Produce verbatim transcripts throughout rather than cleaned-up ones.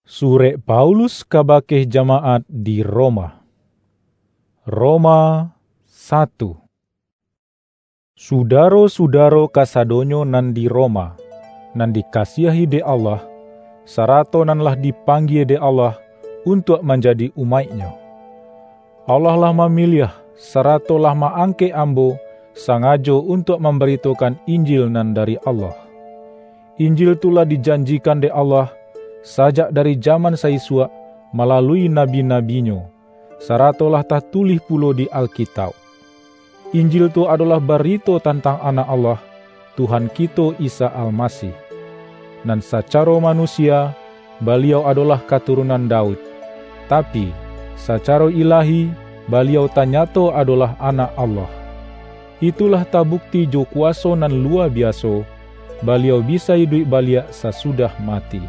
Surek Paulus kabake jamaat di Roma. Roma satu. Sudaro-sudaro kasadonyo nan di Roma, nan dikasiahi dek Allah, sarato nan lah dipanggie dek Allah untuak manjadi umaik-Nyo. Allah lah mamiliah, sarato lah ma-angkek ambo sangajo untuak mambaritokan Injil nan dari Allah. Injil tu lah dijanjikan dek Allah sajak dari jaman saisuak malalui nabi-nabi-Nyo, sarato lah tatulih pulo di Alkitauk. Injil tu adolah barito tantang Anak Allah, Tuhan kito Isa Almasih. Nan sacaro manusia, Baliau adolah katurunan Daud, tapi, sacaro ilahi, Baliau tanyato adolah Anak Allah. Itulah tabukti jo kuwaso nan luwa biaso, Baliau bisa iduik baliak sasudah mati.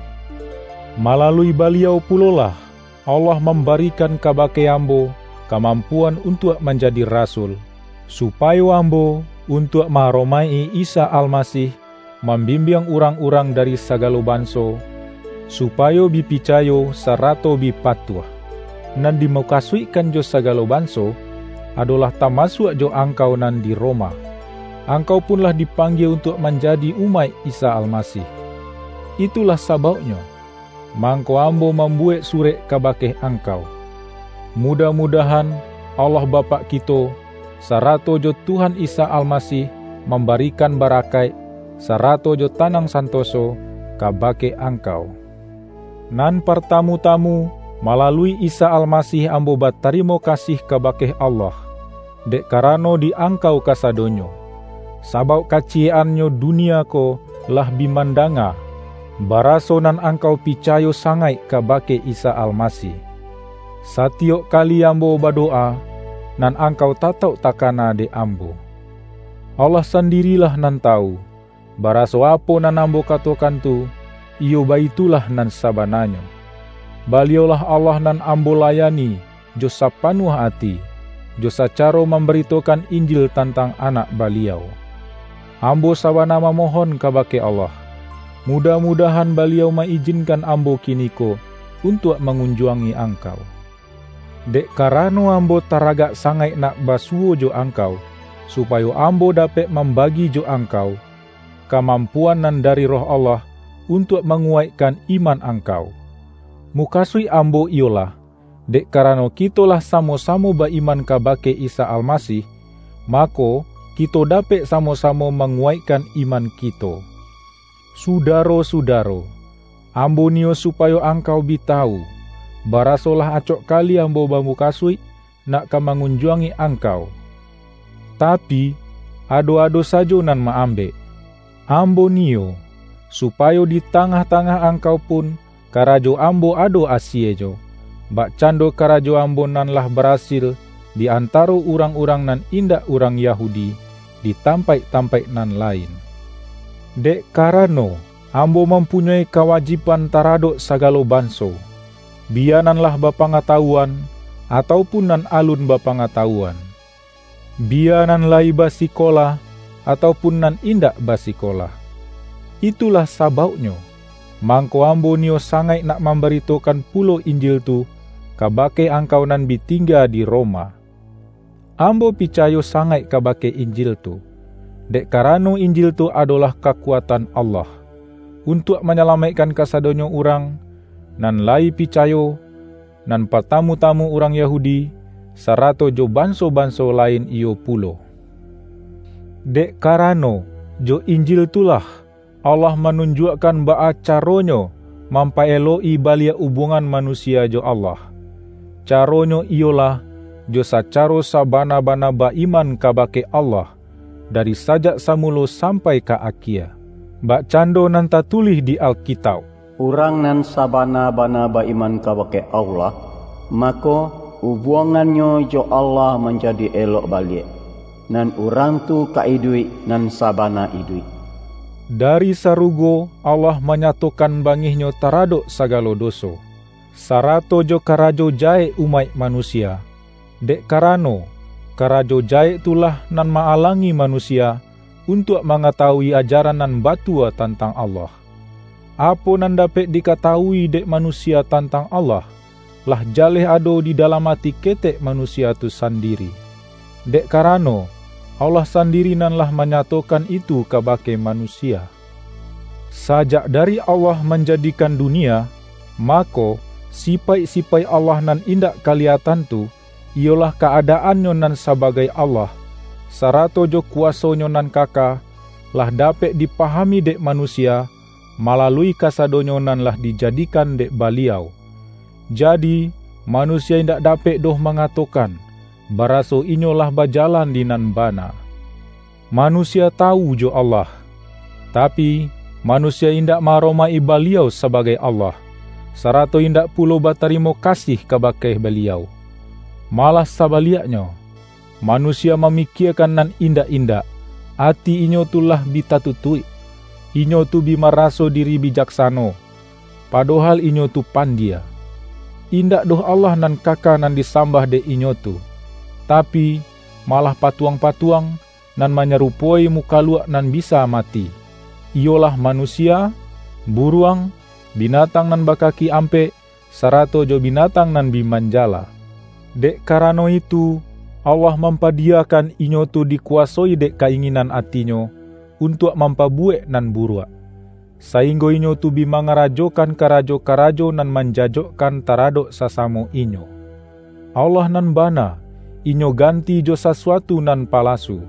Malalui Baliau pulolah, Allah mambarikan kabake ambo kamampuan untuak manjadi rasul, supayo ambo, untuak ma-aromaik-i Isa Almasih, mambimbiang urang-urang dari sagalo banso, supayo bi picayo sarato bi patuah. Nan dimukasuikkan jo sagalo banso, adolah tamasuak jo angkau nan di Roma. Angkau pun lah dipanggie untuak manjadi umaik Isa Almasih. Itulah sabauknyo, mangko ambo mambuwek surek kabake angkau. Mudah-mudahan Allah Bapak kito, sarato jo Tuhan Isa Almasih mambarikan barakaik, sarato jo tanang santoso kabake angkau. Nan partamu-tamu, malalui Isa Almasih ambo batarimo kasih kabake Allah, dek karano di angkau kasadonyo. Sabauk kaciyek-annyo dunia ko lah bi mandanga, baraso nan angkau picayo sangaik kabake Isa Almasih. Satiyok kali ambo badowa, nan angkau tatauk takana dek ambo. Allah sandirilah nan tawu, baraso apo nan ambo katokan tu, iyo baitulah nan sabananyo. Baliaulah Allah nan ambo layani jo sapanuah ati, jo sacaro mambaritokan Injil tantang Anak Baliau. Ambo sabana mamohon kabake Allah, mudah-mudahan Baliau ma-ijinkan ambo kiniko untuak mangunjuangi angkau. Dek karano ambo taragak sangaik nak basuwo jo angkau, supayo ambo dapek mambagi jo angkau, kamampuan nan dari Roh Allah untuak manguwaikkan iman angkau. Mukasuik ambo iyolah, dek karano kito lah samo-samo ba-iman kabake Isa Almasih, mako, kito dapek samo-samo manguwaikkan iman kito. Sudaro-sudaro, ambo niyo supayo angkau bi tawu, baraso lah acok kali ambo bamukasuik nak ka mangunjuangi angkau. Tapi, ado-ado sajo nan ma-ambek. Ambo niyo, supayo di tangah-tangah angkau pun karajo ambo ado asiejo, bakcando karajo ambo nan lah barasil di antaro urang-urang nan indak urang Yahudi di tampaik-tampaik nan lain. Dek karano, ambo mampunyoi kawajiban taradok sagalo banso, biya nan lah bapangatawuan, atau pun nan alun bapangatawuan, biya nan layi basikolah, atau pun nan indak basikolah. Itulah sabauknyo, mangko ambo niyo sangaik nak mambaritokan pulo Injil tu kabake angkau nan bi tingga di Roma. Ambo picayo sangaik kabake Injil tu, dek karano Injil tu adolah kakuatan Allah, untuak manyalamaikkan kasadonyo urang, nan layi picayo, nan patamu-tamu urang Yahudi, sarato jo banso-banso lain iyo pulo. Dek karano, jo Injil tu lah, Allah manunjuakkan baa caronyo mampaelok-i baliak ubuangan manusia jo Allah. Caronyo iyolah, jo sacaro sabana-bana ba-iman kabake Allah, dari sajak samulo sampai ka akie. Bakcando nan tatulih di Alkitauk, "Urang nan sabana-bana ba-iman kabake Allah, mako, ubuangannyo jo Allah manjadi elok baliak, nan urang tu ka iduik nan sabana iduik." Dari sarugo Allah manyatokan bangih-Nyo taradok sagalo doso, sarato jo karajo jahek umaik manusia, dek karano, karajo jahek tu lah nan ma-alangi manusia untuak mangatawui ajaran nan batua tantang Allah. Apo nan dapek dikatawui dek manusia tantang Allah, lah jaleh ado di dalam ati ketek manusia tu sandiri. Dek karano, Allah sandiri nan lah manyatokan itu kabake manusia. Sajak dari Allah manjadikan dunia, mako, sipaik-sipaik Allah nan indak kaliyatan tu, iyolah ka-adaannyo nan sabagai Allah, sarato jo kuwaso-Nyo nan kaka, lah dapek dipahami dek manusia, malalui kasadonyo nan lah dijadikan dek Baliau. Jadi, manusia indak dapek doh mangatokan, baraso inyo lah bajalan di nan bana. Manusia tawu jo Allah, tapi, manusia indak ma-aromaik-i Baliau sabagai Allah, sarato indak pulo batarimo kasih kabake Baliau. Malah sabaliaknyo, manusia mamikiakan nan indak-indak, ati inyo tu lah bi tatutuik, inyo tu bi maraso diri bijaksano, padohal inyo tu pandia. Indak doh Allah nan kaka nan disambah dek inyo tu, tapi, malah patuang-patuang nan manyarupo-i mukaluak nan bisa mati, iyolah manusia, buruang, binatang nan bakaki ampek, sarato jo binatang nan bi manjala. Dek karano itu, Allah mampadiyakan inyo tu dikuwasoi dek ka-inginan atinyo untuak mampabuwek nan buruak, sainggo inyo tu bi mangarajokan karajo-karajo nan manjajokkan taradok sasamo inyo. Allah nan bana, inyo ganti jo sasuatu nan palasu.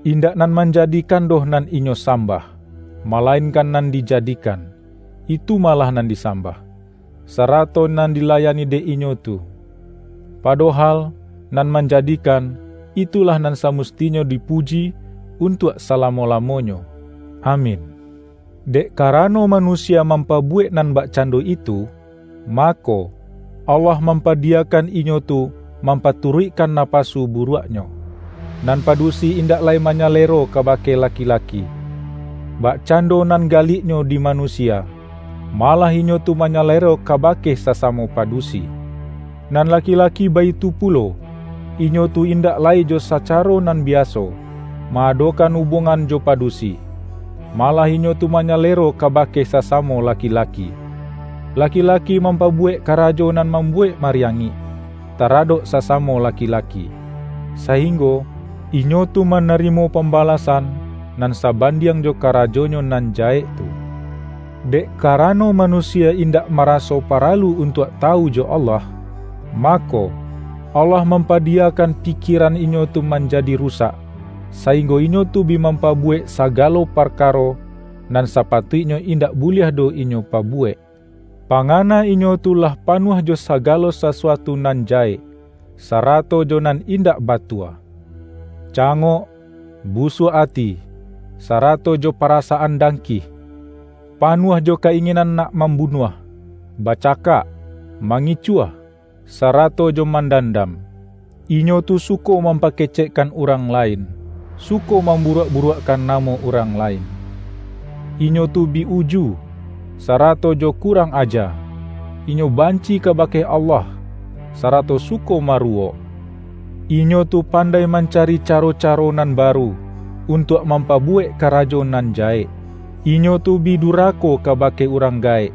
Indak nan manjadikan doh nan inyo sambah, malainkan nan dijadikan, itu malah nan disambah, sarato nan dilayani dek inyo tu. Padohal, nan manjadikan, itulah nan samustinyo dipuji untuak salamo-lamonyo. Amin. Dek karano manusia mampabuwek nan bakcando itu, mako, Allah mampadiyakan inyo tu mampaturuikkan napasu buruaknyo. Nan padusi indak lai manyalero kabake laki-laki, bakcando nan galiknyo di manusia, malah inyo tu manyalero kabake sasamo padusi. Nan laki-laki baitu pulo, inyo tu indak lai jo sacaro nan biaso, ma-adokan ubongan jo padusi, malah inyo tu manyalero kabake sasamo laki-laki. Laki-laki mampabuwek karajo nan mambuwek mariangik, taradok sasamo laki-laki, sainggo inyo tu manarimo pambalasan nan sabandiang jo karajonyo nan jahek tu. Dek karano manusia indak maraso paralu untuak tawu jo Allah, mako, Allah mampadiyakan pikieran inyo tu manjadi rusak, sainggo inyo tu bi mampabuwek sagalo parkaro nan sapatuiknyo indak buliah doh inyo pabuwek. Pangana inyo tu lah panuah jo sagalo sasuatu nan jahek, sarato jo nan indak batua. Cangok, busuak ati, sarato jo parasaan dangkih, panuah jo ka-inginan nak mambunuah, bacakak, mangicuah, sarato jo mandandam. Inyo tu suko mampakecekkan urang lain, suko mamburuak-buruakkan namo urang lain. Inyo tu bi uju, sarato jo kurang aja. Inyo banci kabake Allah, sarato suko maruwok. Inyo tu pandai mancari caro-caro nan baru, untuak mampabuwek karajo nan jahek. Inyo tu bi durako kabake urang gaek,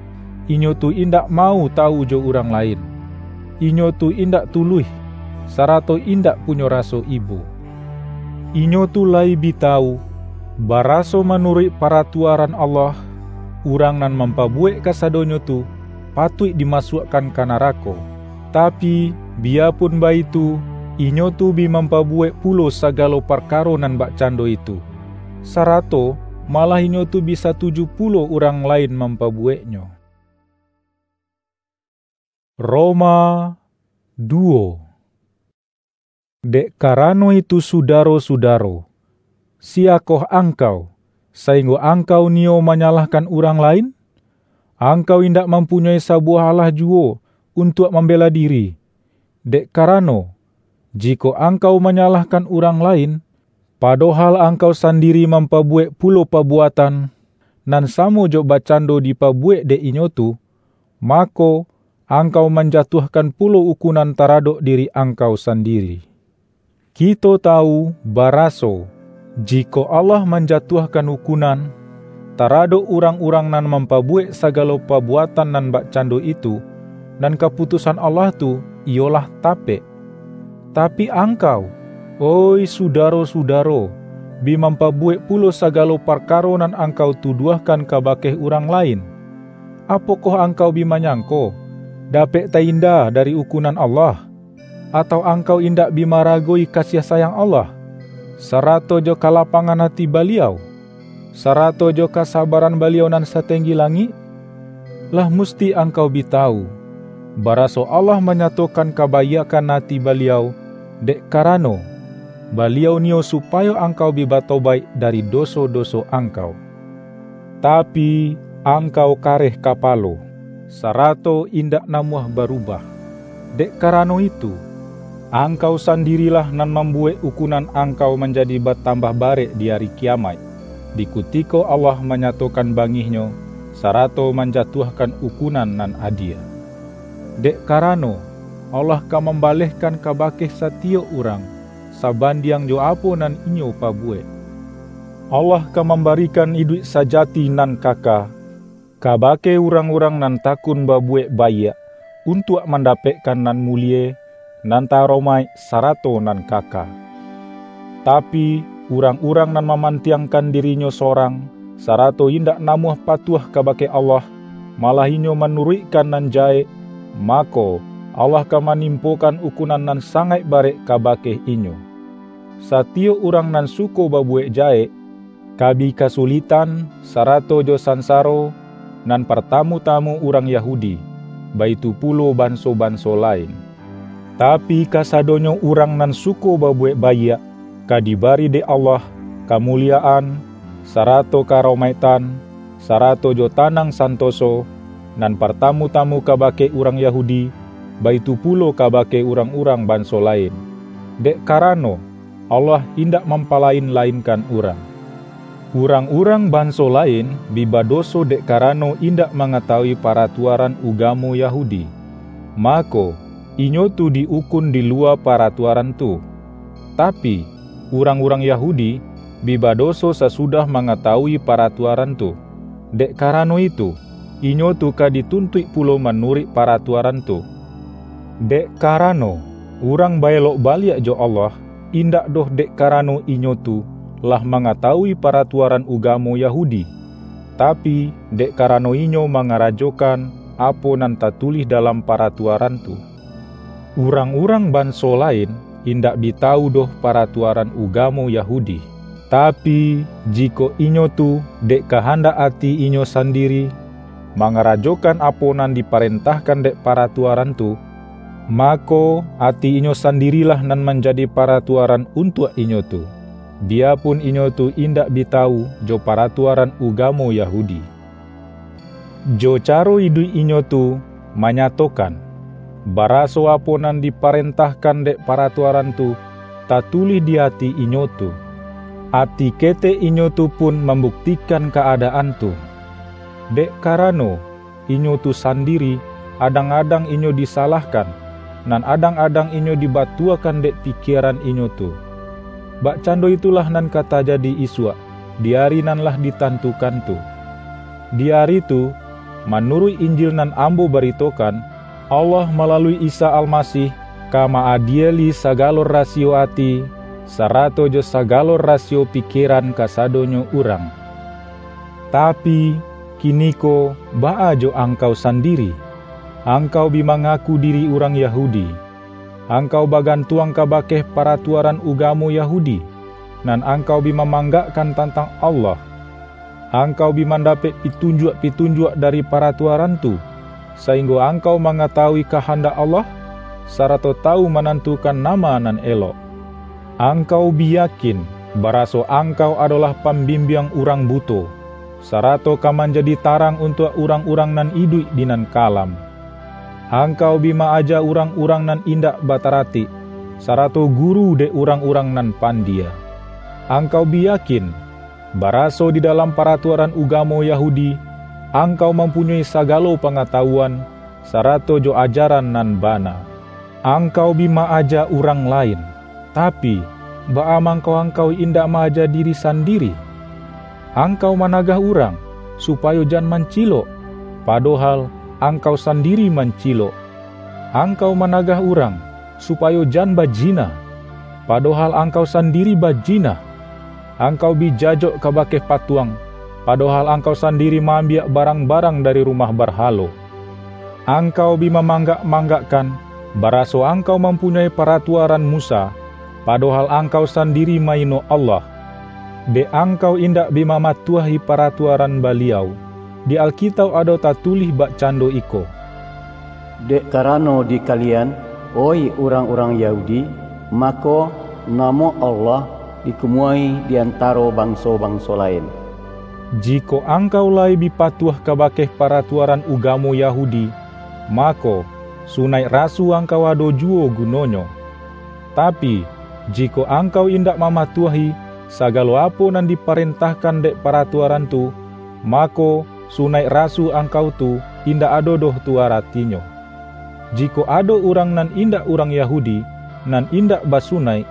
inyo tu indak mau tawu jo urang lain. Inyo tu indak tuluih, sarato indak punyo raso ibo. Inyo tu lai bi tawu, baraso manuruik paratuaran Allah, urang nan mampabuwek kasadonyo tu patuik dimasuakkan ka narako. Tapi, biyapun baitu, inyo tu bi mampabuwek pulo sagalo parkaro nan bakcando itu, sarato malah inyo tu bi satuju pulo urang lain mampabuweknyo. Roma duo. Dek karano itu, sudaro-sudaro, siyakoh angkau, sainggo angkau niyo manyalahkan urang lain? Angkau indak mampunyoi sabuwah alah juwo untuak mambela diri. Dek karano, jikok angkau manyalahkan urang lain, padohal angkau sandiri mampabuwek pulo pabuatan nan samo jo bakcando dipabuwek dek inyo tu, mako, angkau manjatuahkan pulo ukunan taradok diri angkau sandiri. Kito tawu baraso, jikok Allah manjatuahkan ukunan, taradok urang-urang nan mampabuwek sagalo pabuatan nan bakcando itu, nan kaputusan Allah tu iyolah tapek. Tapi angkau, oih sudaro-sudaro, bi mampabuwek pulo sagalo parkaro nan angkau tuduahkan kabake urang lain. Apokoh angkau bi manyangko, dapek tainda dari ukunan Allah? Atau angkau indak bi maragoi kasiah sayang Allah, sarato jo kalapangan ati Baliau, sarato jo kasabaran Baliau nan satenggi langik? Lah musti angkau bi tawu, baraso Allah manyatokan kabaiakkan ati Baliau, dek karano, Baliau niyo supayo angkau bi batobaik dari doso-doso angkau. Tapi, angkau kareh kapalo, sarato indak namuah barubah. Dek karano itu, angkau sandirilah nan mambuwek ukunan angkau manjadi batambah barek di Ari Kiyamaik, di kutiko Allah manyatokan bangih-Nyo, sarato manjatuahkan ukunan nan adie. Dek karano, Allah ka mambalehkan kabake satiyok urang, sabandiang jo apo nan inyo pabuwek. Allah ka mambarikan iduik sajati nan kaka, kabake urang-urang nan takun babuwek baiak, untuak mandapekkan nan mulie, nan taromaik, sarato nan kaka. Tapi, urang-urang nan mamantiangkan dirinyo sorang, sarato indak namuah patuah kabake Allah, malah inyo manuruikkan nan jahek, mako, Allah ka manimpokan ukunan nan sangaik barek kabake inyo. Satiyok urang nan suko babuwek jahek, ka bi kasulitan, sarato jo sansaro, nan partamu-tamu urang Yahudi, baitu pulo banso-banso lain. Tapi, kasadonyo urang nan suko babuwek baiak, ka dibari dek Allah kamuliyaan, sarato karomaiktan, sarato jo tanang santoso, nan partamu-tamu kabake urang Yahudi, baitu pulo kabake urang-urang banso lain. Dek karano, Allah indak mampalain-lainkan urang. Urang-urang banso lain bi badoso dek karano indak mangatawui paratuaran ugamo Yahudi. Mako, inyo tu di-ukun di luwa paratuaran tu. Tapi, urang-urang Yahudi bi badoso sasudah mangatawui paratuaran tu. Dek karano itu, inyo tu ka dituntuik pulo manuruik paratuaran tu. Dek karano, urang baelok baliak jo Allah, indak doh dek karano inyo tu lah mangatawui paratuaran ugamo Yahudi, tapi, dek karano inyo mangarajokan apo nan tatulih dalam paratuaran tu. Urang-urang banso lain indak bi tawu doh paratuaran ugamo Yahudi. Tapi, jikok inyo tu dek kahandak ati inyo sandiri, mangarajokan apo nan diparentahkan dek paratuaran tu, mako, ati inyo sandirilah nan manjadi paratuaran untuak inyo tu, biyapun inyo tu indak bi tawu jo paratuaran ugamo Yahudi. Jo caro iduik inyo tu manyatokan, baraso apo nan diparentahkan dek paratuaran tu tatulih di ati inyo tu. Ati ketek inyo tu pun mambuktikan kaadaan tu. Dek karano, inyo tu sandiri, adang-adang inyo disalahkan, nan adang-adang inyo dibatuakan dek pikieran inyo tu. Bakcando itulah nan ka tajadi isuak, di ari nan lah ditantukan tu. Di ari tu, manuruik Injil nan ambo baritokan, Allah malalui Isa Almasih ka ma-adieli sagalo rasiyo ati, sarato jo sagalo rasiyo pikieran kasadonyo urang. Tapi, kiniko, baa jo angkau sandiri? Angkau bi mangaku diri urang Yahudi. Angkau bagantuang kabake paratuaran ugamo Yahudi, nan angkau bi mamanggakkan tantang Allah. Angkau bi mandapek pitunjuak-pitunjuak dari paratuaran tu, sainggo angkau mangatawui kahandak Allah, sarato tawu manantukan nama nan elok. Angkau bi yakin, baraso angkau adolah pambimbiang urang buto, sarato ka manjadi tarang untuak urang-urang nan iduik di nan kalam. Angkau bi ma-aja urang-urang nan indak bataratik, sarato guru dek urang-urang nan pandie. Angkau bi yakin, baraso di dalam paratuaran ugamo Yahudi, angkau mampunyoi sagalo pangatawuan, sarato jo ajaran nan bana. Angkau bi ma-aja urang lain, tapi, baa mangko angkau indak ma-aja diri sandiri? Angkau managah urang, supayo jan mancilok, padohal angkau sandiri mancilok. Angkau managah urang, supayo jan bajina, padohal angkau sandiri bajina. Angkau bi jajok kabake patuang, padohal angkau sandiri ma-ambiak barang-barang dari rumah barhalo. Angkau bi mamanggak-manggakkan, baraso angkau mampunyoi paratuaran Musa, padohal angkau sandiri ma-ino Allah, dek angkau indak bi mamatuahi paratuaran Baliau. Di Alkitauk ado tatulih bakcando iko, "Dek karano di kalian, oih urang-urang Yahudi, mako, namo Allah dikumuahi di antaro banso-banso lain." Jikok angkau lai bi patuah kabake paratuaran ugamo Yahudi, mako, sunaik rasu angkau ado juwo gunonyo. Tapi, jikok angkau indak mamatuahi sagalo apo nan diparentahkan dek paratuaran tu, mako, sunaik rasu angkau tu indak ado doh tu aratinyo. Jikok ado urang nan indak urang Yahudi, nan indak basunaik,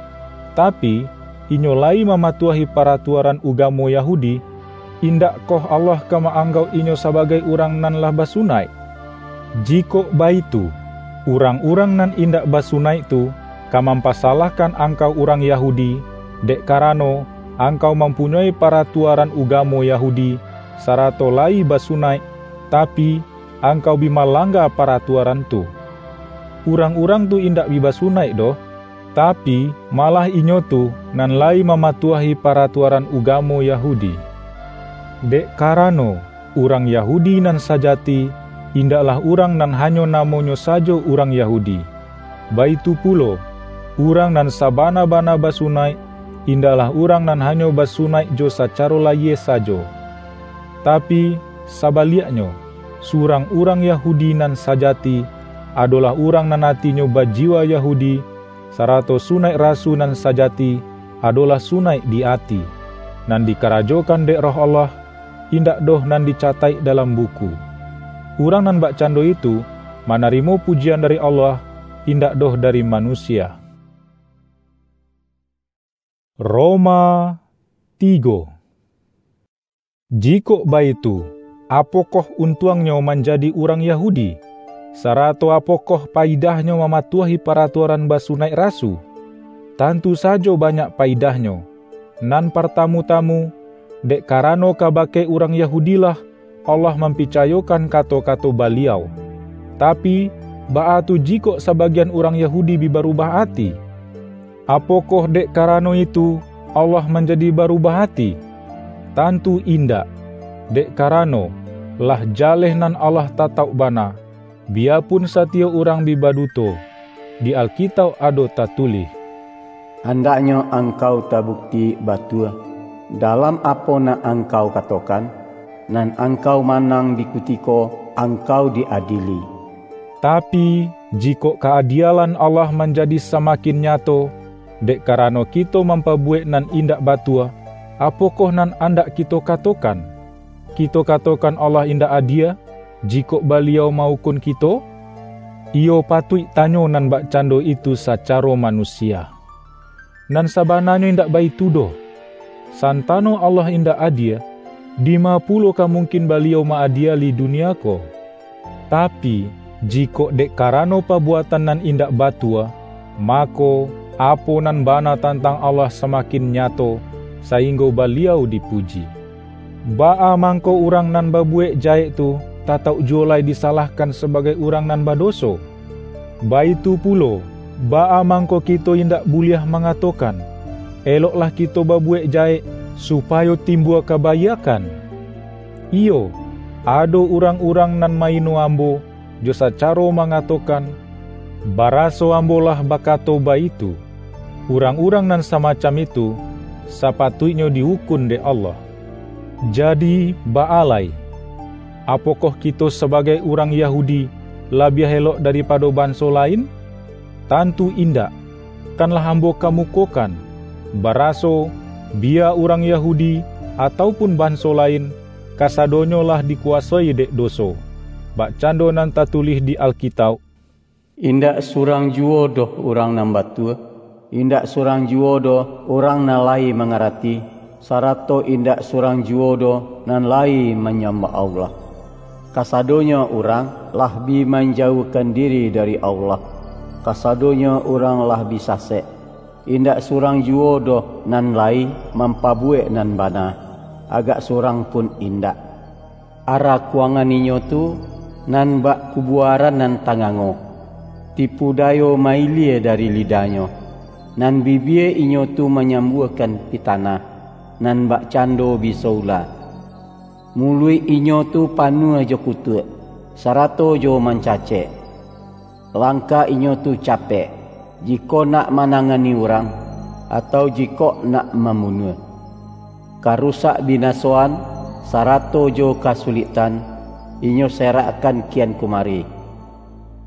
tapi, inyo lai mamatuahi paratuaran ugamo Yahudi, indakkoh Allah ka ma-anggauk inyo sabagai urang nan lah basunaik? Jikok baitu, urang-urang nan indak basunaik tu ka mampasalahkan angkau urang Yahudi, dek karano angkau mampunyoi paratuaran ugamo Yahudi, sarato lai basunaik, tapi, angkau bi malangga paratuaran tu. Urang-urang tu indak bi basunaik doh, tapi, malah inyo tu nan lai mamatuahi paratuaran ugamo Yahudi. Dek karano, urang Yahudi nan sajati, indaklah urang nan hanyo namonyo sajo urang Yahudi. Baitu pulo, urang nan sabana-bana basunaik, indaklah urang nan hanyo basunaik jo sacaro layie sajo. Tapi, sabaliaknyo, surang urang Yahudi nan sajati, adolah urang nan atinyo bajiwa Yahudi, sarato sunaik rasu nan sajati adolah sunaik di ati, nan dikarajokan dek Roh Allah, indak doh nan dicataik dalam buku. Urang nan bakcando itu manarimo pujian dari Allah, indak doh dari manusia. Roma tigo. Jikok baitu, apokoh untuangnyo manjadi urang Yahudi, sarato apokoh paidahnyo mamatuahi paratuaran basunaik rasu? Tantu sajo banyak paidahnyo. Nan partamu-tamu, dek karano kabake urang Yahudilah Allah mampicayokan kato-kato Baliau. Tapi, baa tu jikok sabagian urang Yahudi bi barubah ati? Apokoh dek karano itu Allah manjadi barubah ati? Tantu indak! Dek karano, lah jaleh nan Allah tatauk bana, biyapun satiyok urang bi baduto. Di Alkitauk ado tatulih, "Andaknyo angkau tabukti batua dalam apo nan angkau katokan, nan angkau manang di kutiko angkau di-adili." Tapi, jikok ka-adielan Allah manjadi samakin nyato, dek karano kito mampabuwek nan indak batua, apokoh nan andak kito katokan? Kito katokan Allah indak adie, jikok Baliau ma-ukun kito? Iyo patuik tanyo nan bakcando itu sacaro manusia. Nan sabananyo indak baitu doh. Santano Allah indak adie, dima pulo ka mungkin Baliau ma-adieli dunia ko? Tapi, jikok dek karano pabuatan nan indak batua, mako, apo nan bana tantang Allah samakin nyato, sainggo Baliau dipuji. Baa mangko urang nan babuwek jahek tu tatauk juwo lai disalahkan sabagai urang nan badoso? Baitu pulo, baa mangko kito indak buliah mangatokan, "Eloklah kito babuwek jahek, supayo timbua kabaiakkan"? Iyo, ado urang-urang nan maino ambo, jo sacaro mangatokan, baraso ambo lah bakato baitu. Urang-urang nan samacam itu, sapatuiknyo di-ukun dek Allah. Jadi, baa lai? Apokoh kito sabagai urang Yahudi labiah elok daripado banso lain? Tantu indak! Kan lah ambo kamukokan, baraso, biya urang Yahudi atau pun banso lain, kasadonyo lah dikuwasoi dek doso, bakcando nan tatulih di Alkitauk, "Indak surang juwo doh urang nan batua, indak surang juwo doh urang nan lai mangarati, sarato indak surang juwo doh nan lai manyambah Allah. Kasadonyo urang lah bi manjauahkan diri dari Allah. Kasadonyo urang lah bi sasek. Indak surang juwo doh nan lai mampabuwek nan bana, agak surang pun indak. Arakuangan inyo tu nan bak kubuaran nan tangango, tipu dayo mailie dari lidahnyo, nan bibia inyo tu manyambuahkan pitanah, nan bakcando biso ula. Muluik inyo tu panuah jo kutuak, sarato jo mancacek. Langkah inyo tu capek, jikok nak manangani urang, atau jikok nak mambunuah. Ka rusak binasoan, sarato jo kasuliktan, inyo serakkan kian kumari.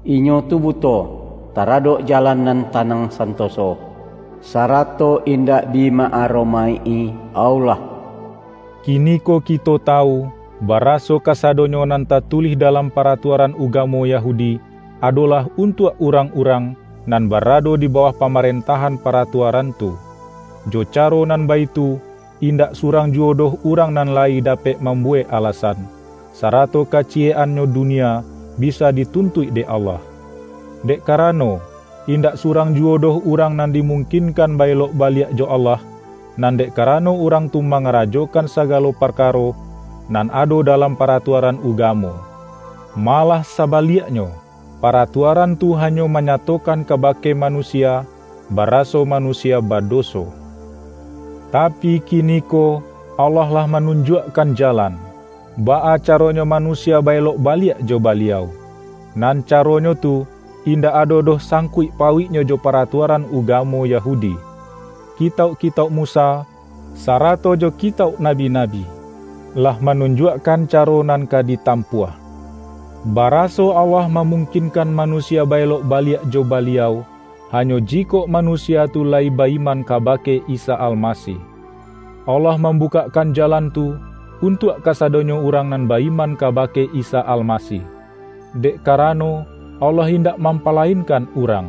Inyo tu buto taradok jalan nan tanang santoso, sarato indak bi ma-aromaik-i Allah. Kiniko kito tawu, baraso kasadonyo nan tatulih dalam paratuaran ugamo Yahudi, adolah untuak urang-urang nan barado di bawah pamarentahan paratuaran tu. Jo caro nan baitu, indak surang juwo doh urang nan lai dapek mambuwek alasan, sarato kaciyek-annyo dunia bisa dituntuik dek Allah. Dek karano, indak surang juwo doh urang nan dimungkinkan ba-elok baliak jo Allah, nan dek karano urang tu mangarajokan sagalo parkaro nan ado dalam paratuaran ugamo. Malah sabaliaknyo, paratuaran tu hanyo manyatokan kabake manusia, baraso manusia badoso. Tapi kiniko Allah lah manunjuakkan jalan, baa caronyo manusia ba-elok baliak jo Baliau. Nan caronyo tu indak ado doh sangkuik pauiknyo jo paratuaran ugamo Yahudi. Kitauk-kitauk Musa, sarato jo kitauk nabi-nabi, lah manunjuakkan caro nan ka ditampuah. Baraso Allah mamungkinkan manusia ba-elok baliak jo Baliau, hanyo jikok manusia tu lai ba-iman kabake Isa Almasih. Allah mambukakkan jalan tu untuak kasadonyo urang nan ba-iman kabake Isa Almasih. Dek karano, Allah indak mampalainkan urang.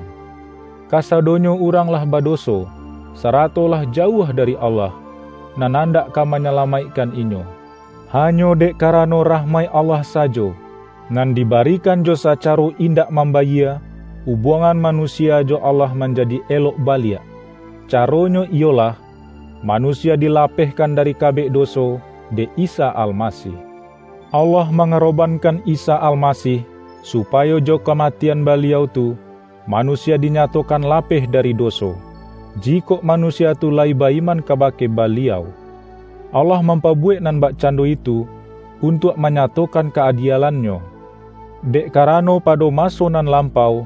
Kasadonyo urang lah badoso, sarato lah jauah dari Allah, nan andak ka manyalamaikkan inyo. Hanyo dek karano rahmaik Allah sajo, nan dibarikan jo sacaro indak mambayia, ubuangan manusia jo Allah manjadi elok baliak. Caronyo iyolah, manusia dilapehkan dari kabek doso dek Isa Almasih. Allah mangarobankan Isa Almasih, supayo jo kamatian Baliau tu, manusia dinyatokan lapeh dari doso, jikok manusia tu lai ba-iman kabake Baliau. Allah mampabuwek nan bakcando itu, untuak manyatokan ka-adielan-Nyo. Dek karano pado maso nan lampau,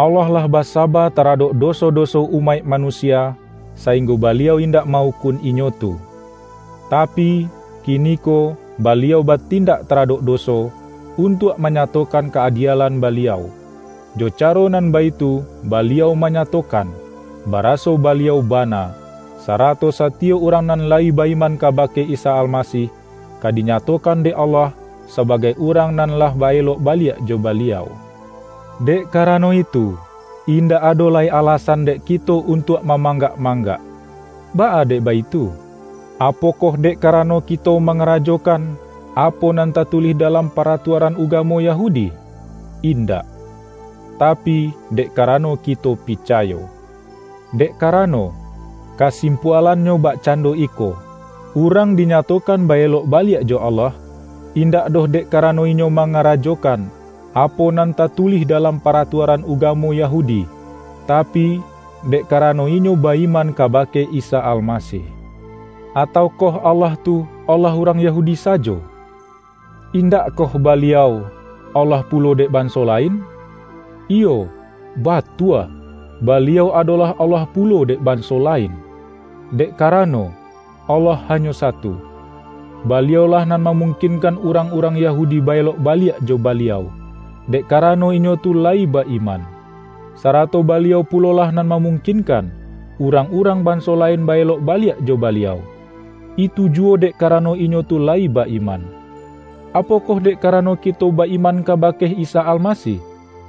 Allah lah basaba taradok doso-doso umaik manusia, sainggo Baliau indak ma-ukun inyo tu. Tapi, kiniko Baliau batindak taradok doso, untuak manyatokan ka-adielan Baliau. Jo caro nan baitu, Baliau manyatokan, baraso Baliau bana, sarato satiyok urang nan layi ba-iman kabake Isa Almasih, ka dinyatokan dek Allah sabagai urang nan lah ba-elok baliak jo Baliau. Dek karano itu, indak ado lai alasan dek kito untuak mamanggak-manggak. Baa dek baitu? Apokoh dek karano kito mangarajokan apo nan tatulih dalam paratuaran ugamo Yahudi? Indak! Tapi, dek karano kito picayo. Dek karano, kasimpualannyo bakcando iko: urang dinyatokan ba-elok baliak jo Allah, indak doh dek karano inyo mangarajokan apo nan tatulih dalam paratuaran ugamo Yahudi, tapi, dek karano inyo ba-iman kabake Isa Almasih. Ataukoh Allah tu Allah urang Yahudi sajo? Indakkoh Baliau Allah pulo dek banso lain? Iyo, batua, Baliau adolah Allah pulo dek banso lain. Dek karano, Allah hanyo satu. Baliau-lah nan mamungkinkan urang-urang Yahudi ba-elok baliak jo Baliau, dek karano inyo tu layi ba-iman. Sarato Baliau pulolah nan mamungkinkan urang-urang banso lain ba-elok baliak jo Baliau, itu juwo dek karano inyo tu layi ba-iman. Apokoh dek karano kito ba-iman kabake Isa Almasih,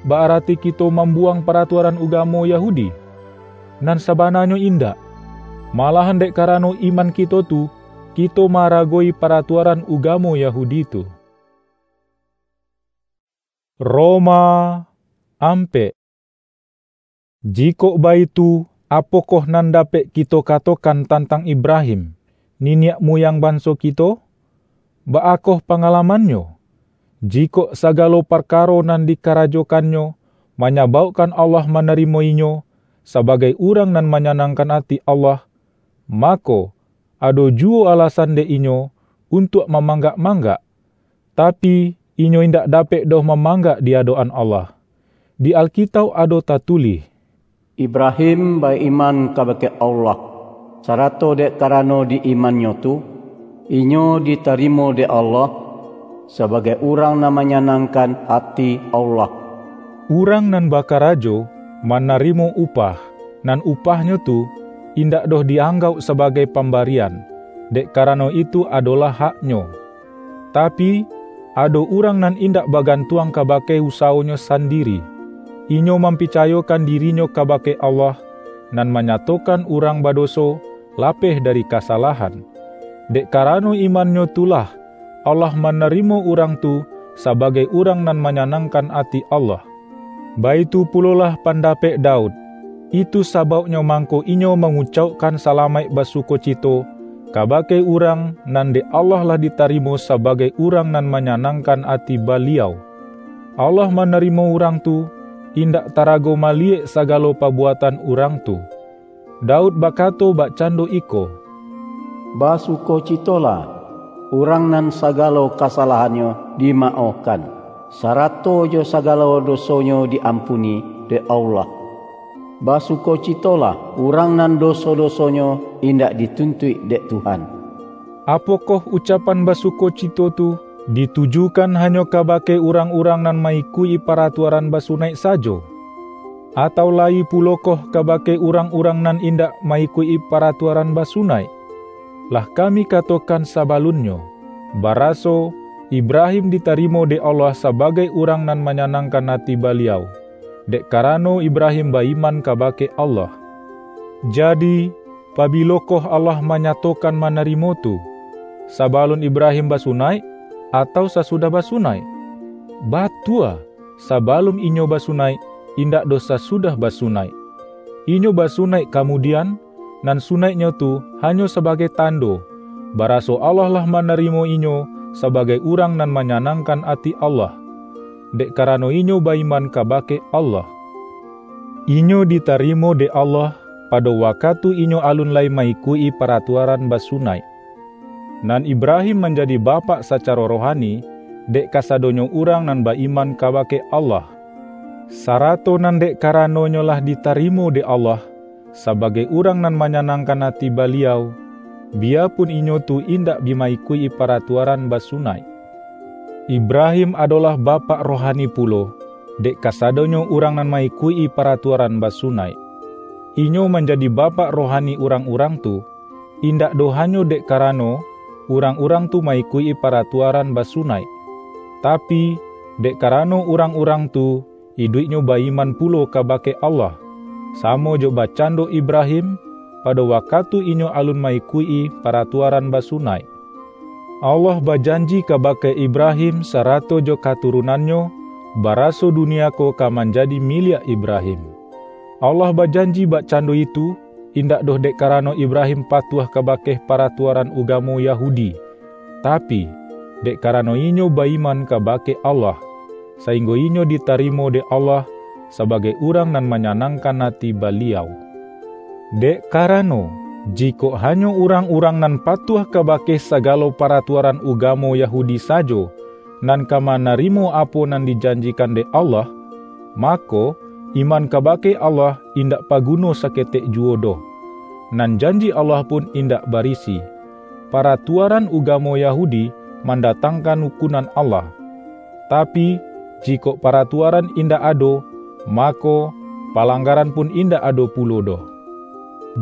ba-arati kito mambuwang paratuaran ugamo Yahudi? Nan sabananyo indak! Malahan dek karano iman kito tu, kito maaragoi paratuaran ugamo Yahudi tu. Roma ampek. Jikok baitu, apokoh nan dapek kito katokan tantang Ibrahim, niniak muyang banso kito? Baakoh pangalamannyo? Jikok sagalo parkaro nan dikarajokannyo manyabaukkan Allah manarimo inyo sabagai urang nan manyanangkan ati Allah, mako, ado juwo alasan dek inyo untuak mamanggak-manggak, tapi, inyo indak dapek doh mamanggak di adok-an Allah. Di Alkitauk ado tatulih, Ibrahim ba-iman kabake Allah, sarato dek karano di imannyo tu, inyo ditarimo dek Allah sabagai urang nan manyanangkan ati Allah. Urang nan bakarajo manarimo upah, nan upahnyo tu indak doh di-anggauk sabagai pambarian, dek karano itu adolah haknyo. Tapi, ado urang nan indak bagantuang kabake usawonyo sandiri. Inyo mampicayokan dirinyo kabake Allah, nan manyatokan urang badoso lapeh dari kasalahan. Dek karano imannyo tu lah, Allah manarimo urang tu sabagai urang nan manyanangkan ati Allah. Baitu pulolah pandapek Daud. Itu sabauknyo mangko inyo mangucaukkan salamaik basukocito kabake urang nan dek Allah lah ditarimo sabagai urang nan manyanangkan ati Baliau. Allah manarimo urang tu, indak tarago maliyek sagalo pabuatan urang tu. Daud bakato bakcando iko, "Basukocitolah, urang nan sagalo kasalahannyo dimaohkan, sarato jo sagalo dosonyo diampuni dek Allah. Basukocitolah, urang nan doso-dosonyo indak dituntuik dek Tuhan." Apokoh ucapan basukocito tu ditujukan hanyo kabake urang-urang nan ma-ikuik-i paratuaran basunaik sajo? Atau layi pulokoh kabake urang-urang nan indak ma-ikuik-i paratuaran basunaik? Lah kami katokan sabalunnyo, baraso Ibrahim ditarimo dek Allah sabagai urang nan manyanangkan ati Baliau, dek karano Ibrahim ba-iman kabake Allah. Jadi, pabilokoh Allah manyatokan manarimo tu? Sabalun Ibrahim basunaik, atau sasudah basunaik? Batua, sabalun inyo basunaik, indak doh sasudah basunaik. Inyo basunaik kamudian, nan sunaiknyo tu hanyo sabagai tando, baraso Allah lah manarimo inyo sabagai urang nan manyanangkan ati Allah, dek karano inyo ba-iman kabake Allah. Inyo ditarimo dek Allah pado wakatu inyo alun lai ma-ikuik-i paratuaran basunaik. Nan Ibrahim manjadi bapak sacaro rohani, dek kasadonyo urang nan ba-iman kabake Allah. Sarato nan dek karanonyo lah ditarimo dek Allah, sabagai urang nan manyanangkan ati Baliau, biyapun inyo tu indak bi ma-ikuik-i paratuaran basunaik. Ibrahim adolah bapak rohani pulo, dek kasadonyo urang nan ma-ikuik-i paratuaran basunaik. Inyo manjadi bapak rohani urang-urang tu, indak doh hanyo dek karano urang-urang tu ma-ikuik-i paratuaran basunaik, tapi, dek karano urang-urang tu iduiknyo ba-iman pulo kabake Allah, samo jo bakcando Ibrahim, pado wakatu inyo alun ma-ikuik-i paratuaran basunaik. Allah bajanji kabake Ibrahim sarato jo katurunannyo, baraso dunia ko ka manjadi miliak Ibrahim. Allah bajanji bakcando itu, indak doh dek karano Ibrahim patuah kabake paratuaran ugamo Yahudi, tapi, dek karano inyo ba-iman kabake Allah, sainggo inyo ditarimo dek Allah sabagai urang nan manyanangkan ati Baliau. Dek karano, jikok hanyo urang-urang nan patuah kabake sagalo paratuaran ugamo Yahudi sajo, nan ka manarimo apo nan dijanjikan dek Allah, mako, iman kabake Allah indak paguno saketek juwo doh. Nan janji Allah pun indak barisi. Paratuaran ugamo Yahudi mandatangkan ukunan Allah. Tapi, jikok paratuaran indak ado, mako, palanggaran pun indak ado pulo doh.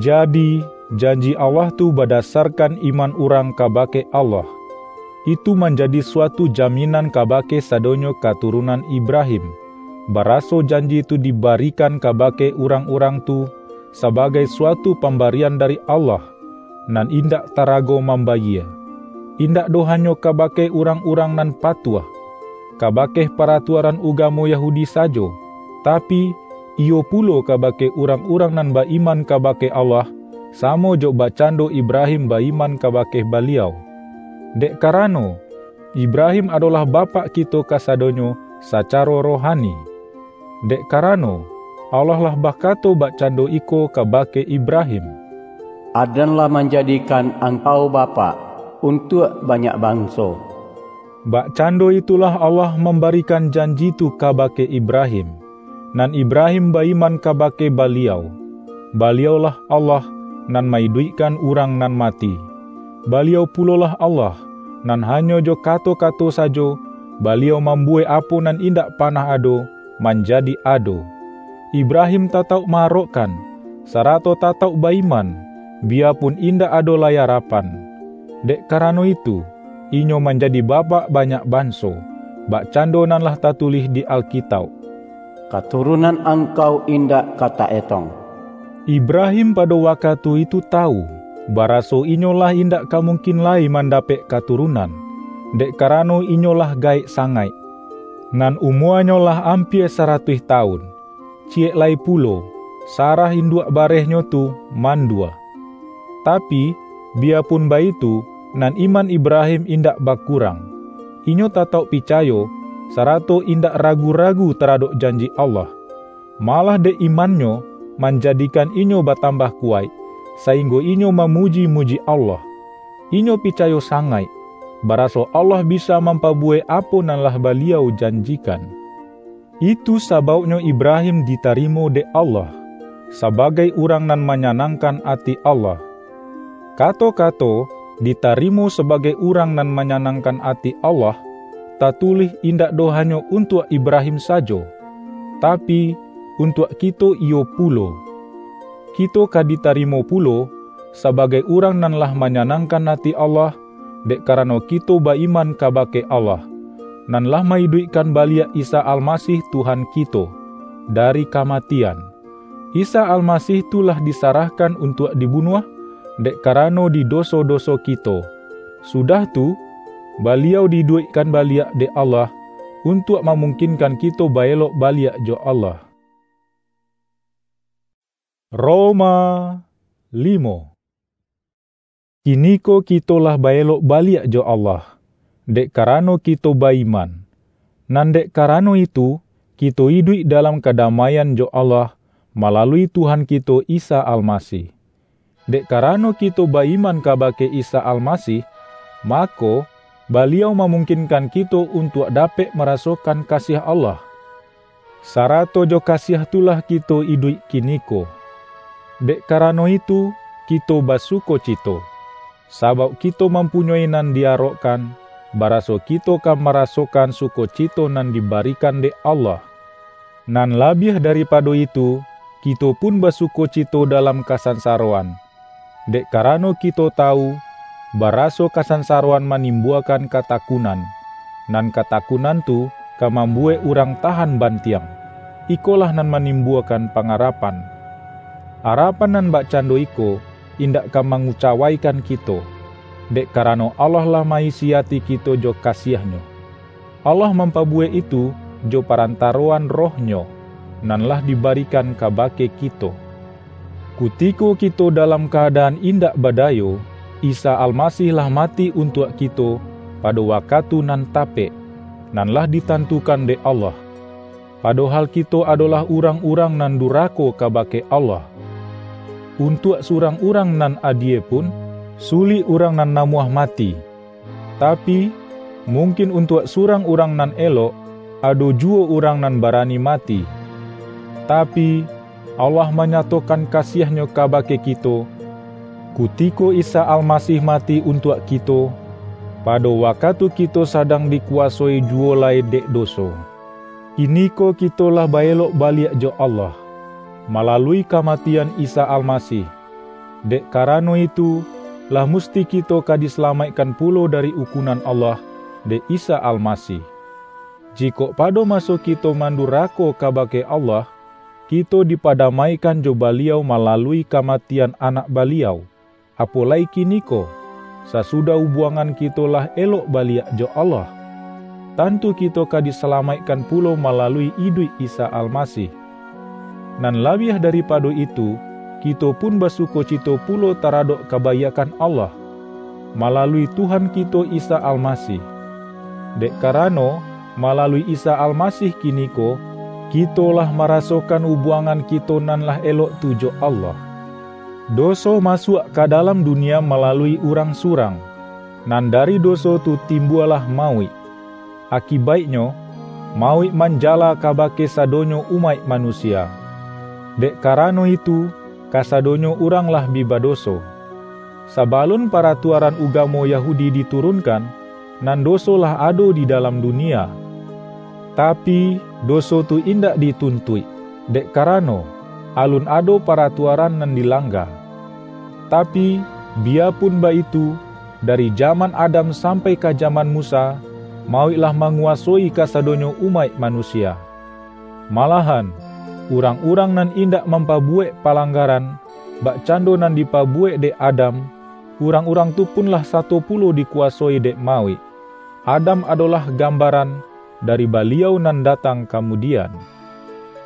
Jadi, janji Allah tu badasarkan iman urang kabake Allah. Itu manjadi suatu jaminan kabake sadonyo katurunan Ibrahim, baraso janji tu dibarikan kabake urang-urang tu, sabagai suatu pambarian dari Allah, nan indak tarago mambayie, indak doh hanyo kabake urang-urang nan patuah kabake paratuaran ugamo Yahudi sajo, tapi, iyo pulo kabake urang-urang nan ba-iman kabake Allah, samo jo bakcando Ibrahim ba-iman kabake Baliau. Dek karano, Ibrahim adolah bapak kito kasadonyo sacaro rohani. Dek karano, Allah lah bakato bakcando iko kabake Ibrahim, "Aden lah manjadikan angkau bapak untuak banyak banso." Bakcando itulah Allah mambarikan janji tu kabake Ibrahim, nan Ibrahim ba-iman kabake Baliau. Baliaulah Allah nan maiduikkan urang nan mati. Baliau pulolah Allah, nan hanyo jo kato-kato sajo, Baliau mambuwek apo nan indak panah ado, manjadi ado. Ibrahim tatauk ma-arokkan, sarato tatauk ba-iman, biyapun indak ado lai arapan. Dek karano itu, inyo manjadi bapak banyak banso, bakcando nan lah tatulih di Alkitauk, "Katurunan angkau indak ka taetong." Ibrahim pado wakatu itu tawu, baraso inyo lah indak ka mungkin lai mandapek katurunan, dek karano inyo lah gaek sangaik. Nan umuanyo lah ampia saratuih tawun. Ciyek lai pulo, Sarah induak barehnyo tu mandua. Tapi, biyapun baitu, nan iman Ibrahim indak bakurang. Inyo tatauk picayo, sarato indak ragu-ragu taradok janji Allah. Malah dek imannyo, manjadikan inyo batambah kuwaik, sainggo inyo mamuji-muji Allah. Inyo picayo sangaik, baraso Allah bisa mampabuwek apo nan lah Baliau janjikan. Itu sabauknyo Ibrahim ditarimo dek Allah, sabagai urang nan manyanangkan ati Allah. Kato-kato "ditarimo sabagai urang nan manyanangkan ati Allah", tatulih indak doh hanyo untuak Ibrahim sajo, tapi, untuak kito iyo pulo. Kito ka ditarimo pulo, sabagai urang nan lah manyanangkan ati Allah, dek karano kito ba-iman kabake Allah, nan lah maiduikkan baliak Isa Almasih Tuhan kito, dari kamatian. Isa Almasih tu lah disarahkan untuak dibunuah, dek karano di doso-doso kito. Sudah tu, Baliau diiduikkan baliak dek Allah, untuak mamungkinkan kito baelok baliak jo Allah. Roma limo. Kiniko kito lah baelok baliak jo Allah, dek karano kito ba-iman. Nan dek karano itu, kito iduik dalam kadamaian jo Allah, malalui Tuhan kito Isa Almasih. Dek karano kito ba-iman kabake Isa Almasih, mako, Baliau mamungkinkan kito untuak dapek marasokan kasiah Allah. Sarato jo kasiah tu lah kito iduik kiniko. Dek karano itu, kito basukocito, sabauk kito mampunyoi nan di-arokkan, baraso kito ka marasokan sukocito nan dibarikan dek Allah. Nan labiah daripado itu, kito pun basukocito dalam kasansaroan, dek karano kito tawu, baraso kasansaroan manimbuakan katakunan, nan katakunan tu ka mambuwek urang tahan bantiang. Ikolah nan manimbuakan pangarapan. Arapan nan bakcando iko indak ka mangucawaikan kito, dek karano Allah lah ma-isi ati kito jo kasiah-Nyo. Allah mampabuwek itu jo parantaroan Roh-Nyo, nan lah dibarikan kabake kito. Kutiko kito dalam kaadaan indak badayo, Isa Almasih lah mati untuak kito pado wakatu nan tapek, nan lah ditantukan dek Allah. Padohal kito adolah urang-urang nan durako kabake Allah. Untuak surang urang nan adie pun, sulik urang nan namuah mati. Tapi, mungkin untuak surang urang nan elok, ado juwo urang nan barani mati. Tapi, Allah manyatokan kasiah-Nyo kabake kito, kutiko Isa Almasih mati untuak kito, pado wakatu kito sadang dikuwasoi juwo lai dek doso. Kiniko kito lah baelok baliak jo Allah, malalui kamatian Isa Almasih. Dek karano itu, lah musti kito ka disalamaikkan pulo dari ukunan Allah dek Isa Almasih. Jikok pado maso kito mandurako kabake Allah, Kito dipadamaikan jo Baliau malalui kamatian Anak Baliau, apo lai kiniko, sasudah ubuangan kito lah elok baliak jo Allah. Tantu kito ka disalamaikkan pulo malalui iduik Isa Almasih. Nan labiah daripado itu, kito pun basukocito pulo taradok kabaiakkan Allah, malalui Tuhan kito Isa Almasih. Dek karano, malalui Isa Almasih kiniko, kito lah marasokan ubuangan kito nan lah elok tu jo Allah. Doso masuak ka dalam dunia malalui urang surang, nan dari doso tu timbualah mauik. Akibaiknyo, mauik manjala kabake sadonyo umaik manusia. Dek karano itu, kasadonyo urang lah bi badoso. Sabalun paratuaran ugamo Yahudi diturunkan, nan doso lah ado di dalam dunia. Tapi, doso tu indak dituntuik, dek karano, alun ado paratuaran nan dilangga. Tapi, biyapun baitu, dari jaman Adam sampai ka jaman Musa, mauik lah manguwasoi kasadonyo umaik manusia. Malahan, urang-urang nan indak mampabuwek palanggaran, bakcando nan dipabuwek dek Adam, urang-urang tu pun lah sato pulo dikuwasoi dek mauik. Adam adolah gambaran dari Baliau nan datang kamudian.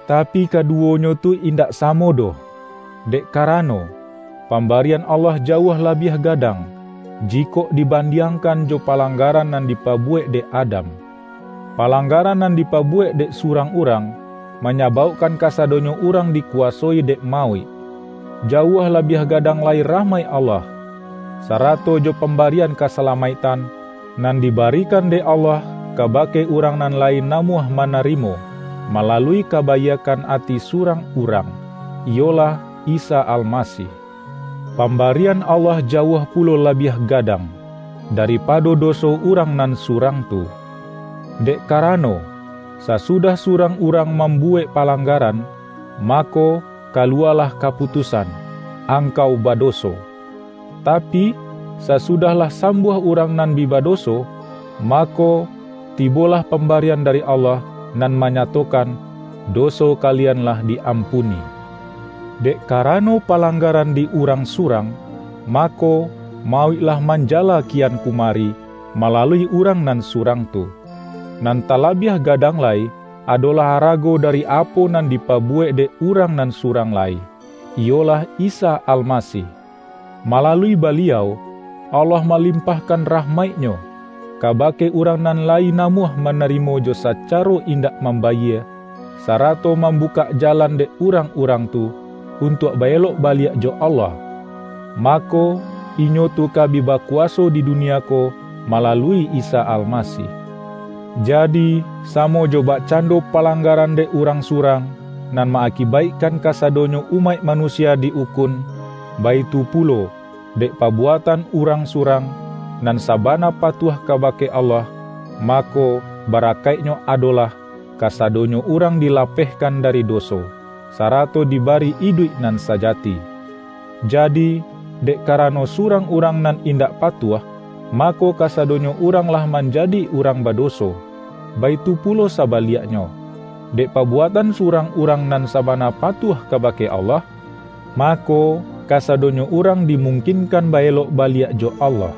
Tapi, kaduwonyo tu indak samo doh, dek karano, pambarian Allah jauah labiah gadang, jikok dibandiangkan jo palanggaran nan dipabuwek dek Adam. Palanggaran nan dipabuwek dek surang urang, manyabaukkan kasadonyo urang dikuwasoi dek mauik. Jauah labiah gadang lai rahmaik Allah, sarato jo pambarian kasalamaiktan, nan dibarikan dek Allah kabake urang nan lai namuah manarimo, malalui kabaiakkan ati surang urang, iyolah Isa Almasih. Pambarian Allah jauah pulo labiah gadang daripado doso urang nan surang tu. Dek karano, sasudah surang urang mambuwek palanggaran, mako, kaluwalah kaputusan, "Angkau badoso." Tapi, sasudahlah sambuah urang nan bi badoso, mako, tibolah pambarian dari Allah nan manyatokan, doso kalian lah di-ampuni. Dek karano palanggaran di urang surang, mako, mauiklah manjala kian kumari malalui urang nan surang tu. Nan talabiah gadang lai, adolah arago dari apo nan dipabuwek dek urang nan surang lai, iyolah Isa Almasih. Malalui Baliau, Allah malimpahkan rahmaik-Nyo kabake urang nan lai namuah manarimo jo sacaro indak mambayie, sarato mambukak jalan dek urang-urang tu untuak ba-elok baliak jo Allah. Mako, inyo tu ka bi bakuwaso di dunia ko malalui Isa Almasih. Jadi, samo jo bakcando palanggaran dek urang surang, nan maakibaikkan kasadonyo umaik manusia di-ukun, baitu pulo, dek pabuatan urang surang, nan sabana patuah kabake Allah, mako, barakaiknyo adolah, kasadonyo urang dilapehkan dari doso, sarato dibari iduik nan sajati. Jadi, dek karano surang urang nan indak patuah, mako, kasadonyo urang lah manjadi urang badoso. Baitu pulo sabaliaknyo, dek pabuatan surang urang nan sabana patuah kabake Allah, mako, kasadonyo urang dimungkinkan ba-elok baliak jo Allah.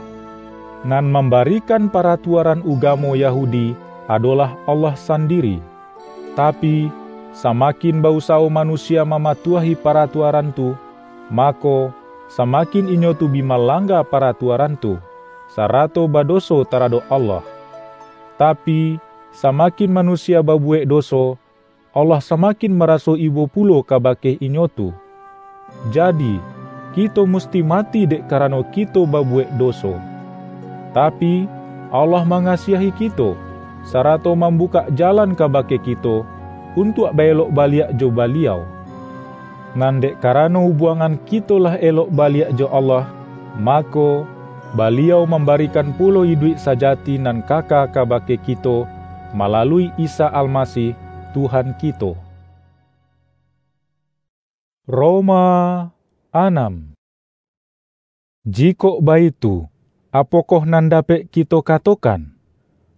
Nan mambarikan paratuaran ugamo Yahudi adolah Allah sandiri. Tapi, samakin ba-usawo manusia mamatuahi paratuaran tu, mako, samakin inyo tu bi malangga paratuaran tu, sarato badoso taradok Allah. Tapi, samakin manusia babuwek doso, Allah samakin maraso ibo pulo kabake inyo tu. Jadi, kito musti mati dek karano kito babuwek doso. Tapi, Allah mangasiahi kito, sarato mambukak jalan kabake kito untuak ba-elok baliak jo Baliau. Nan dek karano ubuangan kito lah elok baliak jo Allah, mako, Baliau mambarikan pulo iduik sajati nan kaka kabake kito malalui Isa Almasih, Tuhan kito. Roma anam. Jikok baitu, apokoh nan dapek kito katokan?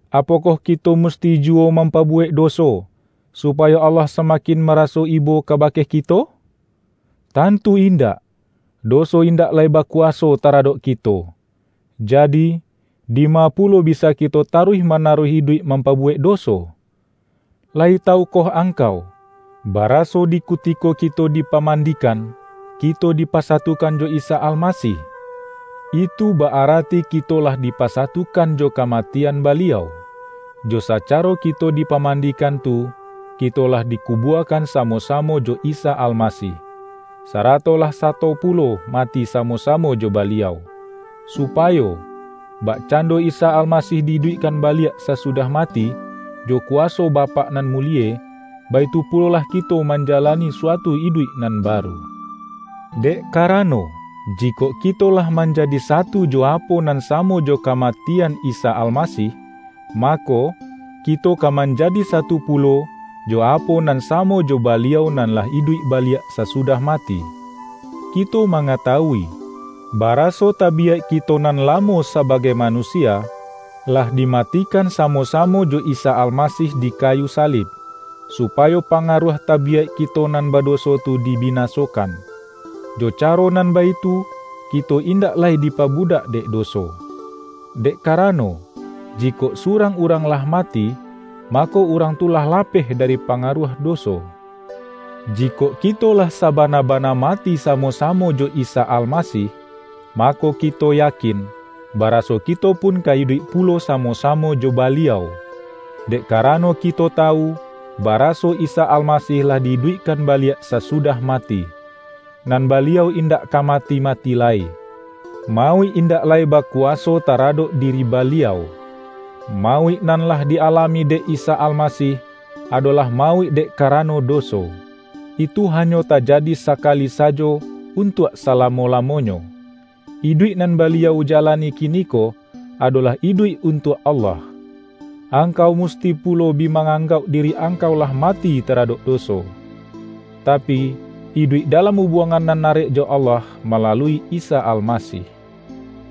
Apokoh kito musti juwo mampabuwek doso, supayo Allah samakin maraso ibo kabake kito? Tantu indak! Doso indak lai bakuwaso taradok kito. Jadi, dima pulo bisa kito taruih-manaruih iduik mampabuwek doso? Lai tawukoh angkau, baraso di kutiko kito dipamandikan, kito dipasatukan jo Isa Almasih? Itu ba-arati kito lah dipasatukan jo kamatian Baliau. Jo sacaro kito dipamandikan tu, kito lah dikubuakan samo-samo jo Isa Almasih, sarato lah sato pulo mati samo-samo jo Baliau, supayo, bakcando Isa Almasih di-iduikkan baliak sasudah mati, jo kuwaso Bapak nan mulie, baitu pulolah kito manjalani suatu iduik nan baru. Dek karano, jikok kito lah manjadi satu jo apo nan samo jo kamatian Isa Almasih, mako, kito ka manjadi satu pulo jo apo nan samo jo Baliau nan lah iduik baliak sasudah mati. Kito mangatawui, baraso tabiyaik kito nan lamo sabagai manusia, lah dimatikan samo-samo jo Isa Almasih di kayu salib, supayo pangaruah tabiyaik kito nan badoso tu dibinasokan, jo caro nan baitu, kito indak lai dipabudak dek doso. Dek karano, jikok surang urang lah mati, mako, urang tu lah lapeh dari pangaruah doso. Jikok kito lah sabana-bana mati samo-samo jo Isa Almasih, mako, kito yakin, baraso kito pun ka iduik pulo samo-samo jo Baliau. Dek karano kito tawu, baraso Isa Almasih lah di-iduikkan baliak sasudah mati. Nan Baliau indak ka mati-mati lai. Mauik indak lai bakuwaso taradok diri Baliau. Mauik nan lah di-alami dek Isa Almasih, adolah mauik dek karano doso. Itu hanyo tajadi sakali sajo untuak salamo-lamonyo. Iduik nan Baliau jalani kiniko adolah iduik untuak Allah. Angkau musti pulo bi manganggauk diri angkau lah mati taradok doso, tapi, iduik dalam ubuangan nan arek jo Allah malalui Isa Almasih.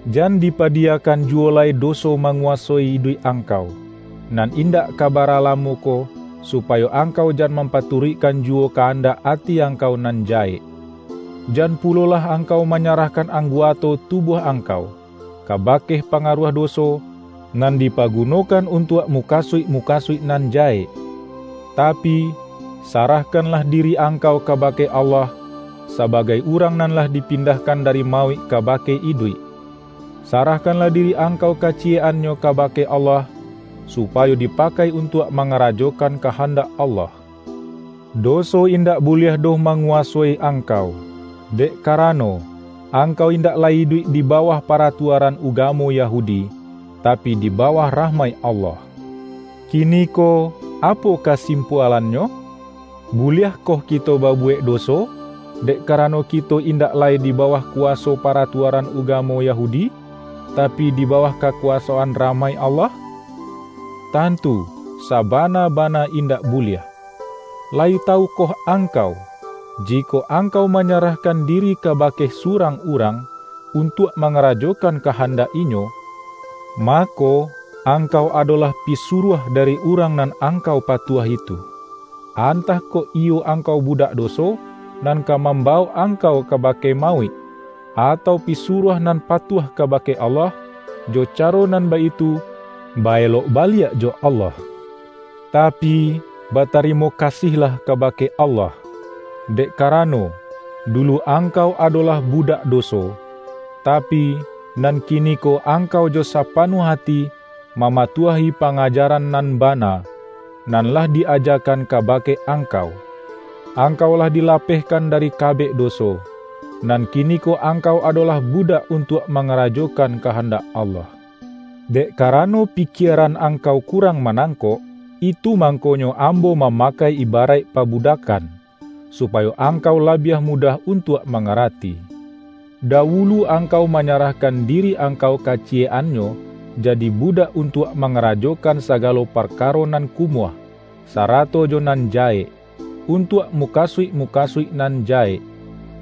Jan dipadiyakan juwo lai doso manguwasoi iduik angkau, nan indak ka bara lamo ko, supayo angkau jan mampaturuikkan juwo kahandak ati angkau nan jahek. Jan pulolah angkau manyarahkan angguato tubuah angkau, kabake pangaruah doso, nan dipagunokan untuak mukasuik-mukasuik nan jahek. Tapi, sarahkanlah diri angkau kabake Allah, sabagai urang nan lah dipindahkan dari mauik kabake iduik. Sarahkanlah diri angkau kaciyek-annyo kabake Allah, supayo dipakai untuak mangarajokan kahandak Allah. Doso indak buliah doh manguwasoi angkau, dek karano, angkau indak lai iduik di bawah paratuaran ugamo Yahudi, tapi, di bawah rahmaik Allah. Kiniko, apo kasimpualannyo? Buliahkoh kito babuwek doso, dek karano kito indak lai di bawah kuwaso paratuaran ugamo Yahudi, tapi, di bawah kakuwasoan rahmaik Allah? Tantu, sabana-bana indak buliah! Layi tawukoh angkau, jikok angkau manyarahkan diri kabake surang urang, untuak mangarajokan kahandak inyo, mako, angkau adolah pisuruah dari urang nan angkau patuahi tu. Antah kok iyo angkau budak doso, nan ka mambawok angkau kabake mauik, atau pisuruah nan patuah kabake Allah, jo caro nan baitu, ba-elok baliak jo Allah. Tapi, batarimo kasihlah kabake Allah, dek karano, dulu angkau adolah budak doso, tapi, nan kiniko angkau jo sapanuah ati mamatuahi pangajaran nan bana, nan lah di-ajakan kabake angkau. Angkau lah dilapehkan dari kabek doso, nan kiniko angkau adolah budak untuak mangarajokan kahandak Allah. Dek karano pikieran angkau kurang manangkok, itu mangkonyo ambo mamakai ibaraik pabudakan, supayo angkau labiah mudah untuak mangarati. Dawulu angkau manyarahkan diri angkau kaciyek-annyo, jadi budak untuak mangarajokan sagalo parkaro nan kumuah, sarato jo nan jahek, untuak mukasuik-mukasuik nan jahek,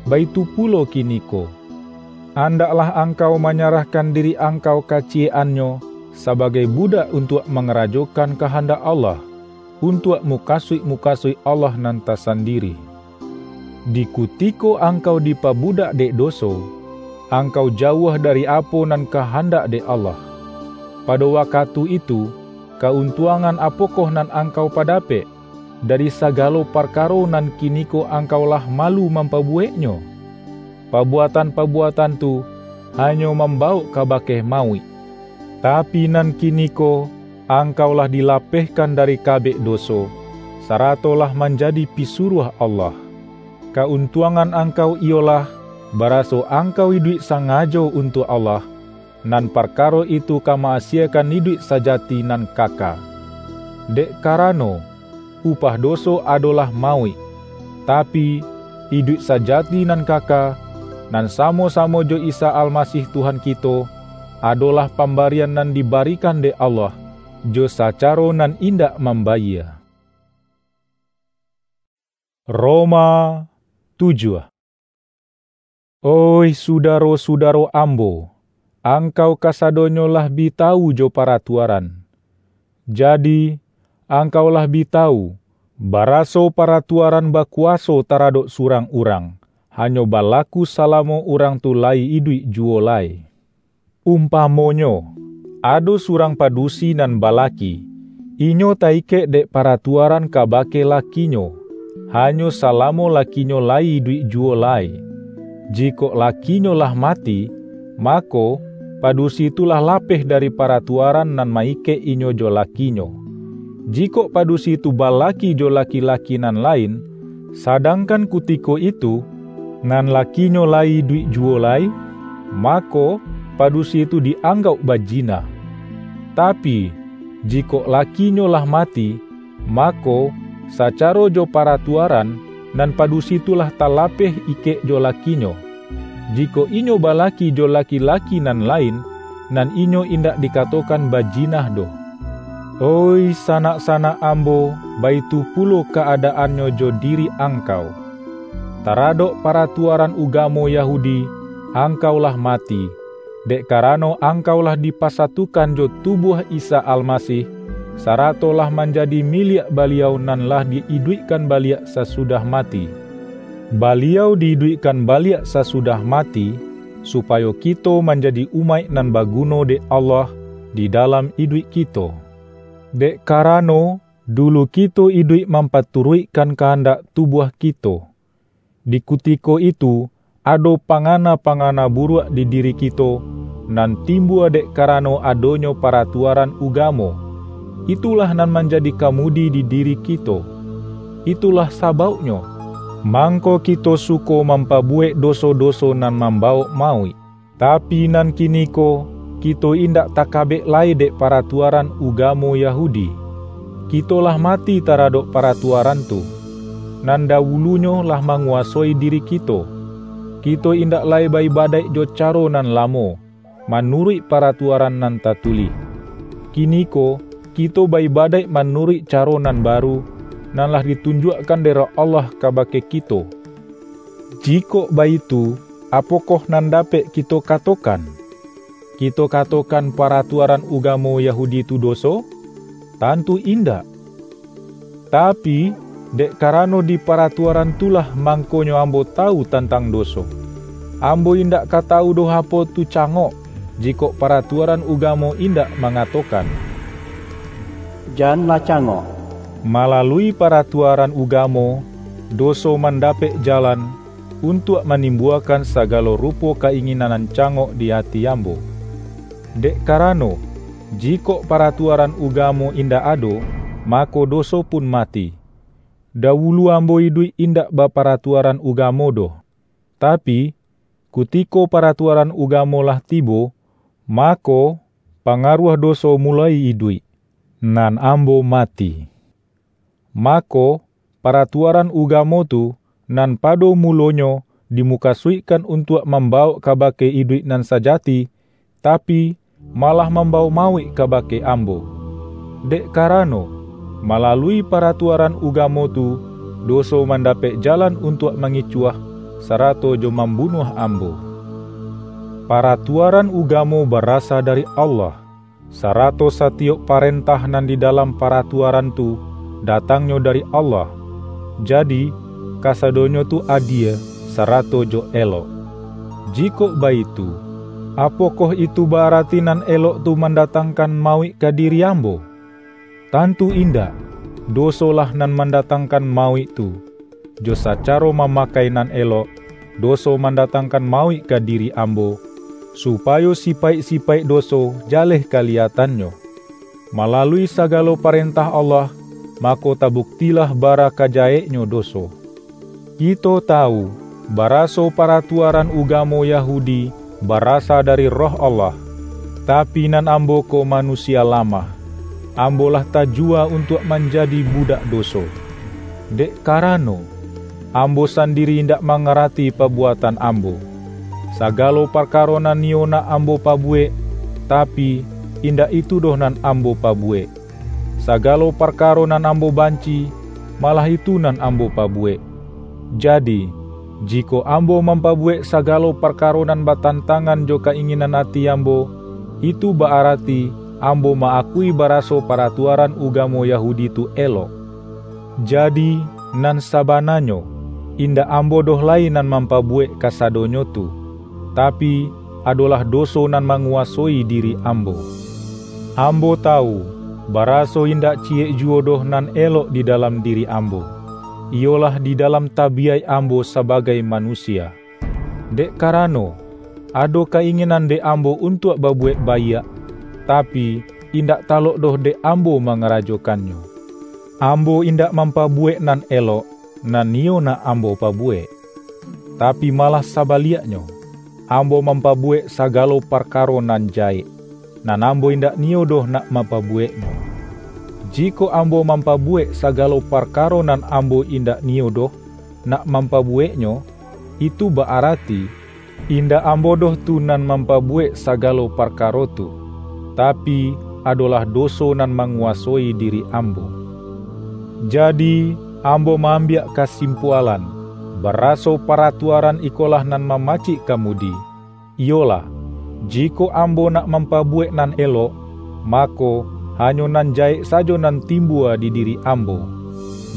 baitu pulo kiniko. Andaklah angkau manyarahkan diri angkau kaciyek-annyo sabagai budak untuak mangarajokan kahandak Allah. untuak mukasuik-mukasuik Allah nan tasandiri. Di kutiko angkau dipabudak dek doso, angkau jauah dari apo nan kahandak dek Allah. Pado wakatu itu, kauntuangan apokoh nan angkau padapek dari sagalo parkaro nan kiniko angkau lah malu mampabuweknyo? Pabuatan-pabuatan tu hanyo mambawok kabake mauik. Tapi nan kiniko, angkau lah dilapehkan dari kabek doso, sarato lah manjadi pisuruah Allah. Kauntuangan angkau iyolah, baraso angkau iduik sangajo untuak Allah, nan parkaro itu ka ma-asiekan iduik sajati nan kaka. Dek karano, upah doso adolah mauik, tapi, iduik sajati nan kaka, nan samo-samo jo Isa Almasih Tuhan kito, adolah pambarian nan dibarikan dek Allah, jo sacaro nan indak mambayia. Roma tujuah. Oih sudaro-sudaro ambo, angkau kasadonyo lah bi tawu jo paratuaran. Jadi, angkau lah bi tawu, baraso paratuaran bakuwaso taradok surang urang, hanyo balaku salamo urang tu lai iduik juwo lai. Umpamonyo, ado surang padusi nan balaki, inyo ta-ikek dek paratuaran kabake lakinyo, hanyo salamo lakinyo lai iduik juwo lai. Jikok lakinyo lah mati, mako, padusi tu lah lapeh dari paratuaran nan ma-ikek inyo jo lakinyo. Jikok padusi tu balaki jo laki-laki nan lain, sadangkan kutiko itu, nan lakinyo lai iduik juwo lai, mako, padusi tu di-anggauk bajina. Tapi, jikok lakinyo lah mati, mako, sacaro jo paratuaran, nan padusi tu lah talapeh ikek jo lakinyo. Jikok inyo balaki jo laki-laki nan lain, nan inyo indak dikatokan bajinah doh. Oih sanak-sanak ambo, baitu pulo kaadaannyo jo diri angkau. Taradok paratuaran ugamo Yahudi, angkau lah mati, dek karano angkau lah dipasatukan jo tubuah Isa Almasih, sarato lah manjadi miliak Baliau nan lah di-iduikkan baliak sasudah mati. Baliau di-iduikkan baliak sasudah mati, supayo kito manjadi umaik nan baguno dek Allah di dalam iduik kito. Dek karano, dulu kito iduik mampaturuikkan kahandak tubuah kito. Di kutiko itu, ado pangana-pangana buruak di diri kito, nan timbua dek karano adonyo paratuaran ugamo. Itulah nan manjadi kamudi di diri kito. Itulah sabauknyo, mangko kito suko mampabuwek doso-doso nan mambawok mauik. Tapi nan kiniko, kito indak takabek lai dek paratuaran ugamo Yahudi. Kito lah mati taradok paratuaran tu, nan dawulunyo lah manguwasoi diri kito. Kito indak lai ba-ibadaik jo caro nan lamo, manuruik paratuaran nan tatulih. Kiniko, kito ba-ibadaik manuruik caro nan baru, nan lah ditunjuakkan dek Roh Allah kabake kito. Jikok baitu, apokoh nan dapek kito katokan? Kito katokan paratuaran ugamo Yahudi tu doso? Tantu indak! Tapi, dek karano di paratuaran tu lah mangkonyo ambo tawu tantang doso. Ambo indak ka tawu doh apo tu cangok, jikok paratuaran ugamo indak mangatokan. Janlah cangok. Malalui paratuaran ugamo, doso mandapek jalan untuak manimbuakan sagalo rupo ka-inginan nan cangok di ati ambo. Dek karano, jikok paratuaran ugamo indak ado, mako doso pun mati. Dawulu ambo iduik indak baparatuaran ugamo doh. Tapi, kutiko paratuaran ugamo lah tibo, mako, pangaruah doso muloi iduik, nan ambo mati. Mako, paratuaran ugamo tu, nan pado mulonyo dimukasuikkan untuak mambawok kabake iduik nan sajati, tapi, malah mambawok mauik kabake ambo. Dek karano, malalui paratuaran ugamo tu, doso mandapek jalan untuak mangicuah, sarato jo mambunuah ambo. Paratuaran ugamo barasa dari Allah, sarato satiyok parentah nan di dalam paratuaran tu, datangnyo dari Allah. Jadi, kasadonyo tu adie sarato jo elok. Jikok baitu, apokoh itu ba-arati nan elok tu mandatangkan mauik ka diri ambo? Tantu indak! Dosolah nan mandatangkan mauik tu. Jo sacaro mamakai nan elok, doso mandatangkan mauik ka diri ambo, supayo sipaik-sipaik doso jaleh kaliyatannyo. Malalui sagalo parentah Allah, mako tabuktilah bara ka jaheknyo doso. Kito tawu, baraso paratuaran ugamo Yahudi barasa dari Roh Allah. Tapi nan ambo ko manusia lamah, ambo lah tajua untuak manjadi budak doso. Dek karano, ambo sandiri indak mangarati pabuatan ambo. Sagalo parkaro nan niyo nak ambo pabuwek, tapi, indak itu doh nan ambo pabuwek. Sagalo parkaro nan ambo banci, malah itu nan ambo pabuwek. Jadi, jikok ambo mampabuwek sagalo parkaro nan batantangan jo ka-inginan ati ambo, itu ba-arati ambo ma-akui baraso paratuaran ugamo Yahudi tu elok. Jadi, nan sabananyo, indak ambo doh lai nan mampabuwek kasadonyo tu, tapi, adolah doso nan manguwasoi diri ambo. Ambo tawu, baraso indak ciyek juwo doh nan elok di dalam diri ambo, iyolah di dalam tabiyaik ambo sabagai manusia. Dek karano, ado ka-inginan dek ambo untuak babuwek baiak, tapi, indak talok doh dek ambo mangarajokannyo. Ambo indak mampabuwek nan elok, nan niyo nak ambo pabuwek. Tapi malah sabaliaknyo, ambo mampabuwek sagalo parkaro nan jahek, nan ambo indak niyo doh nak mampabuweknyo. Jikok ambo mampabuwek sagalo parkaro nan ambo indak niyo doh nak mampabuweknyo, itu ba-arati, indak ambo doh tu nan mampabuwek sagalo parkaro tu, tapi, adolah doso nan manguwasoi diri ambo. Jadi, ambo ma-ambiak kasimpualan, baraso paratuaran ikolah nan mamacik kamudi, iyolah, jikok ambo nak mampabuwek nan elok, mako, hanyo nan jahek sajo nan timbua di diri ambo.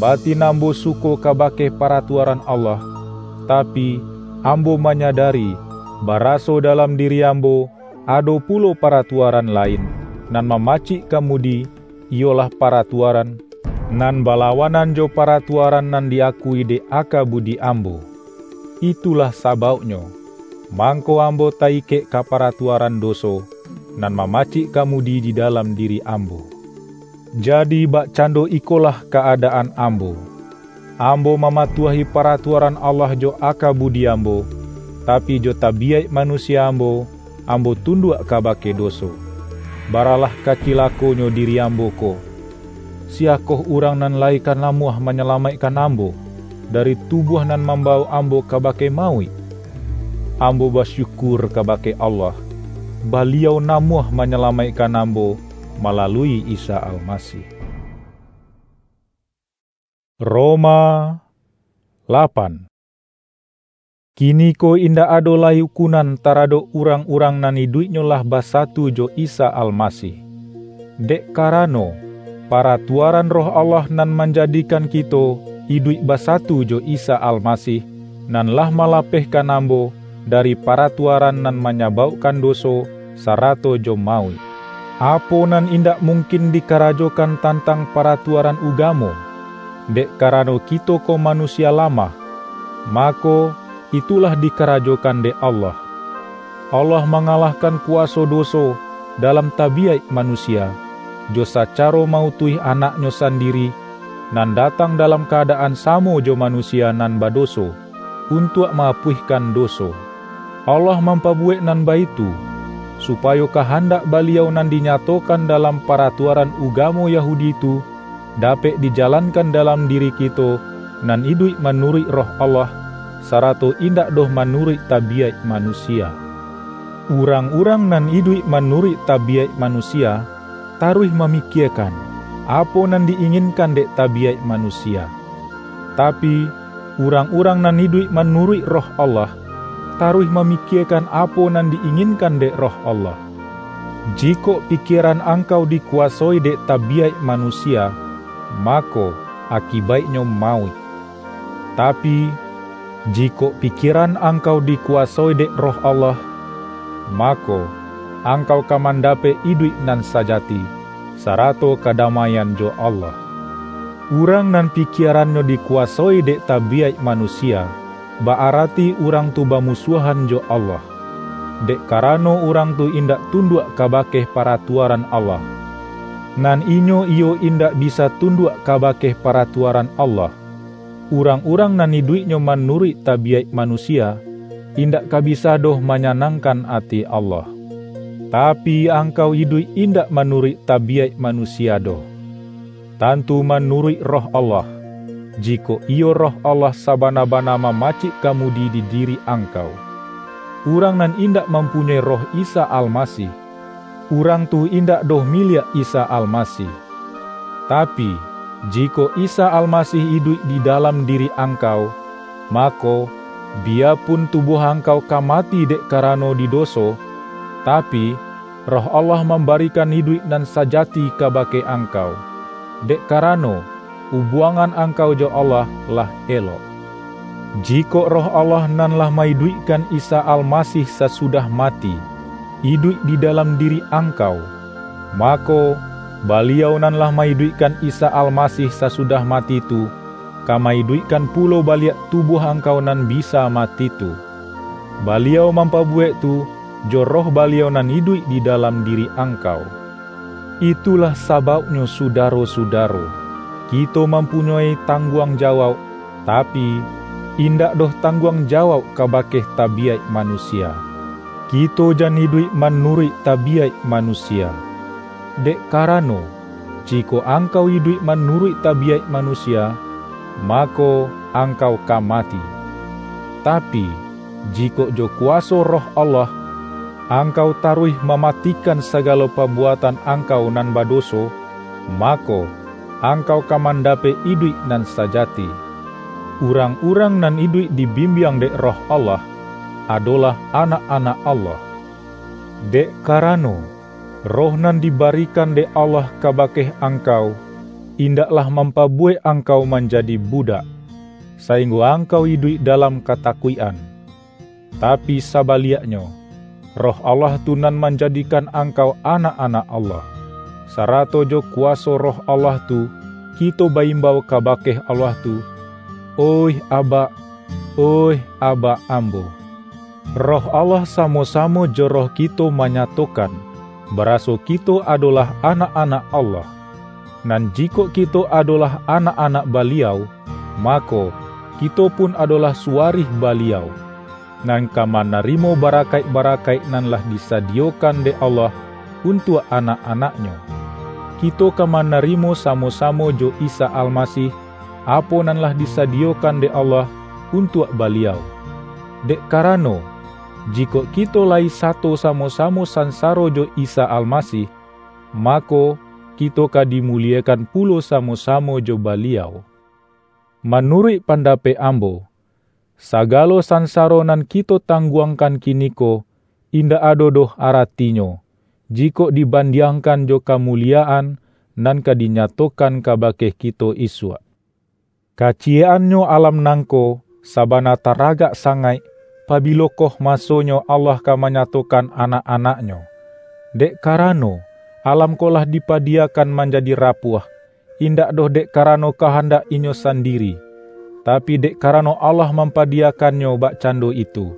Batin ambo suko kabake paratuaran Allah, tapi, ambo manyadari, baraso dalam diri ambo ado pulo paratuaran lain, nan mamacik kamudi, iyolah paratuaran nan balawanan jo paratuaran nan di-akui dek aka budi ambo. Itulah sabauknyo, mangko ambo ta-ikek ka paratuaran doso, nan mamacik kamudi di dalam diri ambo. Jadi, bakcando ikolah ka-adaan ambo: Ambo mamatuahi paratuaran Allah jo aka budi ambo, tapi, jo tabiyaik manusia ambo, ambo tunduak kabake doso. Baralah ka cilakonyo diri ambo ko! Siyakoh urang nan lai ka namuah manyalamaikkan ambo dari tubuah nan mambawok ambo kabake mauik? Ambo basyukur kabake Allah, Baliau namuah manyalamaikkan ambo malalui Isa Almasih. Roma lapan. Kiniko indak ado lai ukunan taradok urang-urang nan iduiknyo lah basatu jo Isa Almasih. Dek karano, paratuaran Roh Allah nan manjadikan kito iduik basatu jo Isa Almasih, nan lah malapehkan ambo dari paratuaran nan manyabaukkan doso, sarato jo mauik. Apo nan indak mungkin dikarajokan tantang paratuaran ugamo, dek karano kito ko manusia lamah, mako, itulah dikarajokan dek Allah. Allah mangalahkan kuwaso doso dalam tabiyaik manusia, jo sacaro ma-utuih Anak-Nyo sandiri, nan datang dalam ka-adaan samo jo manusia nan badoso, untuak ma-apuihkan doso. Allah mampabuwek nan baitu, supayo kahandak Baliau nan dinyatokan dalam paratuaran ugamo Yahudi tu, dapek dijalankan dalam diri kito, nan iduik manuruik Roh Allah, sarato indak doh manuruik tabiyaik manusia. Urang-urang nan iduik manuruik tabiyaik manusia, taruih mamikiekan, apo nan di-inginkan dek tabiyaik manusia. Tapi, urang-urang nan iduik manuruik Roh Allah, taruih mamikiekan apo nan di-inginkan dek Roh Allah. Jikok pikieran angkau dikuwasoi dek tabiyaik manusia, mako, akibaiknyo mauik. Tapi, jikok pikieran angkau dikuwasoi dek Roh Allah, mako, angkau ka mandapek iduik nan sajati, sarato kadamaian jo Allah. Urang nan pikierannyo dikuwasoi dek tabiyaik manusia, ba-arati urang tu bamusuahan jo Allah, dek karano urang tu indak tunduak kabake paratuaran Allah. Nan inyo iyo indak bisa tunduak kabake paratuaran Allah. Urang-urang nan iduiknyo manuruik tabiyaik manusia, indak ka bisa doh manyanangkan ati Allah. Tapi, angkau iduik indak manuruik tabiyaik manusia doh, tantu manuruik Roh Allah, jikok iyo Roh Allah sabana-bana mamacik kamudi di diri angkau. Urang nan indak mampunyoi Roh Isa Almasih, urang tu indak doh miliak Isa Almasih. Tapi, jikok Isa Almasih iduik di dalam diri angkau, mako, biyapun tubuah angkau ka mati dek karano di doso, tapi, Roh Allah mambarikan iduik nan sajati kabake angkau, dek karano, ubuangan angkau jo Allah lah elok. Jikok Roh Allah nan lah maiduikkan Isa Almasih sasudah mati, iduik di dalam diri angkau, mako, Baliau nan lah maiduikkan Isa Almasih sasudah mati tu, ka maiduikkan pulo baliak tubuah angkau nan bisa mati tu. Baliau mampabuwek tu, jo Roh Baliau nan iduik di dalam diri angkau. Itulah sabauknyo, sudaro-sudaro, kito mampunyoi tangguang jawauk, tapi, indak doh tangguang jawauk kabake tabiyaik manusia. Kito jan iduik manuruik tabiyaik manusia. Dek karano, jikok angkau iduik manuruik tabiyaik manusia, mako, angkau ka mati. Tapi, jikok jo kuwaso Roh Allah, angkau taruih mamatikan sagalo pabuatan angkau nan badoso, mako, angkau ka mandapek iduik nan sajati. Urang-urang nan iduik dibimbiang dek Roh Allah, adolah anak-anak Allah. Dek karano, Roh nan dibarikan dek Allah kabake angkau, indaklah mampabuwek angkau manjadi budak, sainggo angkau iduik dalam katakuik-an. Tapi sabaliaknyo, Roh Allah tu nan manjadikan angkau anak-anak Allah. Sarato jo kuwaso Roh Allah tu, kito ba-imbau kabake Allah tu, "Oih Aba, oih Aba ambo." Roh Allah samo-samo jo roh kito manyatokan, baraso kito adolah anak-anak Allah. Nan jikok kito adolah anak-anak Baliau, mako, kito pun adolah suwarih Baliau, nan ka manarimo barakaik-barakaik nan lah disadiyokan dek Allah untuak anak-anak-Nyo. Kito ka manarimo samo-samo jo Isa Almasih, apo nan lah disadiyokan dek Allah untuak Baliau. Dek karano, jikok kito lai sato samo-samo sansaro jo Isa Almasih, mako, kito ka dimuliekan pulo samo-samo jo Baliau. Manuruik pandapek ambo, sagalo sansaro nan kito tangguangkan kiniko indak ado doh aratinyo, jikok dibandiangkan jo kamuliekan nan ka dinyatokan kabake kito isuak. Kaciyek-annyo alam nangko sabana taragak sangaik, pabilokoh masonyo Allah ka manyatokan anak-anak-Nyo. Dek karano, alam ko lah dipadiyakan manjadi rapuah, indak doh dek karano kahandak inyo sandiri, tapi, dek karano Allah mampadiyakannyo bakcando itu.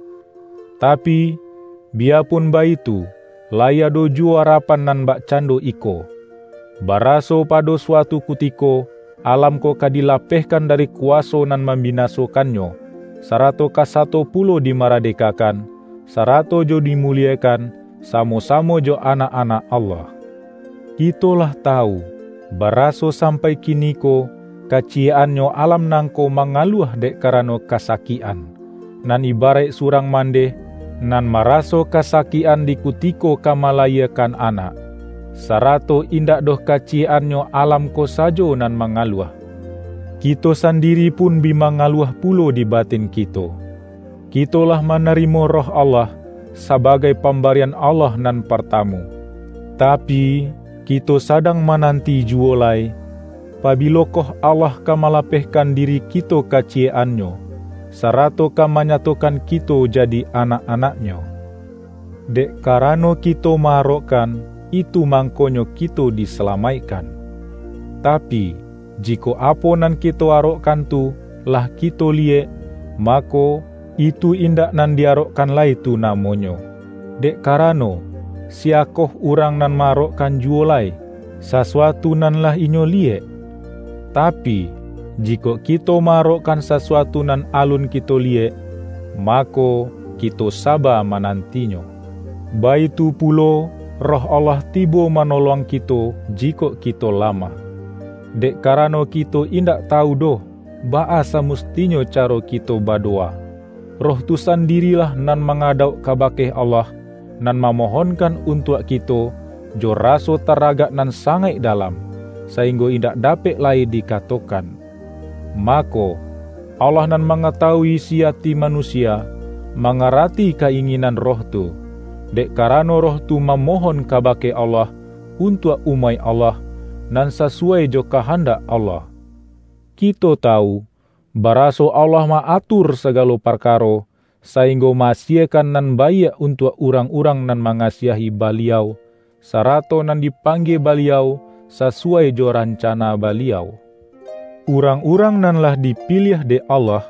Tapi, biyapun baitu, lai ado juwo arapan nan bakcando iko, baraso pado suatu kutiko, alam ko ka dilapehkan dari kuwaso nan mambinasokannyo, sarato ka sato pulo dimaradekakan, sarato jo dimuliekan, samo-samo jo anak-anak Allah. Kito lah tawu, baraso sampai kiniko, kaciyek-annyo alam nangko mangaluah dek karano kasakikan, nan ibaraik surang mandeh, nan maraso kasakikan di kutiko ka malayiekan anak, sarato indak doh kaciyek-annyo alam ko sajo nan mangaluah. Kito sandiri pun bi mangaluah pulo di batin kito. Kito lah manarimo Roh Allah sabagai pambarian Allah nan partamu. Tapi, kito sadang mananti juwo lai, Pabilokoh Allah ka malapehkan diri kito kaciyek-an-Nyo, sarato ka manyatokan kito jadi anak-anak-Nyo? Dek karano kito ma-arokkan, itu mangkonyo kito disalamaikkan. Tapi, jikok apo nan kito arokkan tu lah kito liyek, mako, itu indak nan di-arokkan lai tu namonyo. Dek karano, siyakoh urang nan ma-arokkan juwo lai sasuatu nan lah inyo liyek? Tapi, jikok kito ma-arokkan sasuatu nan alun kito liyek, mako, kito saba manantinyo. Baitu pulo, Roh Allah tibo manolong kito jikok kito lamah. Dek karano kito indak tawu doh, baa samustinyo caro kito badowa. Roh tu sandirilah nan mangadauk kabake Allah, nan mamohonkan untuak kito, jo raso taragak nan sangaik dalam, sainggo indak dapek lai dikatokan. Mako, Allah nan mangatawui isi ati manusia, mangarati ka-inginan Roh tu, dek karano Roh tu mamohon kabake Allah untuak umaik Allah, nan sasuwai jo kahandak Allah. Kito tawu, baraso Allah ma-atur sagalo parkaro, sainggo ma-asiekan nan baiak untuak urang-urang nan mangasiahi Baliau, sarato nan dipanggie Baliau sasuwai jo rancana Baliau. Urang-urang nan lah dipiliah dek Allah,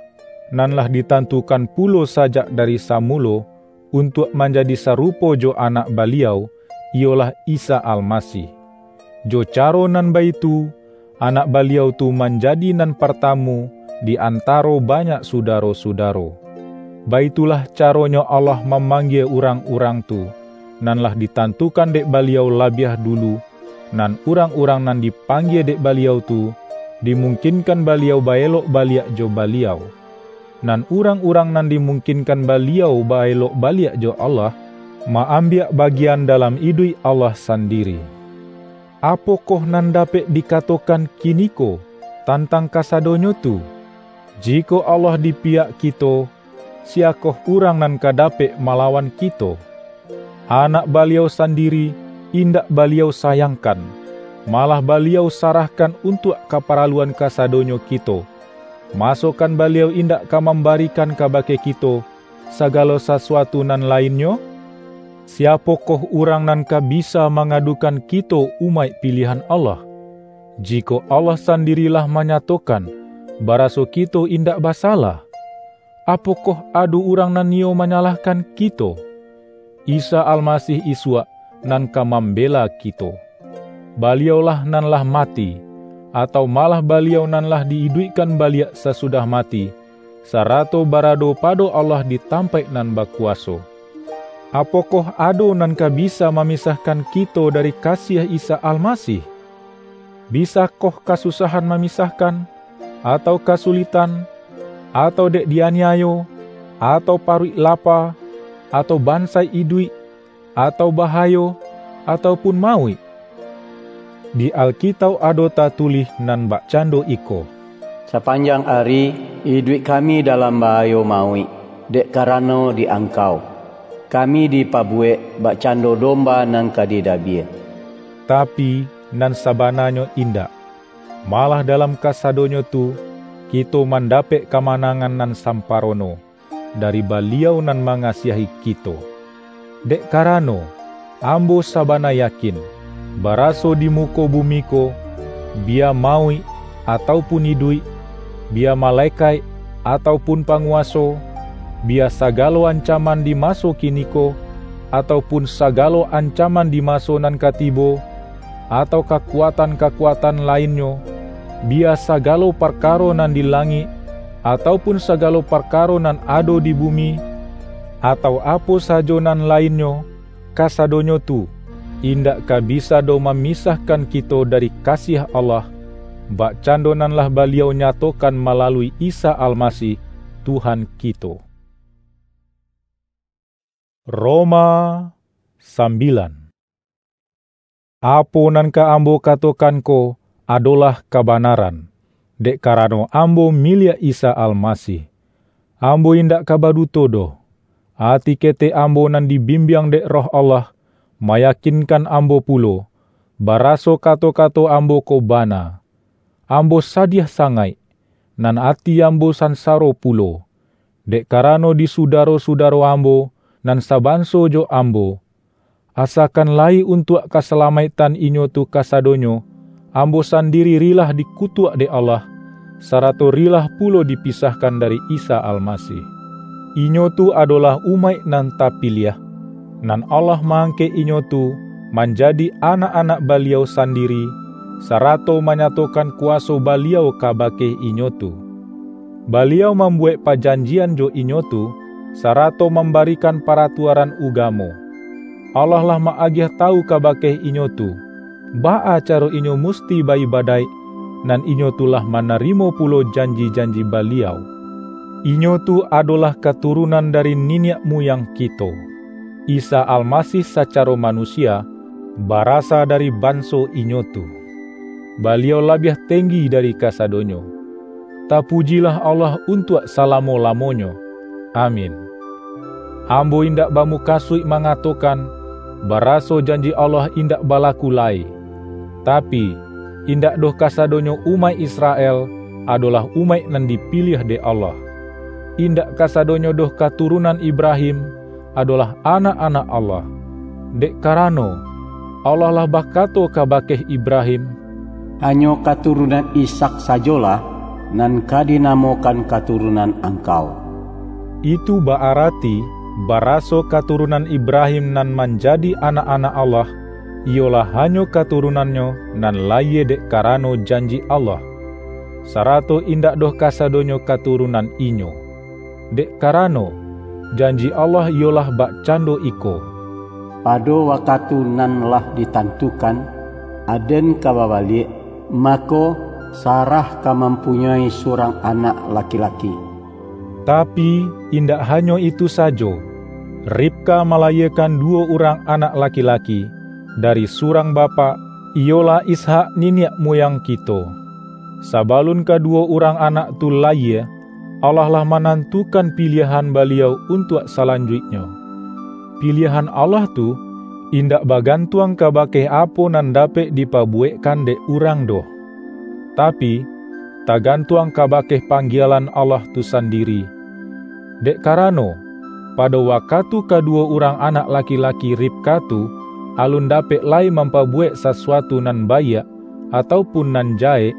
nan lah ditantukan pulo sajak dari samulo, untuak manjadi sarupo jo Anak Baliau, iyolah Isa Almasih. Jo caro nan baitu, Anak Baliau tu manjadi nan partamu di antaro banyak sudaro-sudaro. Baitulah caronyo Allah mamanggie urang-urang tu, nan lah ditantukan dek Baliau labiah dulu, nan urang-urang nan dipanggie dek Baliau tu, dimungkinkan Baliau ba-elok baliak jo Baliau. Nan urang-urang nan dimungkinkan Baliau ba-elok baliak jo Allah, ma-ambiak bagian dalam iduik Allah sandiri. Apokoh nan dapek dikatokan kiniko tantang kasadonyo tu? Jikok Allah di pihak kito, siyakoh urang nan ka dapek malawan kito? Anak Baliau sandiri indak Baliau sayangkan, malah Baliau sarahkan untuak kaparaluan kasadonyo kito. Masokan Baliau indak ka mambarikan kabake kito sagalo sasuatu nan lainnyo? Siapokoh urang nan ka bisa mangadukan kito umaik piliahan Allah? Jikok Allah sandiri lah manyatokan, baraso kito indak basalah, apokoh ado urang nan niyo manyalahkan kito? Isa Almasih isuak nan ka mambela kito. Baliau-lah nan lah mati, atau malah Baliau nan lah di-iduikkan baliak sasudah mati, sarato barado pado Allah di tampaik nan bakuwaso. Apokoh ado nan ka bisa mamisahkan kito dari kasiah Isa Almasih? Bisakoh kasusahan mamisahkan, atau kasulitan, atau dek dianiayo, atau paruik lapa, atau bansaik iduik, atau bahayo, atau pun mauik? Di Alkitauk ado tatulih nan bakcando iko, "Sapanjang ari iduik kami dalam bahayo mauik, dek karano di Angkau, kami dipabuwek bakcando domba nan ka didabia." Tapi, nan sabananyo indak. Malah dalam kasadonyo tu, kito mandapek kamanangan nan samparono dari Baliau nan mangasiahi kito. Dek karano, ambo sabana yakin, baraso di muko bumi ko, bia mauik, atau pun iduik, bia malekaik, atau pun panguwaso, bia sagalo ancaman di maso kiniko, atau pun sagalo ancaman di maso nan ka tibo, atau kakuatan-kakuatan lainnyo, bia sagalo parkaro nan di langik, atau pun sagalo parkaro nan ado di bumi, atau apo sajo nan lainnyo, kasadonyo tu indak ka bisa doh mamisahkan kito dari kasiah Allah, bakcando nan lah Baliau nyatokan malalui Isa Almasih, Tuhan kito. Roma sambilan. Apo nan ka ambo katokan ko adolah kabanaran, dek karano ambo miliak Isa Almasih. Ambo indak ka baduto doh. Ati ketek ambo nan dibimbiang dek Roh Allah, mayakinkan ambo pulo, baraso kato-kato ambo ko bana. Ambo sadiah sangaik, nan ati ambo sansaro pulo, dek karano di sudaro-sudaro ambo nan sabanso jo ambo. Asakan lai untuak kasalamaiktan inyo tu kasadonyo, ambo sandiri rilah dikutuak dek Allah, sarato rilah pulo dipisahkan dari Isa Almasih. Inyo tu adolah umaik nan tapiliah, nan Allah ma-angkek inyo tu manjadi anak-anak Baliau sandiri, sarato manyatokan kuwaso Baliau kabake inyo tu. Baliau mambuwek pajanjian jo inyo tu, sarato mambarikan paratuaran ugamo. Allah lah ma-agiah tawu kabake inyo tu, baa caro inyo musti ba-ibadaik, nan inyo tu lah manarimo pulo janji-janji Baliau. Inyo tu adolah katurunan dari niniak muyang kito. Isa Almasih sacaro manusia, barasa dari banso inyo tu. Baliau labiah tenggi dari kasadonyo. Tapujilah Allah untuak salamo-lamonyo. Amin. Ambo indak bamukasuik mangatokan, baraso janji Allah indak balaku lai. Tapi, indak doh kasadonyo umaik Israel adolah umaik nan dipiliah dek Allah. Indak kasadonyo doh katurunan Ibrahim adolah anak-anak Allah. Dek karano, Allah lah bakato kabake Ibrahim, "Hanyo katurunan Ishak sajolah nan ka dinamokan katurunan angkau." Itu ba-arati, baraso katurunan Ibrahim nan manjadi anak-anak Allah, iyolah hanyo katurunannyo nan layie dek karano janji Allah, sarato indak doh kasadonyo katurunan inyo. Dek karano, janji Allah iyolah bakcando iko, "Pado wakatu nan lah ditantukan, aden ka babaliak, mako, Sarah ka mampunyoi surang anak laki-laki." Tapi, indak hanyo itu sajo, Ribka malayiekan duwo urang anak laki-laki, dari surang bapak, iyolah Ishak niniak muyang kito. Sabalun kaduwo urang anak tu layie, Allah lah manantukan piliahan Baliau untuak salanjuiknyo. Piliahan Allah tu indak bagantuang kabake apo nan dapek dipabuwekkan dek urang doh. Tapi, tagantuang kabake panggielan Allah tu sandiri. Dek karano, pado wakatu kaduwo urang anak laki-laki Ribka tu alun dapek lai mampabuwek sasuatu nan baiak, atau pun nan jahek,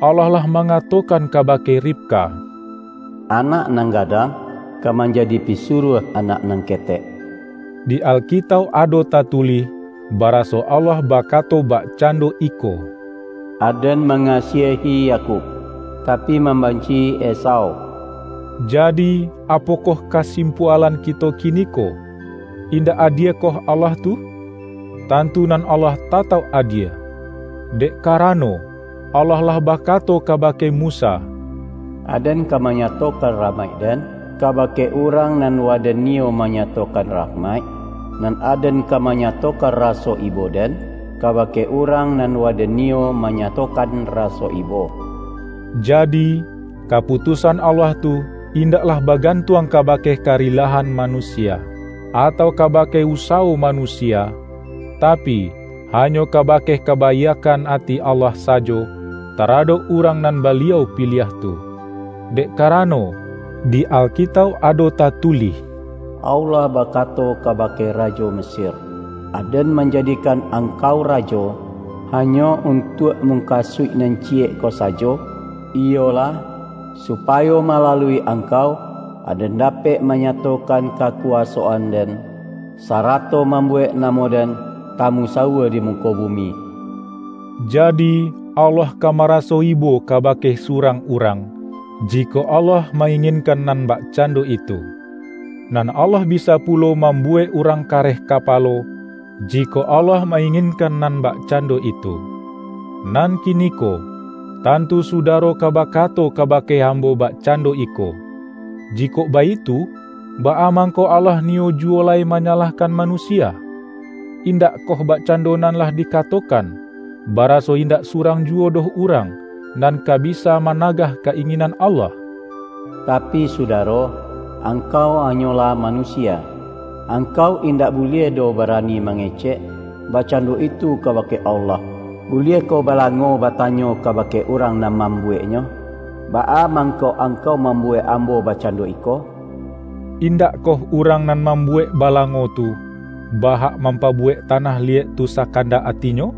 Allah lah mangatokan kabake Ribka, "Anak nan gadang ka manjadi pisuruah anak nan ketek." Di Alkitauk ado tatulih, baraso Allah bakato bakcando iko, "Aden mangasiahi Yakub, tapi mambanci-i Esau." Jadi, apokoh kasimpualan kito kiniko? Indak adiekoh Allah tu? Tantu nan Allah tatauk adie! Dek karano, Allah lah bakato kabake Musa, "Aden ka manyatokan rahmaik-Den kabake urang nan waden nio manyatokan rahmaik, nan Aden ka manyatokan raso ibo-Den kabake urang nan waden nio manyatokan raso ibo." Jadi, kaputusan Allah tu indaklah bagantuang kabake karilahan manusia, atau kabake usawo manusia, tapi, hanyo kabake kabaiakkan ati Allah sajo taradok urang nan Baliau piliah tu. Dek karano, di Alkitauk ado tatulih, "Allah bakato kabake rajo Mesir, 'Aden manjadikan angkau rajo, hanyo untuak mukasuik nan ciyek ko sajo, iyolah, supayo malalui angkau, Aden dapek manyatokan kakuwasoan-Den, sarato mambuwek namo-Den tamusaua di muko bumi.'" Jadi, Allah ka maraso ibo kabake surang urang, jikok Allah ma-inginkan nan bakcando itu. Nan Allah bisa pulo mambuwek urang kareh kapalo, jikok Allah ma-inginkan nan bakcando itu. Nan kiniko, tantu sudaro ka bakato kabake ambo bakcando iko, "Jikok baitu, baa mangko Allah niyo juwo lai manyalahkan manusia? Indakkoh bakcando nan lah dikatokan, baraso indak surang juwo doh urang nan ka bisa managah ka-inginan Allah?" Tapi, sudaro, angkau hanyolah manusia. Angkau indak buliah doh barani mangecek bakcando itu kabake Allah. Buliahkoh balango batanyo kabake urang nan mambuweknyo, 'Baa mangko angkau mambuwek ambo bakcando iko?' Indakkoh urang nan mambuwek balango tu, bahak mampabuwek tanah liyek tu sakandak atinyo?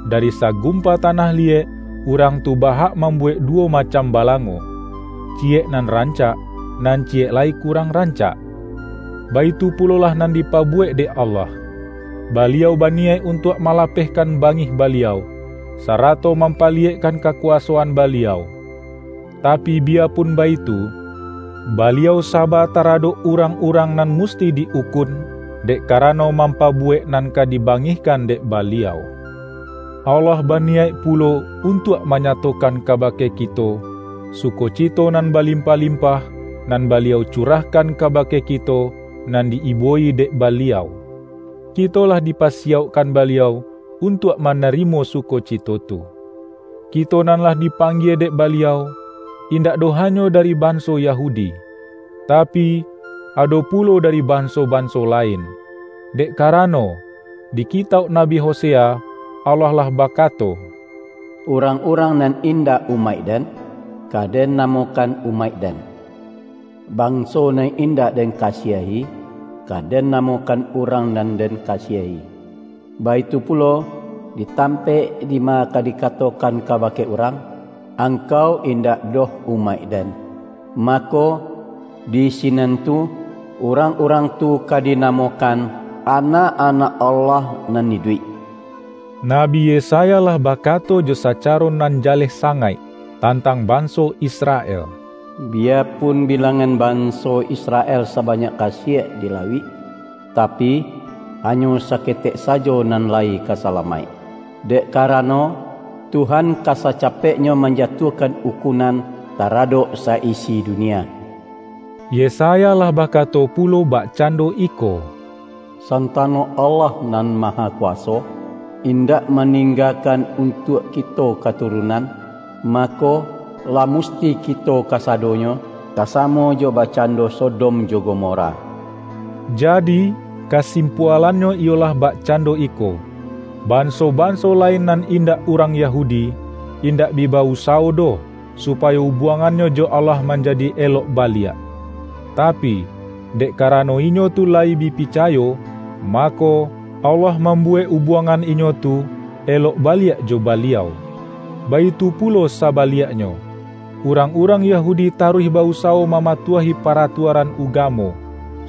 Dari sagumpa tanah liyek, urang tu bahak mambuwek duwo macam balango, ciyek nan rancak, nan ciyek lai kurang rancak. Baitu pulolah nan dipabuwek dek Allah. Baliau baniyaik untuak malapehkan bangih Baliau, sarato mampaliyekkan kakuwasoan Baliau. Tapi, biyapun baitu, Baliau saba taradok urang-urang nan musti di-ukun, dek karano mampabuwek nan ka dibangihkan dek Baliau. Allah baniyaik pulo untuak manyatokan kabake kito, sukocito nan balimpah-limpah, nan Baliau curahkan kabake kito, nan di-ibo-i dek Baliau. Kito lah dipasiyaukkan Baliau untuak manarimo sukocito tu. Kito nan lah dipanggie dek Baliau, indak doh hanyo dari banso Yahudi, tapi, ado pulo dari banso-banso lain. Dek karano, di kitauk Nabi Hosea, Allah lah bakato, "Urang-urang nan indak umaik-Den, ka Den namokan umaik-Den. Banso nan indak Den kasiahi, ka Den namokan urang nan Den kasiahi." Baitu pulo, di tampek dima ka dikatokan kabake urang, "Angkau indak doh umaik-Den," mako, di sinan tu, urang-urang tu ka dinamokan anak-anak Allah nan iduik. Nabi Yesaya lah bakato jo sacaro nan jaleh sangaik tantang banso Israel, "Biyapun bilangan banso Israel sabanyak kasiek di lauik, tapi, hanyo saketek sajo nan lai ka salamaik. Dek karano, Tuhan ka sacapeknyo manjatuahkan ukunan taradok sa-isi dunia." Yesaya lah bakato pulo bakcando iko, "Santano Allah Nan Mahakuwaso indak maninggakan untuak kito katurunan, mako, lah musti kito kasadonyo ka samo jo bakcando Sodom jo Gomora." Jadi, kasimpualannyo iyolah bakcando iko, banso-banso lain nan indak urang Yahudi, indak bi ba-usawo doh, supayo ubuangannyo jo Allah manjadi elok baliak. Tapi, dek karano inyo tu layi bi picayo, mako, Allah mambuwek ubuangan inyo tu elok baliak jo Baliau. Baitu pulo sabaliaknyo, urang-urang Yahudi taruih ba-usawo mamatuahi paratuaran ugamo,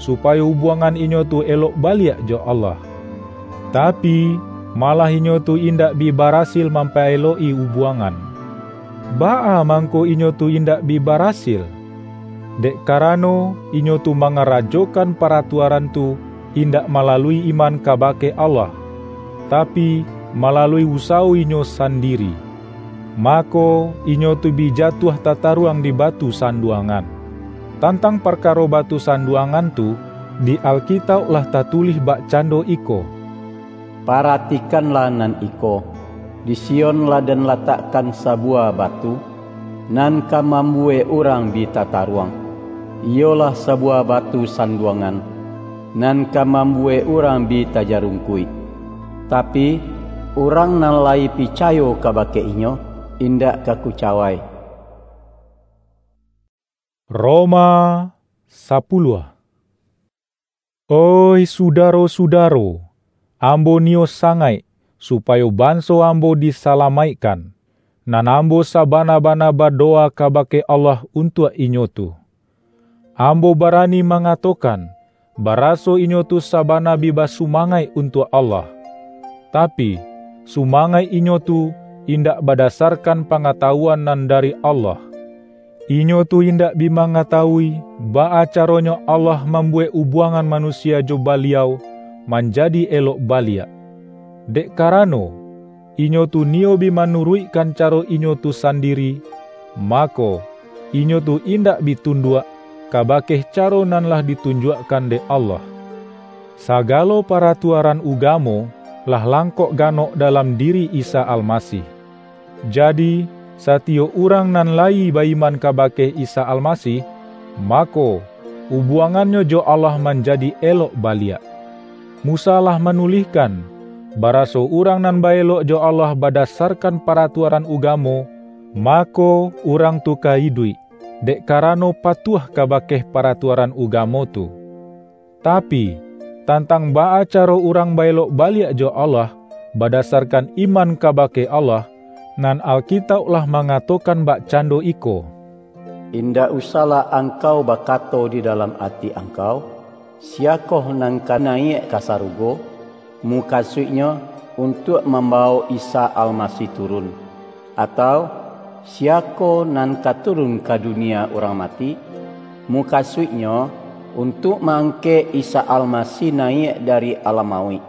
supayo ubuangan inyo tu elok baliak jo Allah. Tapi, malah inyo tu indak bi barasil mampaelok-i ubuangan. Baa mangko inyo tu indak bi barasil? Dek karano, inyo tu mangarajokan paratuaran tu indak malalui iman kabake Allah, tapi, malalui usawo inyo sandiri. Mako, inyo tu bi jatuah tataruang di batu sanduangan. Tantang parkaro batu sanduangan tu, di Alkitauk lah tatulih bakcando iko, "Paratikanlah nan iko, di Sion lah Den latakkan sabuwah batu, nan ka mambuwek urang bi tataruang, iyolah sabuwah batu sanduangan, nan ka mambuwek urang bi tajarungkuik. Tapi, urang nan layi picayo kabake Inyo, indak ka kucawai." Roma sapuluah. Oih sudaro-sudaro, ambo niyo sangaik, supayo banso ambo disalamaikkan, nan ambo sabana-bana badowa kabake Allah untuak inyo tu. Ambo barani mangatokan, baraso inyo tu sabana bi basumangaik untuak Allah. Tapi, sumangaik inyo tu indak badasarkan pangatawuan nan dari Allah. Inyo tu indak bi mangatawui, baa caronyo Allah mambuwek ubuangan manusia jo Baliau manjadi elok baliak. Dek karano, inyo tu niyo bi manuruikkan caro inyo tu sandiri, mako, inyo tu indak bi tunduak kabake caro nan lah ditunjuakkan dek Allah. Sagalo paratuaran ugamo lah langkok ganok dalam diri Isa Almasih. Jadi, satiyok urang nan layi ba-iman kabake Isa Almasih, mako, ubuangannyo jo Allah manjadi elok baliak. Musa lah manulihkan, baraso urang nan ba-elok jo Allah badasarkan paratuaran ugamo, mako, urang tu ka iduik, dek karano patuah kabake paratuaran ugamo tu. Tapi, tantang baa caro urang ba-elok baliak jo Allah, badasarkan iman kabake Allah, nan Alkitauk lah mangatokan bakcando iko, "Indak usahlah angkau bakato di dalam ati angkau, 'Siyakoh nan ka naiak ka sarugo?' mukasuiknyo, untuak mambawok Isa Almasih turun, atau, 'Siyako nan ka turun ka dunia urang mati?' mukasuiknyo, untuak ma-angkek Isa Almasih naiak dari alam mauik."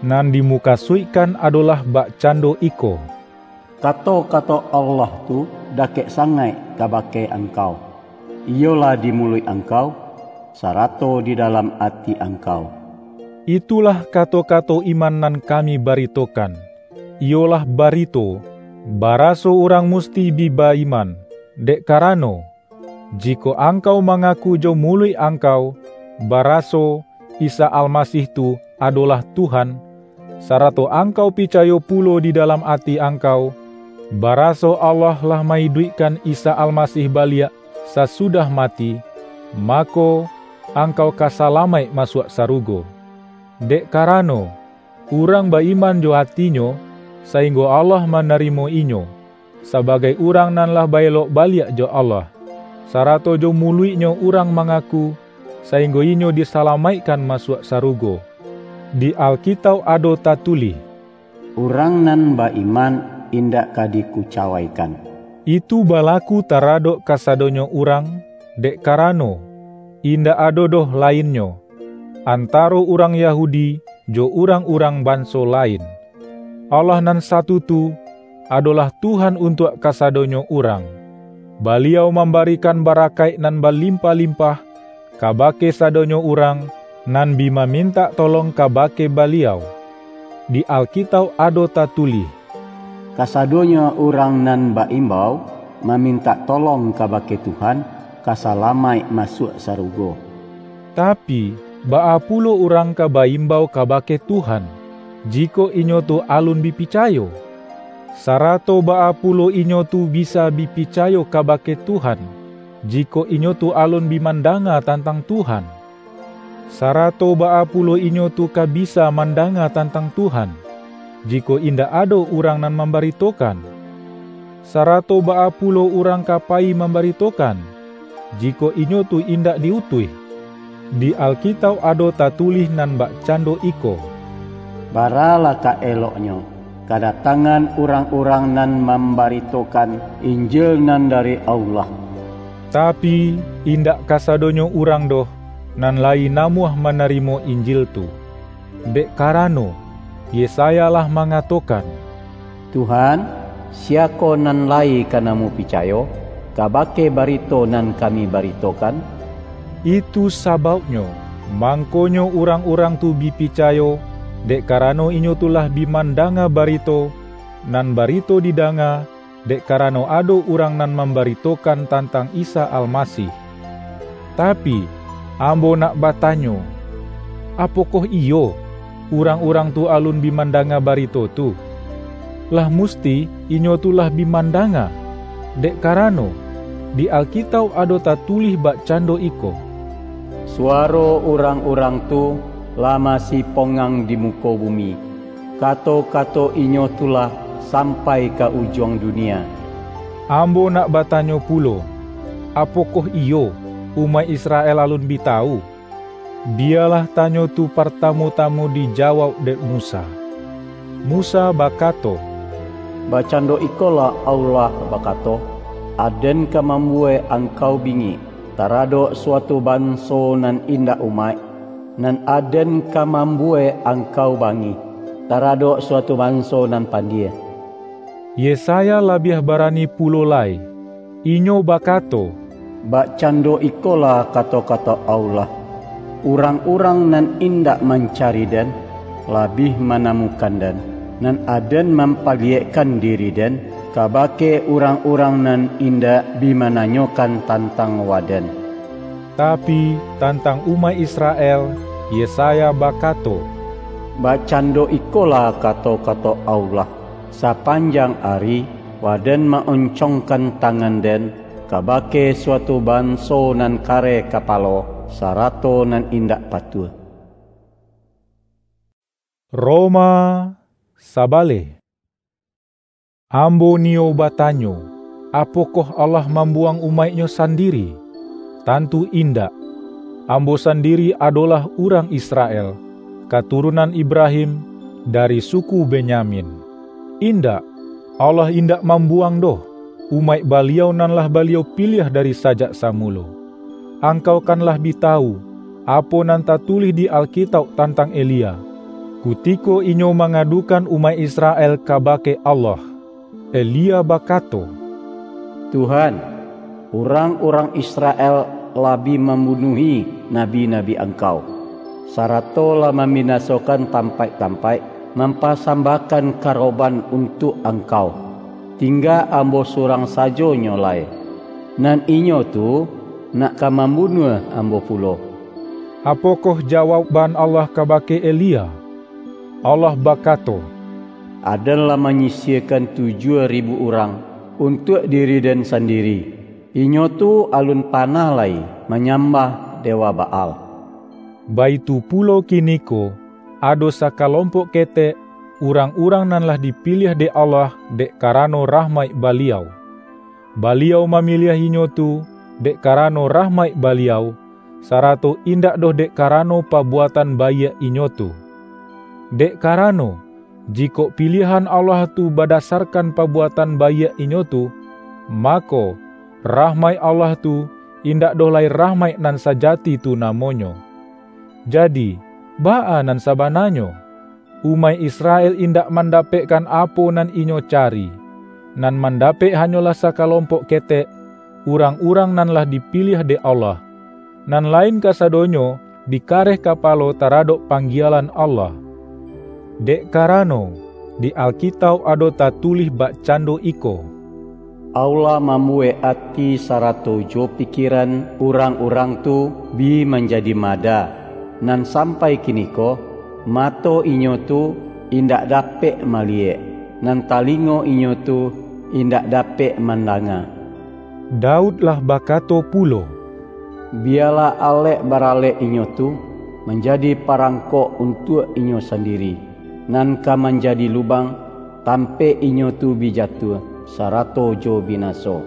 Nan dimukasuikkan adolah bakcando iko, "Kato-kato Allah tu dakek sangaik kabake angkau, iyolah di muluik angkau, sarato di dalam ati angkau." Itulah kato-kato iman nan kami baritokan, iyolah barito, baraso urang musti bi ba-iman, dek karano, jikok angkau mangaku jo muluik angkau, baraso Isa Almasih tu adolah Tuhan, sarato angkau picayo pulo di dalam ati angkau, baraso Allah lah ma-iduikkan Isa Almasih baliak sasudah mati, mako, angkau ka salamaik masuak sarugo. Dek karano, urang ba-iman jo atinyo, sainggo Allah manarimo inyo, sabagai urang nan lah ba-elok baliak jo Allah, sarato jo muluiknyo urang mangaku, sainggo inyo disalamaikkan masuak sarugo. Di Alkitauk ado tatulih, "Urang nan ba-iman indak ka dikucawaikan." Itu balaku taradok kasadonyo urang, dek karano, indak ado doh lainnyo, antaro urang Yahudi jo urang-urang banso lain. Allah nan satu tu, adolah Tuhan untuak kasadonyo urang. Baliau mambarikan barakaik nan balimpah-limpah kabake sadonyo urang nan bi mamintak tolong kabake Baliau. Di Alkitauk ado tatulih, "Kasadonyo urang nan ba-imbau mamintak tolong kabake Tuhan, ka salamaik masuak sarugo." Tapi, baa pulo urang ka ba-imbau kabake Tuhan, jikok inyo tu alun bi picayo? Sarato baa pulo inyo tu bisa bi picayo kabake Tuhan, jikok inyo tu alun bi mandanga tantang Tuhan? Sarato baa pulo inyo tu ka bisa mandanga tantang Tuhan, jikok indak ado urang nan mambaritokan? Sarato baa pulo urang ka payi mambaritokan, jikok inyo tu indak di-utuih? Di Alkitauk ado tatulih nan bakcando iko, "Baralah ka eloknyo, kadatangan urang-urang nan mambaritokan Injil nan dari Allah." Tapi, indak kasadonyo urang doh, nan layi namuah manarimo Injil tu. Dek karano, Yesaya lah mangatokan, "Tuhan, siako nan layi ka namuah picayo kabake barito nan kami baritokan?" Itu sabauknyo, mangkonyo urang-urang tu bi picayo, dek karano inyo tu lah bi mandanga barito, nan barito didanga, dek karano ado urang nan mambaritokan tantang Isa Almasih. Tapi, ambo nak batanyo, apokoh iyo, urang-urang tu alun bi mandanga barito tu? Lah musti inyo tu lah bi mandanga, dek karano, di Alkitauk ado tatulih bakcando iko, "Suwaro urang-urang tu lah masipongang di muko bumi, kato-kato inyo tu lah sampai ka ujuang dunia." Ambo nak batanyo pulo, apokoh iyo, umaik Israel alun bi tawu? Biyalah tanyo tu partamu-tamu dijawauk dek Musa. Musa bakato, "Bakcando ikolah Allah bakato, 'Aden ka mambuwek angkau bingik taradok suatu banso nan indak umaik, nan Aden ka mambuwek angkau bangih taradok suatu banso nan pandie.'" Yesaya labiah barani pulo lai. Inyo bakato, "Bakcando ikolah kato-kato Allah, 'Urang-urang nan indak mancari Den, labiah manamukan Den, nan Aden mampaliyekkan diri Den kabake urang-urang nan indak bi mananyokan tantang Waden.'" Tapi, tantang umaik Israel, Yesaya bakato, Bakcando ikolah kato-kato Allah, sapanjang ari, waden ma-oncongkan tangan-Den kabake suatu banso nan kareh kapalo, sarato nan indak patuah. Roma sabaleh. Ambo niyo batanyo, apokoh Allah mambuwang umaik-Nyo sandiri? Tantu indak! Ambo sandiri adolah urang Israel, katurunan Ibrahim, dari suku Benyamin. Indak! Allah indak mambuwang doh, umaik Baliau nan lah Baliau piliah dari sajak samulo. Angkau kan lah bi tawu, apo nan tatulih di Alkitauk tantang Elia, kutiko inyo mangadukan umaik Israel kabake Allah. Elia bakato, "Tuhan, urang-urang Israel lah bi mambunuahi nabi-nabi Angkau, sarato lah mambinasokan tampaik-tampaik mampasambahkan karoban untuak Angkau. Tingga ambo surang sajo nyo lai, nan inyo tu nak ka mambunuah ambo pulo." Apokoh jawaukban Allah kabake Elia? Allah bakato, "Aden lah manyisiakan tujuah ribu urang untuak diri-Den sandiri. Inyo tu alun panah lai manyambah dewa Baal." Baitu pulo kiniko, ado sakalompok ketek, urang-urang nan lah dipiliah dek Allah dek karano rahmaik Baliau. Baliau mamiliah inyo tu dek karano rahmaik Baliau, sarato indak doh dek karano pabuatan baiak inyo tu. Dek karano, jikok piliahan Allah tu badasarkan pabuatan baiak inyo tu, mako, rahmaik Allah tu indak doh lai rahmaik nan sajati tu namonyo. Jadi, baa nan sabananyo? Umaik Israel indak mandapekkan apo nan inyo cari. Nan mandapek hanyolah sakalompok ketek, urang-urang nan lah dipiliah dek Allah. Nan lain kasadonyo bi kareh kapalo taradok panggielan Allah. Dek karano, di Alkitauk ado tatulih bakcando iko, Allah mambuwek ati sarato jo pikieran urang-urang tu bi manjadi mada, nan sampai kiniko, mato inyo tu indak dapek maliyek, nan talingo inyo tu indak dapek mandanga. Daud lah bakato pulo, "Biyalah alek baralek inyo tu manjadi parangkok untuak inyo sandiri, nan ka manjadi lubang, tampek inyo tu bi jatuah, sarato jo binaso.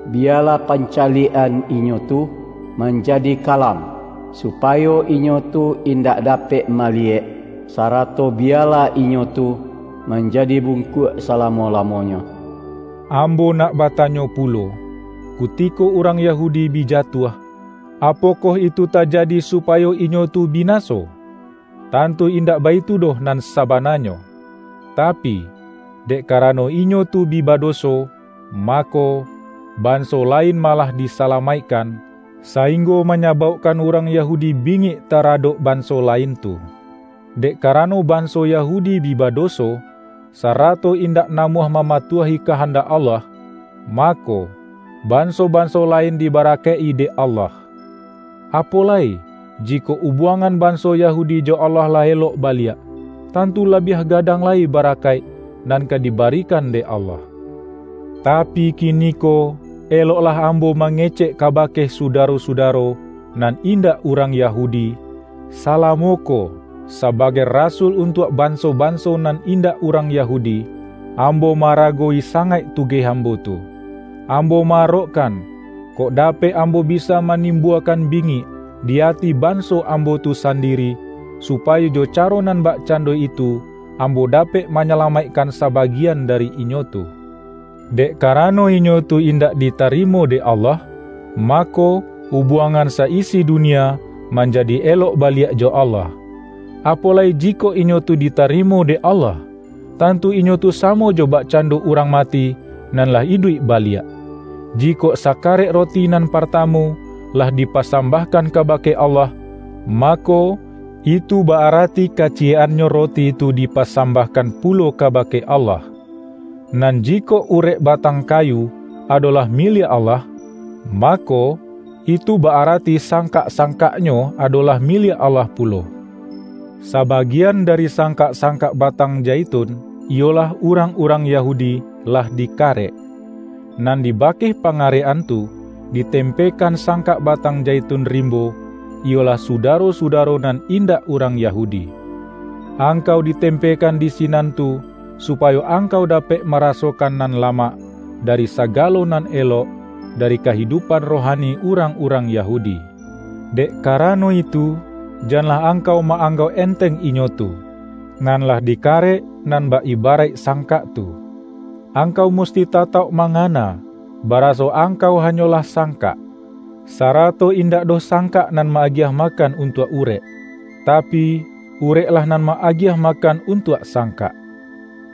Biyalah pancaliak-an inyo tu manjadi kalam, supayo inyo tu indak dapek maliyek, sarato biyalah inyo tu manjadi bungkuak salamo-lamonyo." Ambo nak batanyo pulo, kutiko urang Yahudi bi jatuah, apokoh itu tajadi supayo inyo tu binaso? Tantu indak baitu doh nan sabananyo. Tapi, dek karano inyo tu bi badoso, mako, banso lain malah disalamaikkan, sainggo manyabaukkan urang Yahudi bingik taradok banso lain tu. Dek karano banso Yahudi bi badoso, sarato indak namuah mamatuahi kahandak Allah, mako, banso-banso lain dibarakaik-i dek Allah. Apo lai, jikok ubuangan banso Yahudi jo Allah lah elok baliak, tantu labiah gadang lai barakaik nan ka dibarikan dek Allah. Tapi kiniko, eloklah ambo mangecek kabake sudaro-sudaro nan indak urang Yahudi, salamo ko, sabagai rasul untuak banso-banso nan indak urang Yahudi, ambo maaragowi sangaik tugeh ambo tu. Ambo ma-arokkan, kok dapek ambo bisa manimbuakan bingik di ati banso ambo tu sandiri, supayo jo caro nan bakcando itu, ambo dapek manyalamaikkan sabagian dari inyo tu. Dek karano inyo tu indak ditarimo dek Allah, mako, ubuangan sa-isi dunia manjadi elok baliak jo Allah. Apo lai jikok inyo tu ditarimo dek Allah? Tantu inyo tu samo jo bakcando urang mati nan lah iduik baliak. Jikok sakarek roti nan partamu lah dipasambahkan kabake Allah, mako, itu ba-arati kaciyek-annyo roti tu dipasambahkan pulo kabake Allah. Nan jikok urek batang kayu adolah miliak Allah, mako, itu ba-arati sangkak-sangkaknyo adolah miliak Allah pulo. Sabagian dari sangkak-sangkak batang jaitun, iyolah urang-urang Yahudi, lah dikarek. Nan di bakeh pangarekan tu, ditempekan sangkak batang jaitun rimbo, iyolah sudaro-sudaro nan indak urang Yahudi. Angkau ditempekan di sinan tu, supayo angkau dapek marasokan nan lamak dari sagalo nan elok dari kahidupan rohani urang-urang Yahudi. Dek karano itu, janlah angkau ma-anggauk enteng inyo tu, nan lah dikarek nan ba-ibaraik sangkak tu. Angkau musti tatauk mangana, baraso angkau hanyolah sangkak, sarato indak doh sangkak nan ma-agiah makan untuak urek, tapi, ureklah nan ma-agiah makan untuak sangkak.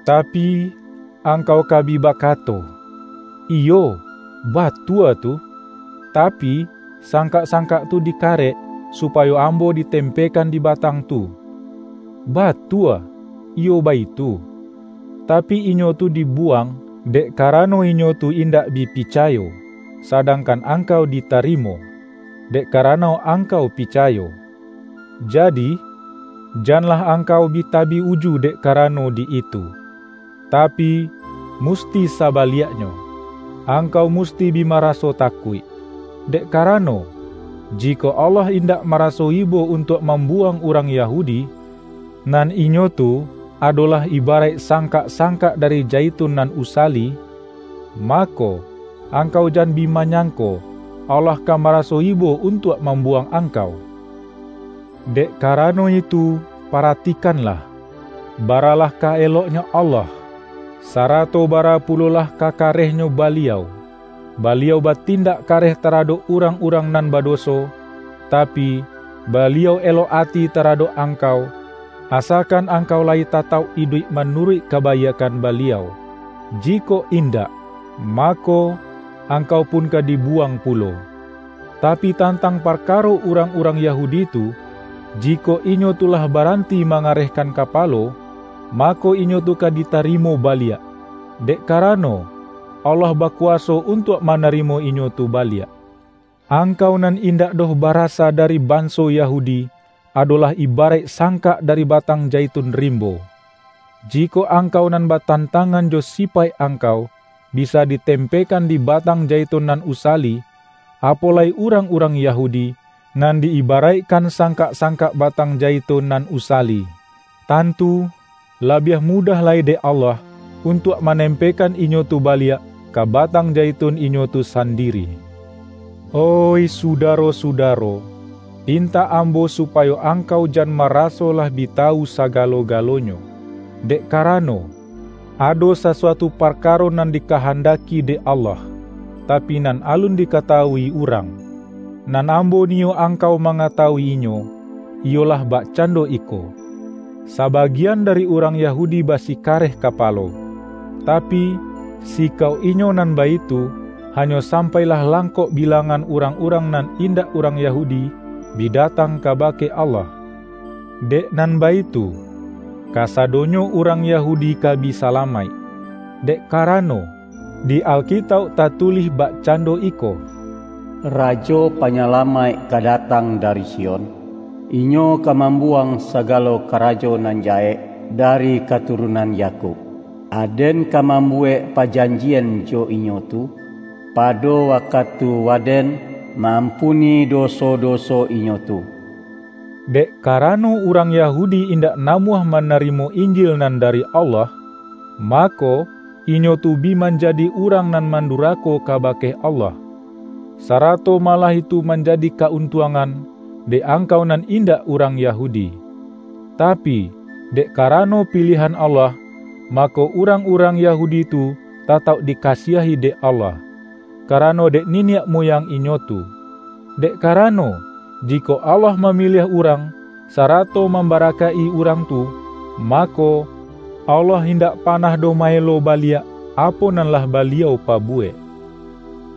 Tapi, angkau ka bi bakato, "Iyo, batua tu, tapi, sangkak-sangkak tu dikarek, supayo ambo ditempekan di batang tu." Batua, iyo baitu. Tapi, inyo tu dibuwang, dek karano inyo tu indak bi picayo, sadangkan angkau ditarimo, dek karano angkau picayo. Jadi, janlah angkau bi tabi uju dek karano di itu, tapi, musti sabaliaknyo, angkau musti bi maraso takuik. Dek karano, jikok Allah indak maraso ibo untuak mambuwang urang Yahudi, nan inyo tu adolah ibaraik sangkak-sangkak dari jaitun nan usali, mako, angkau jan bi manyangko, Allah ka maraso ibo untuak mambuwang angkau. Dek karano itu, paratikanlah, baralah ka eloknyo Allah, sarato bara pulolah ka karehnyo Baliau. Baliau batindak kareh taradok urang-urang nan badoso, tapi, Baliau elok ati taradok angkau, asakan angkau lai tatauk iduik manuruik kabaiakkan Baliau. Jikok indak, mako, angkau pun ka dibuwang pulo. Tapi, tantang parkaro urang-urang Yahudi tu, jikok inyo tu lah baranti mangarehkan kapalo, mako, inyo tu ka ditarimo baliak, dek karano, Allah bakuwaso untuak manarimo inyo tu baliak. Angkau nan indak doh barasa dari banso Yahudi, adolah ibaraik sangkak dari batang jaitun rimbo. Jikok angkau nan batantangan jo sipaik angkau, bisa ditempekan di batang jaitun nan usali, apo lai urang-urang Yahudi, nan di-ibaraikkan sangkak-sangkak batang jaitun nan usali. Tantu, labiah mudah lai dek Allah, untuak manempekan inyo tu baliak ka batang jaitun inyo tu sandiri. Oih sudaro-sudaro, pintak ambo supayo angkau jan maraso lah bi tawu sagalo-galonyo, dek karano, ado sasuatu parkaro nan dikahandaki dek Allah, tapi nan alun dikatawui urang. Nan ambo niyok angkau mangatawuinyo, iyolah bakcando iko: Sabagian dari urang Yahudi basikareh kapalo, tapi, sikau inyo nan baitu hanyo sampailah langkok bilangan urang-urang nan indak urang Yahudi bi datang kabake Allah. Dek nan baitu, kasadonyo urang Yahudi ka bi salamaik, dek karano, di Alkitauk tatulih bakcando iko: "Rajo Panyalamaik ka datang dari Sion, Inyo ka mambuwang sagalo karajo nan jahek dari katurunan Yakub. Aden ka mambuwek pajanjian jo inyo tu, pado wakatu Waden ma-ampuni doso-doso inyo tu." Dek karano urang Yahudi indak namuah manarimo Injil nan dari Allah, mako, inyo tu bi manjadi urang nan mandurako kabake Allah, sarato malah itu manjadi ka-untuangan dek angkau nan indak urang Yahudi. Tapi, dek karano pilihan Allah, mako, urang-urang Yahudi tu tatauk dikasiahi dek Allah, karano dek niniak muyang inyo tu. Dek karano, jikok Allah mamiliah urang, sarato mambarakaik-i urang tu, mako, Allah indak panah doh maelo baliak apo nan lah Baliau pabuwek.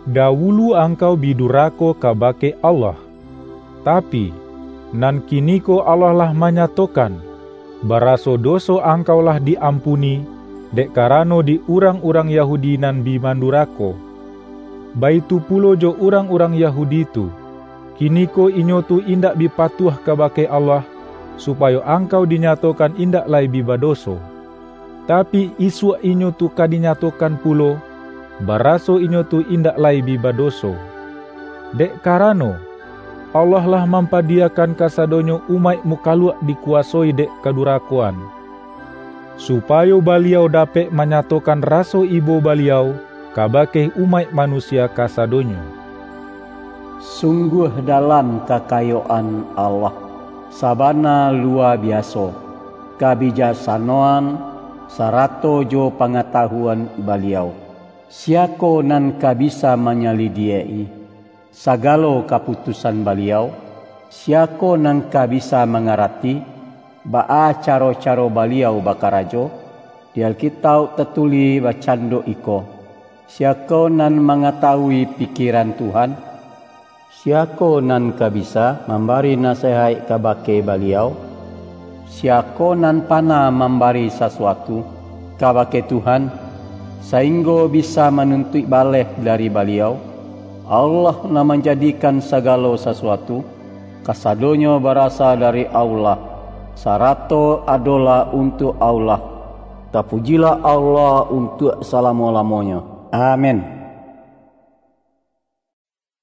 Dawulu angkau bi durako kabake Allah, tapi, nan kiniko Allah lah manyatokan, baraso doso angkau lah di-ampuni, dek karano di urang-urang Yahudi nan bi mandurako. Baitu pulo jo urang-urang Yahudi tu, kiniko inyo tu indak bi patuah kabake Allah, supayo angkau dinyatokan indak lai bi badoso. Tapi, isuak inyo tu ka dinyatokan pulo, baraso inyo tu indak lai bi badoso. Dek karano, Allah lah mampadiyakan kasadonyo umaik mukaluak dikuwasoi dek kadurakoan, supayo Baliau dapek manyatokan raso ibo Baliau kabake umaik manusia kasadonyo. Sungguah dalam kakayoan Allah, sabana luwa biaso kabijaksanoan sarato jo pangatahuan Baliau. Siako nan ka bisa manyalidiak-i sagalo kaputusan Baliau? Siako nan ka bisa mangarati baa caro-caro Baliau bakarajo? Di Alkitauk tatulih bakcando iko, "Siako nan mangatawui pikiran Tuhan? Siako nan ka bisa mambari nasehaik kabake Baliau? Siako nan panah mambari sasuatu kabake Tuhan, sainggo bisa manuntuik baleh dari Baliau? Allah nan manjadikan sagalo sasuatu, kasadonyo barasa dari Allah, sarato adolah untuak Allah. Tapujilah Allah untuak salamo-lamonyo. Amin."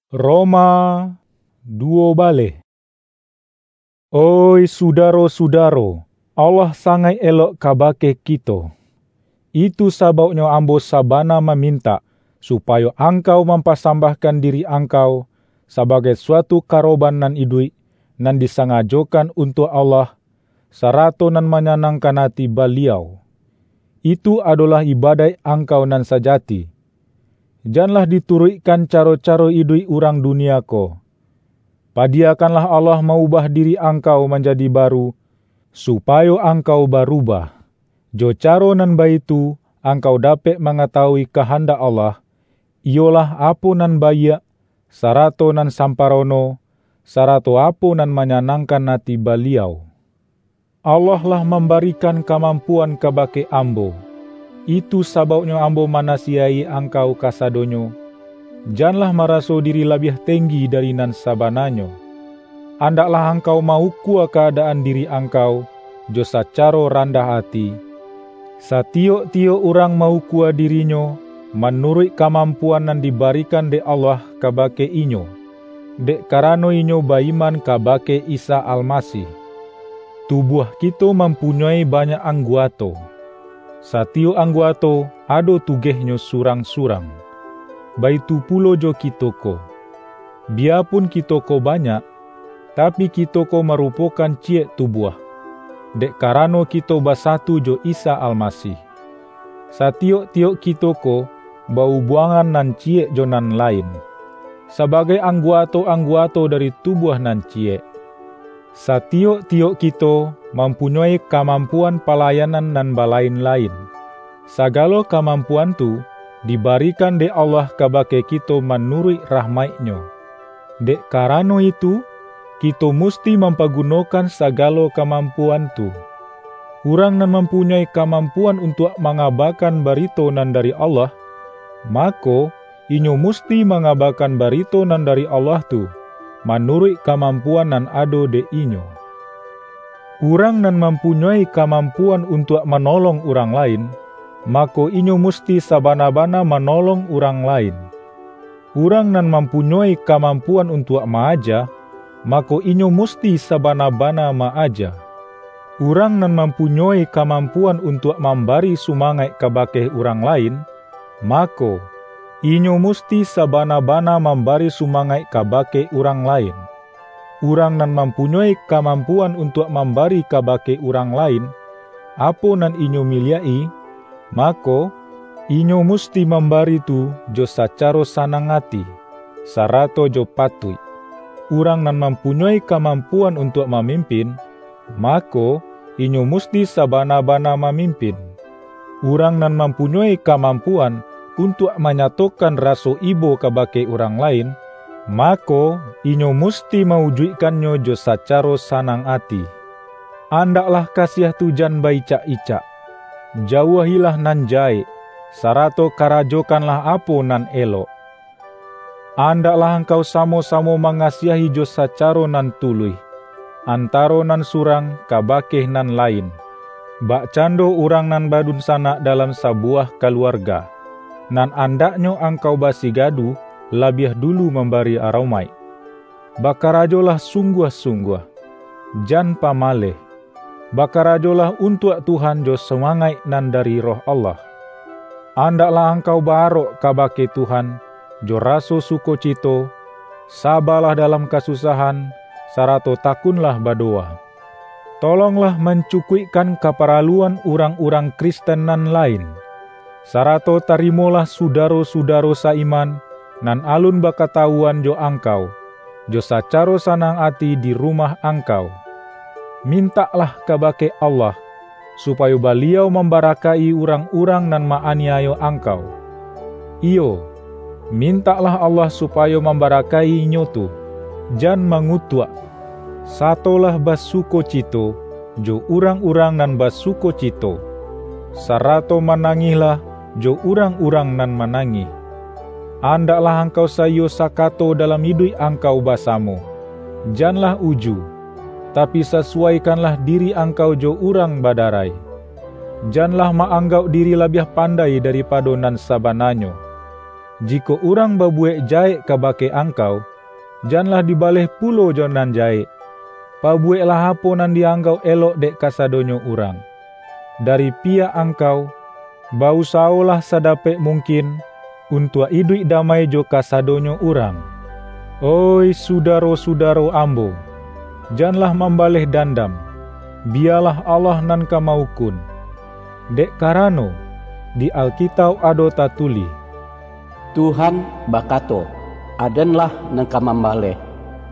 Roma duo baleh. Oih sudaro-sudaro, Allah sangaik elok kabake kito. Itu sabauknyo ambo sabana mamintak, supayo angkau mampasambahkan diri angkau sabagai suatu karoban nan iduik, nan disangajokan untuak Allah, sarato nan manyanangkan ati Baliau. Itu adolah ibadaik angkau nan sajati. Janlah dituruikkan caro-caro iduik urang dunia ko. Padiyakanlah Allah maubah diri angkau manjadi baru, supayo angkau barubah. Jo caro nan baitu, angkau dapek mangatawui kahandak Allah, iyolah apo nan baiak, sarato nan samparono, sarato apo nan manyanangkan ati Baliau. Allah lah mambarikan kamampuan kabake ambo. Itu sabauknyo ambo manasiyaik angkau kasadonyo, janlah maraso diri labiah tenggi dari nan sabananyo. Andaklah angkau ma-ukua kaadaan diri angkau jo sacaro randah ati. Satiyok-tiyok urang ma-ukua dirinyo manuruik kamampuan nan dibarikan dek Allah kabake inyo, dek karano inyo ba-iman kabake Isa Almasih. Tubuah kito mampunyoi banyak angguato. Satiyok angguato ado tugehnyo surang-surang. Baitu pulo jo kito ko. Biyapun kito ko banyak, tapi kito ko marupokan ciyek tubuah, dek karano kito basatu jo Isa Almasih. Satiyok-tiyok kito ko ba-ubuangan nan ciyek jo nan lain, sabagai angguato-angguato dari tubuah nan ciyek. Satiyok-tiyok kito mampunyoi kamampuan palayanan nan balain-lain. Sagalo kamampuan tu dibarikan dek Allah kabake kito manuruik rahmaik-Nyo. Dek karano itu, kito musti mampagunokan sagalo kamampuan tu. Urang nan mampunyoi kamampuan untuak mangabakan barito nan dari Allah, mako, inyo musti mangabakan barito nan dari Allah tu, manuruik kamampuan nan ado dek inyo. Urang nan mampunyoi kamampuan untuak manolong urang lain, mako, inyo musti sabana-bana manolong urang lain. Urang nan mampunyoi kamampuan untuak ma-aja, mako, inyo musti sabana-bana ma-aja. Urang nan mampunyoi kamampuan untuak mambari sumangaik kabake urang lain, mako, inyo musti sabana-bana mambari sumangaik kabake urang lain. Urang nan mampunyoi kamampuan untuak mambari kabake urang lain, apo nan inyo miliak-i, mako, inyo musti mambari tu jo sacaro sanang ati, sarato jo patuik. Urang nan mampunyoi kamampuan untuak mamimpin, mako, inyo musti sabana-bana mamimpin. Urang nan mampunyoi kamampuan untuak manyatokan raso ibo kabake urang lain, mako, inyo musti mawujuikkannyo jo sacaro sanang ati. Andaklah kasiah tu jan ba-icak-icak. Jauahilah nan jahek, sarato karajokanlah apo nan elok. Andaklah angkau samo-samo mangasiahi jo sacaro nan tuluih. antaro nan surang kabake nan lain, bakcando urang nan badunsanak dalam sabuwah kaluarga, nan andaknyo angkau basigadu labiah dulu mambari aromaik. Bakarajolah sungguah-sungguah, jan pamaleh. Bakarajolah untuak Tuhan jo sumangaik nan dari Roh Allah. Andaklah angkau ba-arok kabake Tuhan jo raso sukocito, sabalah dalam kasusahan, sarato takunlah badowa. Tolonglah mancukuikkan kaparaluan urang-urang Kristen nan lain, sarato tarimolah sudaro-sudaro sa-iman nan alun bakatawuan jo angkau, jo sacaro sanang ati di rumah angkau. Mintaklah kabake Allah, supayo Baliau mambarakaik-i urang-urang nan ma-aniayo angkau. Iyo, mintaklah Allah supayo mambarakaik-i inyo tu, jan mangutuak. Satolah basukocito jo urang-urang nan basukocito, sarato manangihlah jo urang-urang nan manangih. Andaklah angkau saiyo sakato dalam iduik angkau basamo. Janlah uju, tapi sasuwaikanlah diri angkau jo urang badarai. Janlah ma-anggauk diri labiah pandai daripado nan sabananyo. Jikok urang babuwek jahek kabake angkau, janlah dibaleh pulo jo nan jahek. Pabuweklah apo nan di-anggauk elok dek kasadonyo urang. Dari piyak angkau, ba-usawolah sadapek mungkin untuak iduik damai jo kasadonyo urang. Oih sudaro-sudaro ambo, janlah mambaleh dandam, biyalah Allah nan ka ma-ukun. Dek karano, di Alkitauk ado tatulih, Tuhan bakato, "Aden-lah nan ka mambaleh,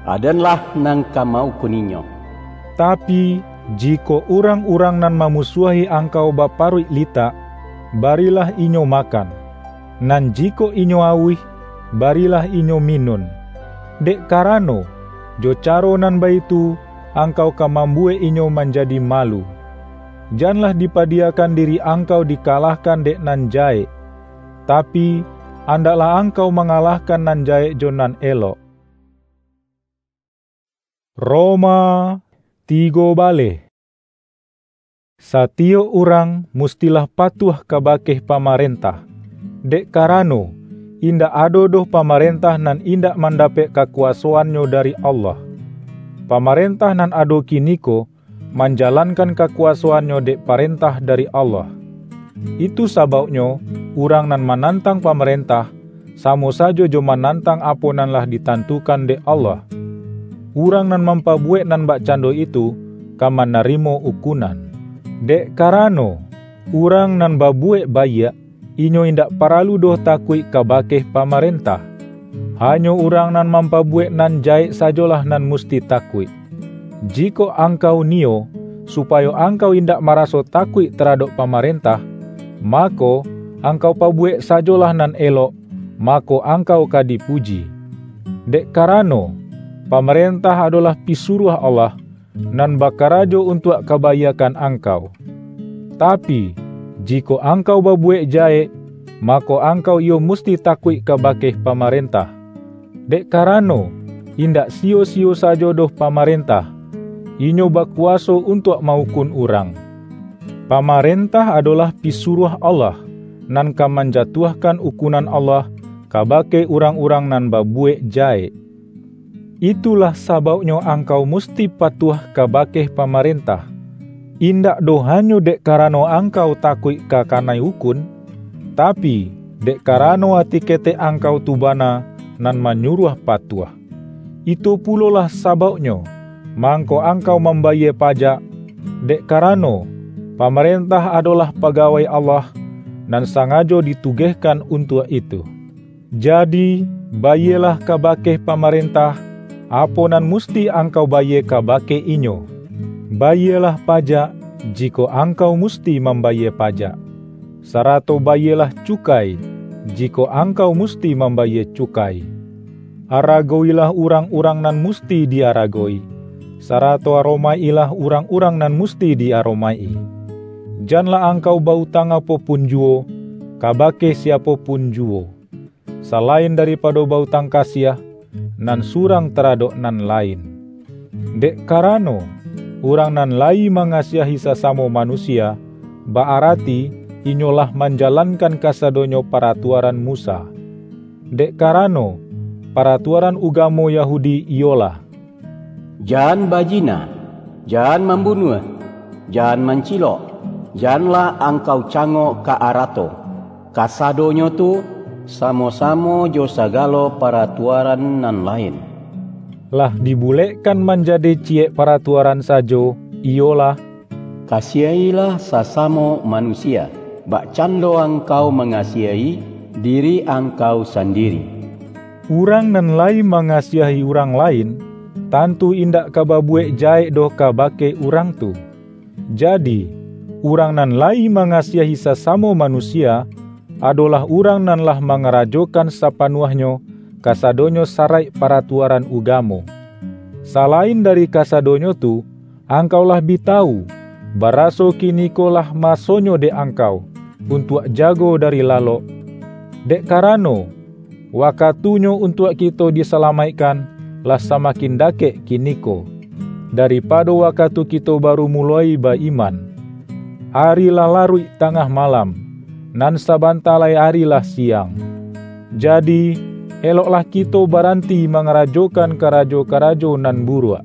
Aden-lah nan ka ma-ukuninyo." Tapi, jikok urang-urang nan mamusuahi angkau baparuik litak, barilah inyo makan. Nan jikok inyo auih, barilah inyo minun. Dek karano, jo caro nan baitu, angkau ka mambuwek inyo manjadi malu. Janlah dipadiyakan diri angkau dikalahkan dek nan jahek, tapi, andaklah angkau mangalahkan nan jahek jo nan elok. Roma tigo baleh. Satiyok urang mustilah patuah kabake pamarentah, dek karano, indak ado doh pamarentah nan indak mandapek kakuwasoannyo dari Allah. Pamarentah nan ado kiniko manjalankan kakuwasoannyo dek parentah dari Allah. Itu sabauknyo, urang nan manantang pamarentah, samo sajo jo manantang apo nan lah ditantukan dek Allah. Urang nan mampabuwek nan bakcando itu, ka manarimo ukunan. Dek karano, urang nan babuwek baiak, inyo indak paralu doh takuik kabake pamarentah. Hanyo urang nan mampabuwek nan jahek sajolah nan musti takuik. Jikok angkau niyo, supayo angkau indak maraso takuik taradok pamarentah, mako, angkau pabuwek sajolah nan elok, mako, angkau ka dipuji. Dek karano, pamarentah adolah pisuruah Allah, nan bakarajo untuak kabaiakkan angkau. Tapi, jikok angkau babuwek jahek, mako, angkau iyo musti takuik kabake pamarentah. Dek karano, indak siyo-siyo sajo doh pamarentah, inyo bakuwaso untuak ma-ukun urang. Pamarentah adolah pisuruah Allah, nan ka manjatuahkan ukunan Allah kabake urang-urang nan babuwek jahek. Itulah sabauknyo angkau musti patuah kabake pamarentah, indak doh hanyo dek karano angkau takuik ka kanai ukun, tapi, dek karano ati ketek angkau tu bana nan manyuruah patuah. Itu pulolah sabauknyo, mangko angkau mambayie pajak, dek karano, pamarentah adolah pagawai Allah, nan sangajo ditugehkan untuak itu. Jadi, bayielah kabake pamarentah, apo nan musti angkau bayie kabake inyo. Bayielah pajak, jikok angkau musti mambayie pajak, sarato bayielah cukai, jikok angkau musti mambayie cukai. Aragoilah urang-urang nan musti di-aragowi, sarato aromaik-ilah urang-urang nan musti di-aromaik-i. Janlah angkau ba-utang apo pun juwo, kabake siapo pun juwo, salain daripado ba-utang kasiah, nan surang taradok nan lain. Dek karano, urang nan layi mangasiahi sasamo manusia, ba-arati inyo lah manjalankan kasadonyo paratuaran Musa. Dek karano, paratuaran ugamo Yahudi iyolah: "Jan bajina, jan mambunuah, jan mancilok, janlah angkau cangok ka arato." Kasadonyo tu, samo-samo jo sagalo paratuaran nan lain, lah dibulekkan manjadi ciyek paratuaran sajo, iyolah: "Kasiahilah sasamo manusia, bakcando angkau mangasiahi diri angkau sandiri." Urang nan layi mangasiahi urang lain, tantu indak ka babuwek jahek doh kabake urang tu. Jadi, urang nan layi mangasiahi sasamo manusia, adolah urang nan lah mangarajokan sapanuahnyo kasadonyo saraik paratuaran ugamo. Salain dari kasadonyo tu, angkau lah bi tawu, baraso kiniko lah masonyo dek angkau, untuak jago dari lalok. Dek karano, wakatunyo untuak kito disalamaikkan lah samakin dakek kiniko, daripado wakatu kito baru muloi ba-iman. Ari lah laruik tangah malam, nan sabanta lai ari lah siang. Jadi, eloklah kito baranti mangarajokan karajo-karajo nan buruak.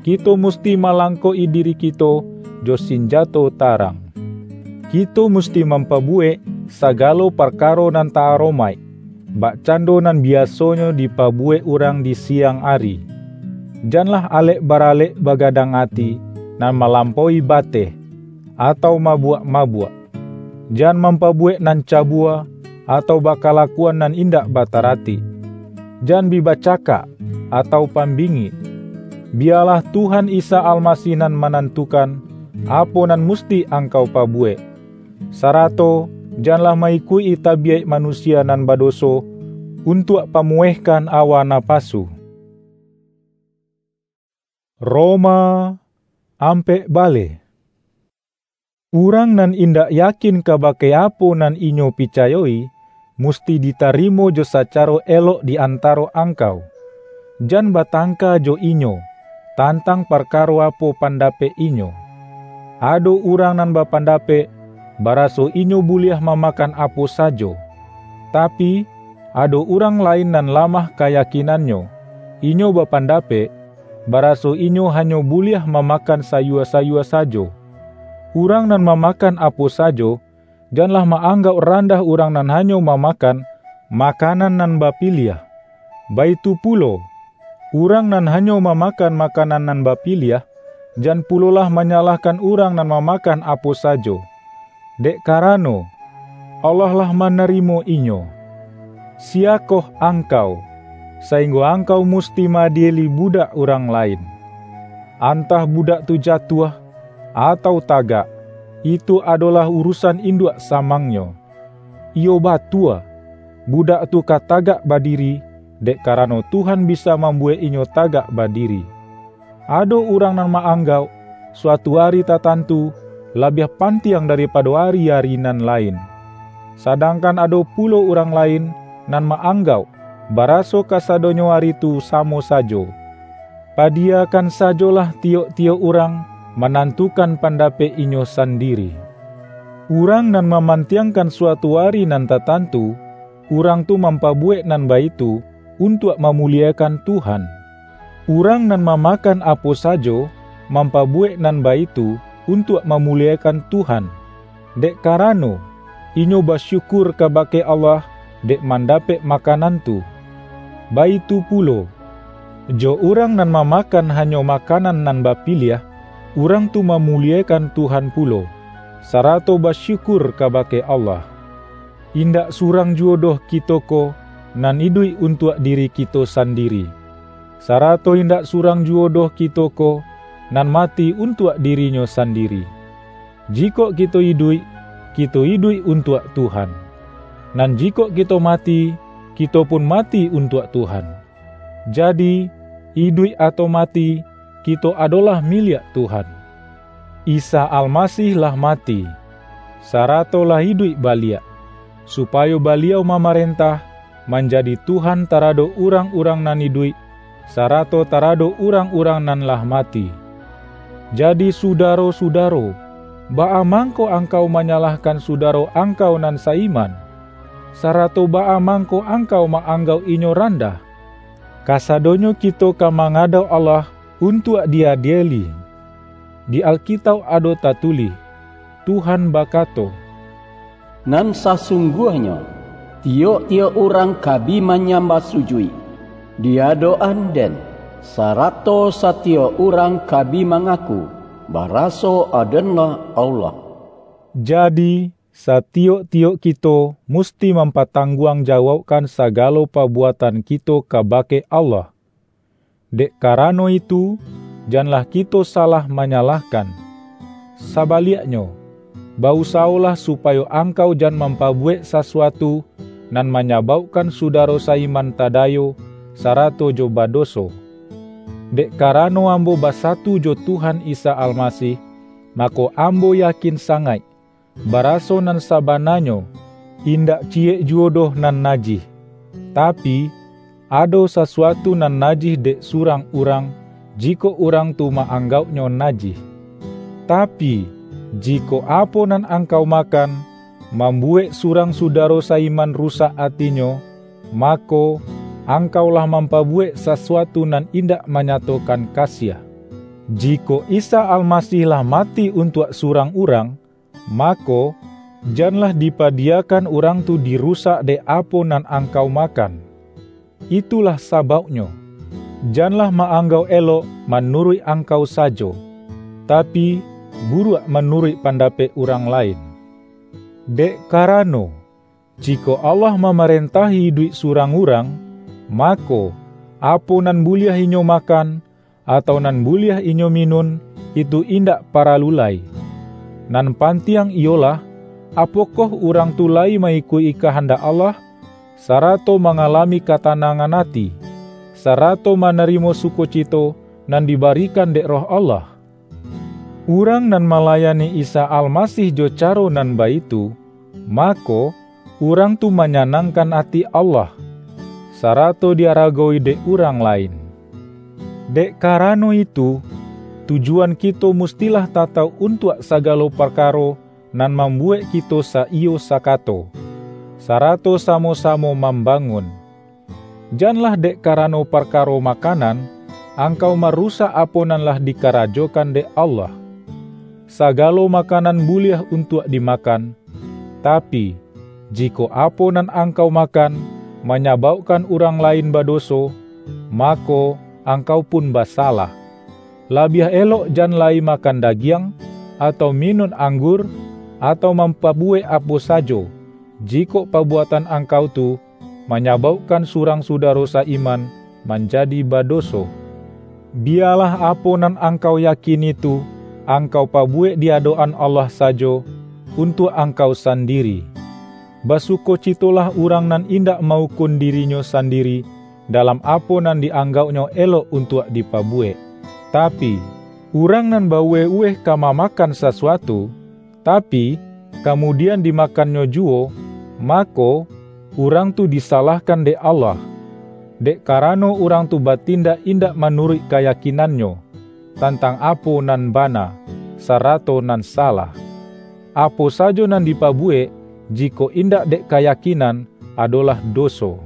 Kito musti malangkok-i diri kito jo sinjato tarang. Kito musti mampabuwek sagalo parkaro nan ta-aromaik, bakcando nan biasonyo dipabuwek urang di siang ari. Janlah alek-baralek bagadang ati, nan malampaui bateh, atau mabuak-mabuak. Jan mampabuwek nan cabua, atau bakalakuan nan indak bataratik. Jan bi bacakak, atau pambingik. Biyalah Tuhan Isa Almasih nan manantukan, apo nan musti angkau pabuwek. Sarato janlah ma-ikuik-i tabiyaik manusia nan badoso, untuak pamuwehkan awa napasu. Roma ampek baleh. Urang nan indak yakin kabake apo nan inyo picayo-i, musti ditarimo jo sacaro elok di antaro angkau. Jan batangka jo inyo, tantang parkaro apo pandapek inyo. Ado urang nan bapandapek, baraso inyo buliah mamakan apo sajo. Tapi, ado urang lain nan lamah kayakinannyo, inyo bapandapek, baraso inyo hanyo buliah mamakan sayua-sayua sajo. Urang nan mamakan apo sajo, janlah ma-anggauk randah urang nan hanyo mamakan makanan nan bapiliah. Baitu pulo, urang nan hanyo mamakan makanan nan bapiliah, jan pulolah manyalahkan urang nan mamakan apo sajo. Dek karano, Allah lah manarimo inyo. Siyakoh angkau, sainggo angkau musti ma-adieli budak urang lain? Antah budak tu jatuah, atau tagak, itu adolah urusan induak samangnyo. Iyo batua, budak tu ka tagak badiri, dek karano Tuhan bisa mambuwek inyo tagak badiri. Ado urang nan ma-anggauk, suatu ari tatantu labiah pantiang daripado ari-ari nan lain. Sadangkan ado pulo urang lain nan ma-anggauk, baraso kasadonyo ari tu samo sajo. Padiyakan sajolah tiyok-tiyok urang manantukan pandapek inyo sandiri. Urang nan mamantiangkan suatu ari nan tatantu, urang tu mampabuwek nan baitu untuak mamuliekan Tuhan. Urang nan mamakan apo sajo, mampabuwek nan baitu untuak mamuliekan Tuhan, dek karano, inyo basyukur kabake Allah dek mandapek makanan tu. Baitu pulo, jo urang nan mamakan hanyo makanan nan bapiliah, urang tu mamuliekan Tuhan pulo, sarato basyukur kabake Allah. Indak surang juwo doh kito ko nan iduik untuak diri kito sandiri, sarato indak surang juwo doh kito ko nan mati untuak dirinyo sandiri. Jikok kito iduik, kito iduik untuak Tuhan. Nan jikok kito mati, kito pun mati untuak Tuhan. Jadi, iduik atau mati, kito adolah miliak Tuhan. Isa Almasih lah mati, sarato lah iduik baliak, supayo Baliau mamarentah, manjadi Tuhan taradok urang-urang nan iduik, sarato taradok urang-urang nan lah mati. Jadi, sudaro-sudaro, baa mangko angkau manyalahkan sudaro angkau nan saiman? Sarato baa mangko angkau ma-anggauk inyo randah? Kasadonyo kito ka mangadok Allah untuak di-adieli. Di Alkitauk ado tatulih, Tuhan bakato, "Nan sasungguahnyo, tiyok-tiyok urang ka bi manyambah sujuik di adok-an Den, sarato satiyok urang ka bi mangaku, baraso Adenlah Allah." Jadi, satiyok-tiyok kito musti mampatangguang jawaukkan sagalo pabuatan kito kabake Allah. Dek karano itu, janlah kito salah manyalahkan. Sabaliaknyo, bausawolah supayo angkau jan mampabuwek sasuatu nan manyabaukkan sudaro saiman tadayo, sarato jo badoso. Dek karano ambo basatu jo Tuhan Isa Almasih, mako, ambo yakin sangaik, baraso nan sabananyo, indak ciyek juwo doh nan najih. Tapi, ado sasuatu nan najih dek surang urang, jikok urang tu ma-anggauknyo najih. Tapi, jikok apo nan angkau makan, mambuwek surang sudaro saiman rusak atinyo, mako, angkau lah mampabuwek sasuatu nan indak manyatokan kasiah. Jikok Isa Almasih lah mati untuak surang urang, mako, janlah dipadiyakan urang tu dirusak dek apo nan angkau makan. Itulah sabauknyo, janlah ma-anggauk elok manuruik angkau sajo, tapi, buruak manuruik pandapek urang lain. Dek karano, jikok Allah mamarentahi iduik surang urang, mako, apo nan buliah inyo makan, atau nan buliah inyo minun, itu indak paralu lai. Nan pantiang iyolah, apokoh urang tu layi ma-ikuik-i kahandak Allah, sarato mangalami katanangan ati, sarato manarimo sukocito nan dibarikan dek Roh Allah? Urang nan malayani Isa Almasih jo caro nan baitu, mako, urang tu manyanangkan ati Allah, sarato di-aragowi dek urang lain. Dek karano itu, tujuan kito mustilah tatauk untuak sagalo parkaro nan mambuwek kito saiyo sakato, sarato samo-samo mambangun. Janlah dek karano parkaro makanan, angkau marusak apo nan lah dikarajokan dek Allah. Sagalo makanan buliah untuak dimakan, tapi, jikok apo nan angkau makan manyabaukkan urang lain badoso, mako, angkau pun basalah. Labiah elok jan lai makan dagiang, atau minun anggur, atau mampabuwek apo sajo, jikok pabuatan angkau tu manyabaukkan surang sudaro saiman manjadi badoso. Biyalah apo nan angkau yakini tu, angkau pabuwek di adok-an Allah sajo, untuak angkau sandiri. Basukocitolah urang nan indak ma-ukun dirinyo sandiri dalam apo nan di-anggauknyo elok untuak dipabuwek. Tapi, urang nan bauweh-uweh ka mamakan sasuatu, tapi, kamudian dimakannyo juwo, mako, urang tu disalahkan dek Allah, dek karano urang tu batindak indak manuruik kayakinannyo, tantang apo nan bana, sarato nan salah. Apo sajo nan dipabuwek, jikok indak dek kayakinan, adolah doso.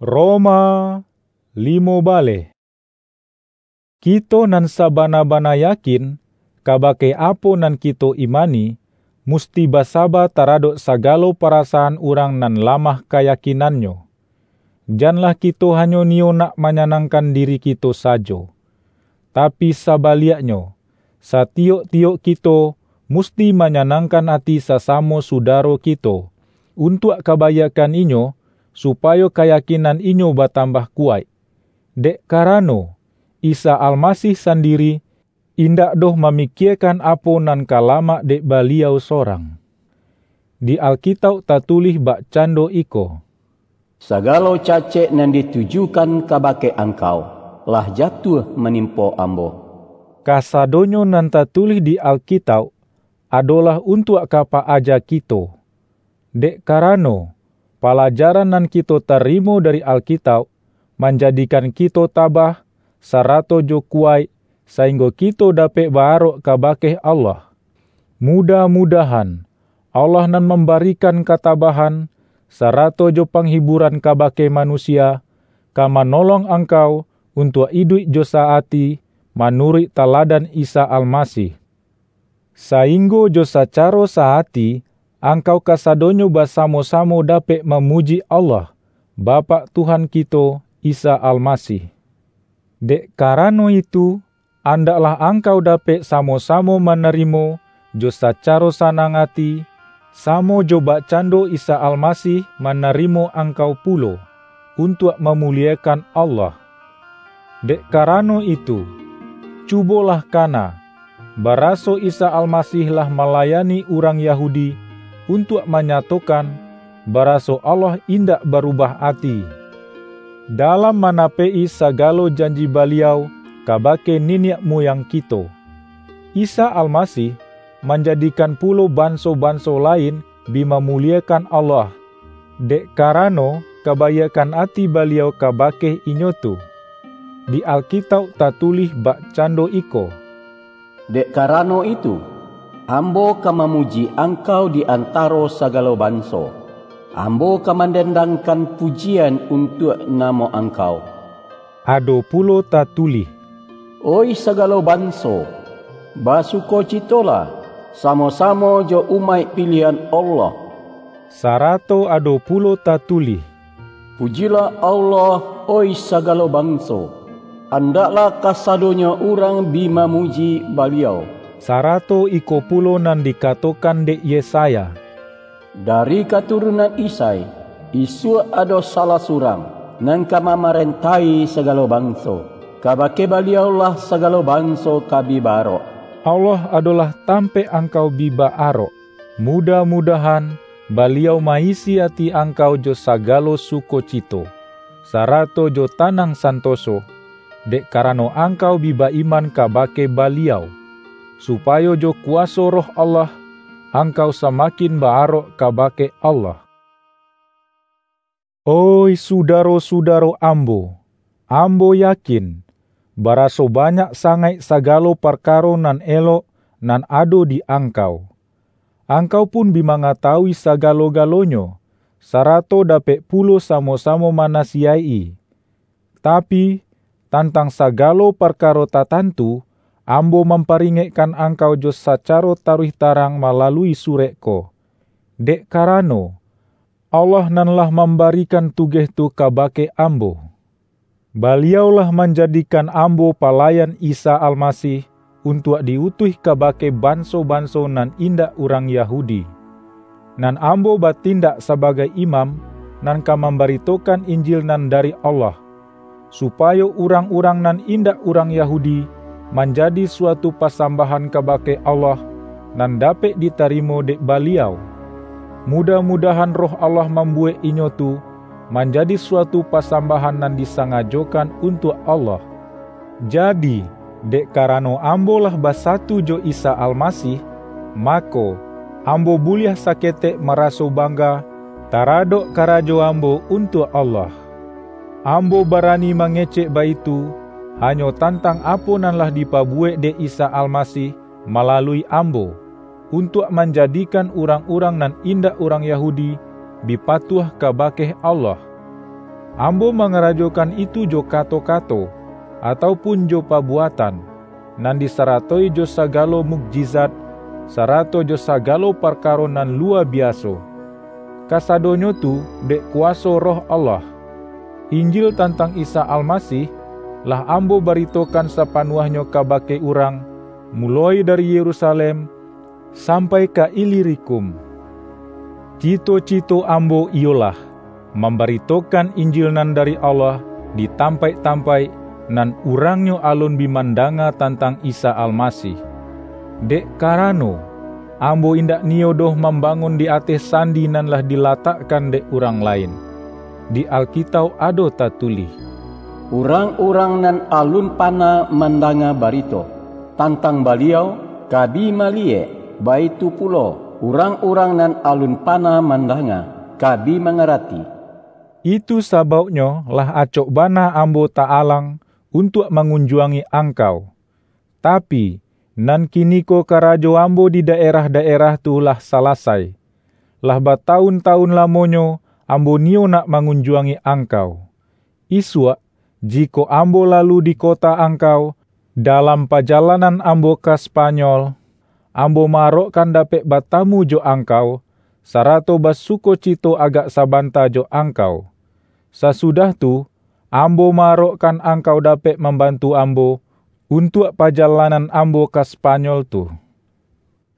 Roma limo baleh. Kito nan sabana-bana yakin kabake apo nan kito imani, musti basaba taradok sagalo parasaan urang nan lamah kayakinannyo. Janlah kito hanyo niyo nak manyanangkan diri kito sajo. Tapi sabaliaknyo, satiyok-tiyok kito musti manyanangkan ati sasamo sudaro kito, untuak kabaiakkan inyo, supayo kayakinan inyo batambah kuwaik. Dek karano, Isa Almasih sandiri indak doh mamikiekan apo nan ka lamak dek Baliau sorang. Di Alkitauk tatulih bakcando iko, "Sagalo cacek nan ditujukan kabake angkau, lah jatuah manimpo ambo." Kasadonyo nan tatulih di Alkitauk adolah untuak ka pa-aja kito. Dek karano, palajaran nan kito tarimo dari Alkitauk, manjadikan kito tabah, sarato jo kuwaik, sainggo kito dapek ba-arok kabake Allah. Mudah-mudahan, Allah nan mambarikan katabahan, sarato jo panghiburan kabake manusia, ka manolong angkau untuak iduik jo sa-ati, manuruik taladan Isa Almasih. Sainggo jo sacaro sa-ati, angkau kasadonyo basamo-samo dapek mamuji Allah, Bapak Tuhan kito, Isa Almasih. Dek karano itu, andaklah angkau dapek samo-samo manarimo jo sacaro sanang ati, samo jo bakcando Isa Almasih manarimo angkau pulo, untuak mamuliekan Allah. Dek karano itu, cubolah kana, baraso Isa Almasih lah malayani urang Yahudi, untuak manyatokan, baraso Allah indak barubah ati, dalam manapek-i sagalo janji Baliau kabake niniak muyang kito. Isa Almasih manjadikan pulo banso-banso lain bi mamuliekan Allah, dek karano kabaiakkan ati Baliau kabake inyo tu. Di Alkitauk tatulih bakcando iko, "Dek karano itu, Ambo ka mamuji Angkau di antaro sagalo banso. Ambo ka mandendangkan pujian untuak namo Angkau." Ado pulo tatulih, "Oih sagalo banso, basukocitolah, samo-samo jo umaik piliahan Allah." Sarato ado pulo tatulih, "Pujilah Allah, oih sagalo banso, andaklah kasadonyo urang bi mamuji Baliau." Sarato iko pulo nan dikatokan dek Yesaya, "Dari katurunan Isai, isuak ado salah surang, nan ka mamarentahi sagalo banso. Kabake Baliau-lah sagalo banso ka bi ba-arok." Allah adolah tampek angkau bi ba-arok. Mudah-mudahan, Baliau ma-isi ati angkau jo sagalo sukocito, sarato jo tanang santoso, dek karano angkau bi ba-iman kabake Baliau, supayo jo kuwaso Roh Allah, angkau samakin ba-arok kabake Allah. Oih sudaro-sudaro ambo, ambo yakin, baraso banyak sangaik sagalo parkaro nan elok nan ado di angkau. Angkau pun bi mangatawui sagalo-galonyo, sarato dapek pulo samo-samo manasiyaik-i. Tapi, tantang sagalo parkaro tatantu, ambo mamparingekkan angkau jo sacaro taruih tarang malalui surek ko, dek karano, Allah nan lah mambarikan tugeh tu kabake ambo. Baliau lah manjadikan ambo palayan Isa Almasih untuak di-utuih kabake banso-banso nan indak urang Yahudi. Nan ambo batindak sabagai imam, nan ka mambaritokan Injil nan dari Allah, supayo urang-urang nan indak urang Yahudi manjadi suatu pasambahan kabake Allah, nan dapek ditarimo dek Baliau. Mudah-mudahan Roh Allah mambuwek inyo tu manjadi suatu pasambahan nan disangajokan untuak Allah. Jadi, dek karano ambo lah basatu jo Isa Almasih, mako, ambo buliah saketek maraso bangga taradok karajo ambo untuak Allah. Ambo barani mangecek baitu, hanyo tantang apo nan lah dipabuwek dek Isa Almasih malalui ambo, untuak manjadikan urang-urang nan indak urang Yahudi bi patuah kabake Allah. Ambo mangarajokan itu jo kato-kato, atau pun jo pabuatan, nan disaratoi jo sagalo mukjizat, sarato jo sagalo parkaro nan luwa biaso. Kasadonyo tu dek kuwaso Roh Allah. Injil tantang Isa Almasih lah ambo baritokan sapanuahnyo kabake urang, muloi dari Yerusalem sampai ka Ilirikum. Cito-cito ambo iyolah mambaritokan Injil nan dari Allah di tampaik-tampaik nan urangnyo alun bi mandanga tantang Isa Almasih. Dek karano, ambo indak niyo doh mambangun di ateh sandi nan lah dilatakkan dek urang lain. Di Alkitauk ado tatulih, "Urang-urang nan alun pana mandanga barito tantang Baliau, ka bi maliyek, baitu pulo, urang-urang nan alun pana mandanga, ka bi mangarati." Itu sabauknyo lah acok bana ambo ta-alang untuak mangunjuangi angkau. Tapi, nan kiniko karajo ambo di daerah-daerah tu lah salasai. Lah batawun-tawun lamonyo ambo niyo nak mangunjuangi angkau. Isuak, jikok ambo lalu di kota angkau, dalam pajalanan ambo ka Spanyol, ambo ma-arokkan dapek batamu jo angkau, sarato basukocito agak sabanta jo angkau. Sasudah tu, ambo ma-arokkan angkau dapek mambantu ambo untuak pajalanan ambo ka Spanyol tu.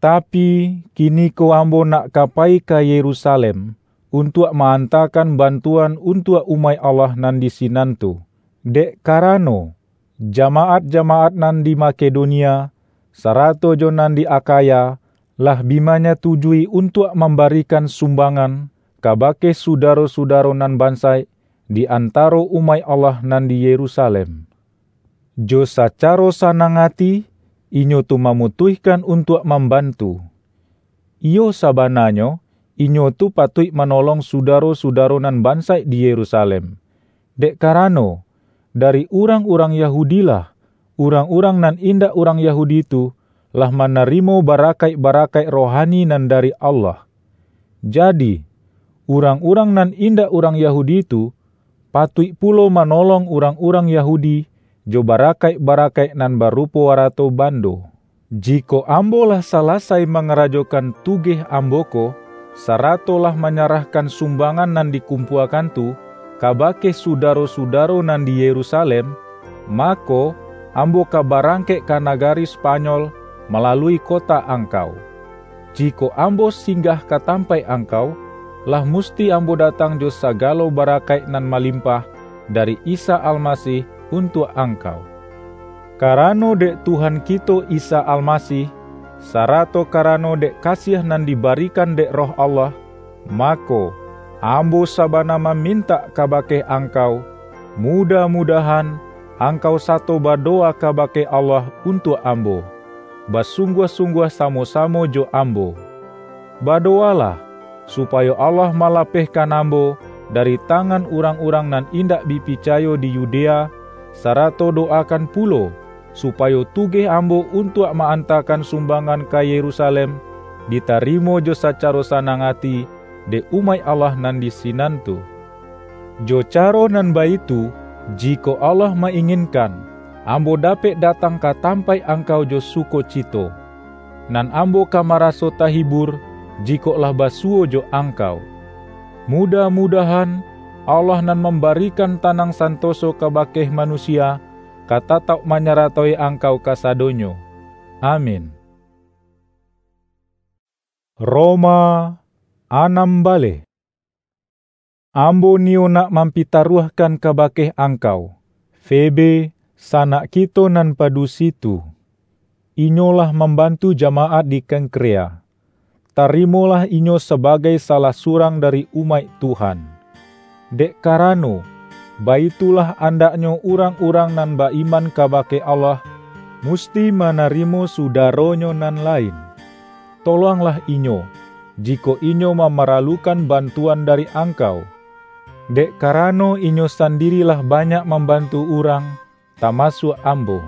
Tapi, kiniko ambo nak ka payi ka Yerusalem, untuak ma-antakan bantuan untuak umaik Allah nan di sinan tu, dek karano, jamaat-jamaat nan di Makedonia, sarato jo nan di Akhaya, lah bi manyatujui untuak mambarikan sumbangan kabake sudaro-sudaro nan bansaik di antaro umaik Allah nan di Yerusalem. Jo sacaro sanang ati, inyo tu mamutuihkan untuak mambantu. Iyo, sabananyo, inyo tu patuik manolong sudaro-sudaro nan bansaik di Yerusalem, dek karano, dari urang-urang Yahudi-lah, urang-urang nan indak urang Yahudi tu lah manarimo barakaik-barakaik rohani nan dari Allah. Jadi, urang-urang nan indak urang Yahudi tu, patuik pulo manolong urang-urang Yahudi jo barakaik-barakaik nan barupo arato bando. Jikok ambo lah salasai mangarajokan tugeh ambo ko, sarato lah manyarahkan sumbangan nan dikumpuakan tu kabake sudaro-sudaro nan di Yerusalem, mako, ambo ka barangkek ka nagari Spanyol malalui kota angkau. Jikok ambo singgah ka tampaik angkau, lah musti ambo datang jo sagalo barakaik nan malimpah dari Isa Almasih untuak angkau. Karano dek Tuhan kito Isa Almasih, sarato karano dek kasiah nan dibarikan dek Roh Allah, mako, ambo sabana mamintak kabake angkau, mudah-mudahan angkau sato badowa kabake Allah untuak ambo, basungguah-sungguah samo-samo jo ambo. Badowalah, supayo Allah malapehkan ambo dari tangan urang-urang nan indak bi picayo di Yudea, sarato dowakan pulo, supayo tugeh ambo untuak ma-antakan sumbangan ka Yerusalem ditarimo jo sacaro sanang ati dek umaik Allah nan di sinan tu. Jo caro nan baitu, jikok Allah ma-inginkan, ambo dapek datang ka tampaik angkau jo sukocito. Nan ambo ka maraso tahibur, jikok lah basuwo jo angkau. Mudah-mudahan, Allah nan mambarikan tanang santoso kabake manusia, ka tatauk manyaratoi angkau kasadonyo. Amin. Roma, anam baleh. Ambo niyo nak mampitaruahkan kabake angkau, Febe, sanak kito nan padusi tu. Inyo lah mambantu jamaat di Kengkrea. Tarimolah inyo sabagai salah surang dari umaik Tuhan. Dek karano, baitulah andaknyo urang-urang nan ba-iman kabake Allah, musti manarimo sudaronyo nan lain. Tolonglah inyo, jikok inyo mamaralukan bantuan dari angkau. Dek karano inyo sandiri lah banyak mambantu urang, tamasuak ambo.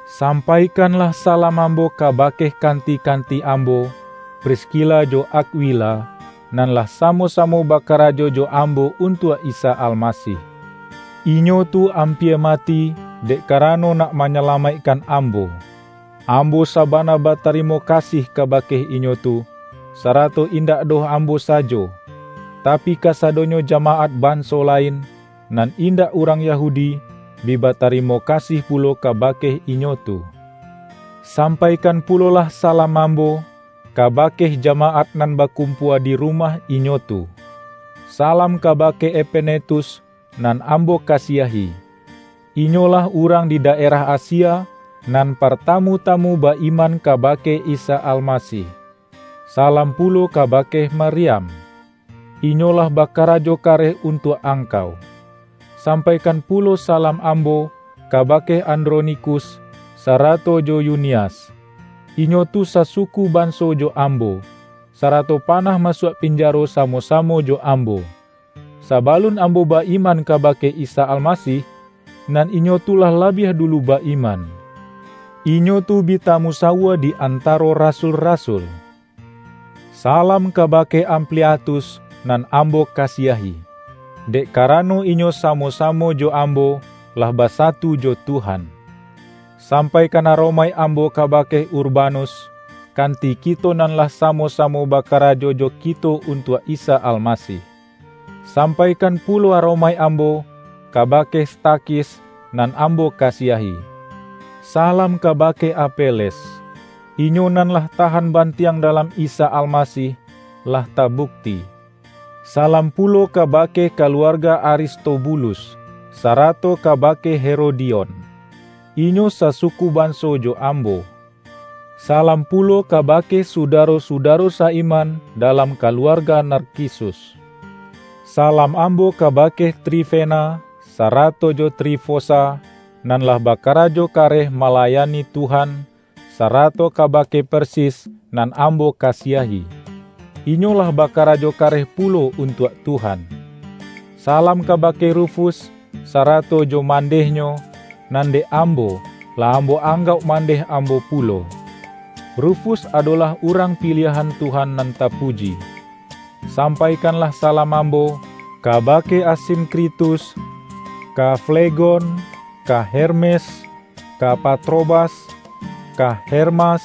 Sampaikanlah salam ambo kabake kanti-kanti ambo, Priskila jo Akwila, nan lah samo-samo bakarajo jo ambo untuak Isa Almasih. Inyo tu ampia mati, dek karano nak manyalamaikkan ambo. Ambo sabana batarimo kasih kabake inyo tu, sarato indak doh ambo sajo, tapi kasadonyo jamaat banso lain, nan indak urang Yahudi, bi batarimo kasih pulo kabake inyo tu. Sampaikan pulolah salam ambo kabake jamaat nan bakumpua di rumah inyo tu. Salam kabake Epenetus, nan ambo kasiahi. Inyolah urang di daerah Asia, nan partamu-tamu ba-iman kabake Isa Almasih. Salam pulo kabake Mariam. Inyolah bakarajo kareh untuak angkau. Sampaikan pulo salam ambo kabake Andronikus, sarato jo Yunias. Inyo tu sasuku banso jo ambo, sarato panah masuak pinjaro samo-samo jo ambo. Sabalun ambo ba-iman kabake Isa Almasih, nan inyo tu lah labiah dulu ba-iman. Inyo tu bi tamusawua di antaro rasul-rasul. Salam kabake Ampliatus, nan ambo kasiahi, dek karano inyo samo-samo jo ambo lah basatu jo Tuhan. Sampaikan aromaik ambo kabake Urbanus, kanti kito nan lah samo-samo bakarajo jo kito untuak Isa Almasih. Sampaikan pulo aromaik ambo kabake Stakhis, nan ambo kasiahi. Salam kabake Apeles. Inyo nan lah tahan bantiang dalam Isa Almasih, lah tabukti. Salam pulo kabake kaluarga Aristobulus, sarato kabake Herodion. Inyo sasuku banso jo ambo. Salam pulo kabake sudaro-sudaro sa-iman dalam kaluarga Narkisus. Salam ambo kabake Trifena, sarato jo Trifosa, nan lah bakarajo kareh malayani Tuhan, sarato kabake Persis, nan ambo kasiahi. Inyo lah bakarajo kareh pulo untuak Tuhan. Salam kabake Rufus, sarato jo mandehnyo, nan dek ambo, lah ambo anggauk mandeh ambo pulo. Rufus adolah urang piliahan Tuhan nan tapuji. Sampaikanlah salam ambo kabake Asinkritus, ka Flegon, ka Hermes, ka Patrobas, ka Hermas,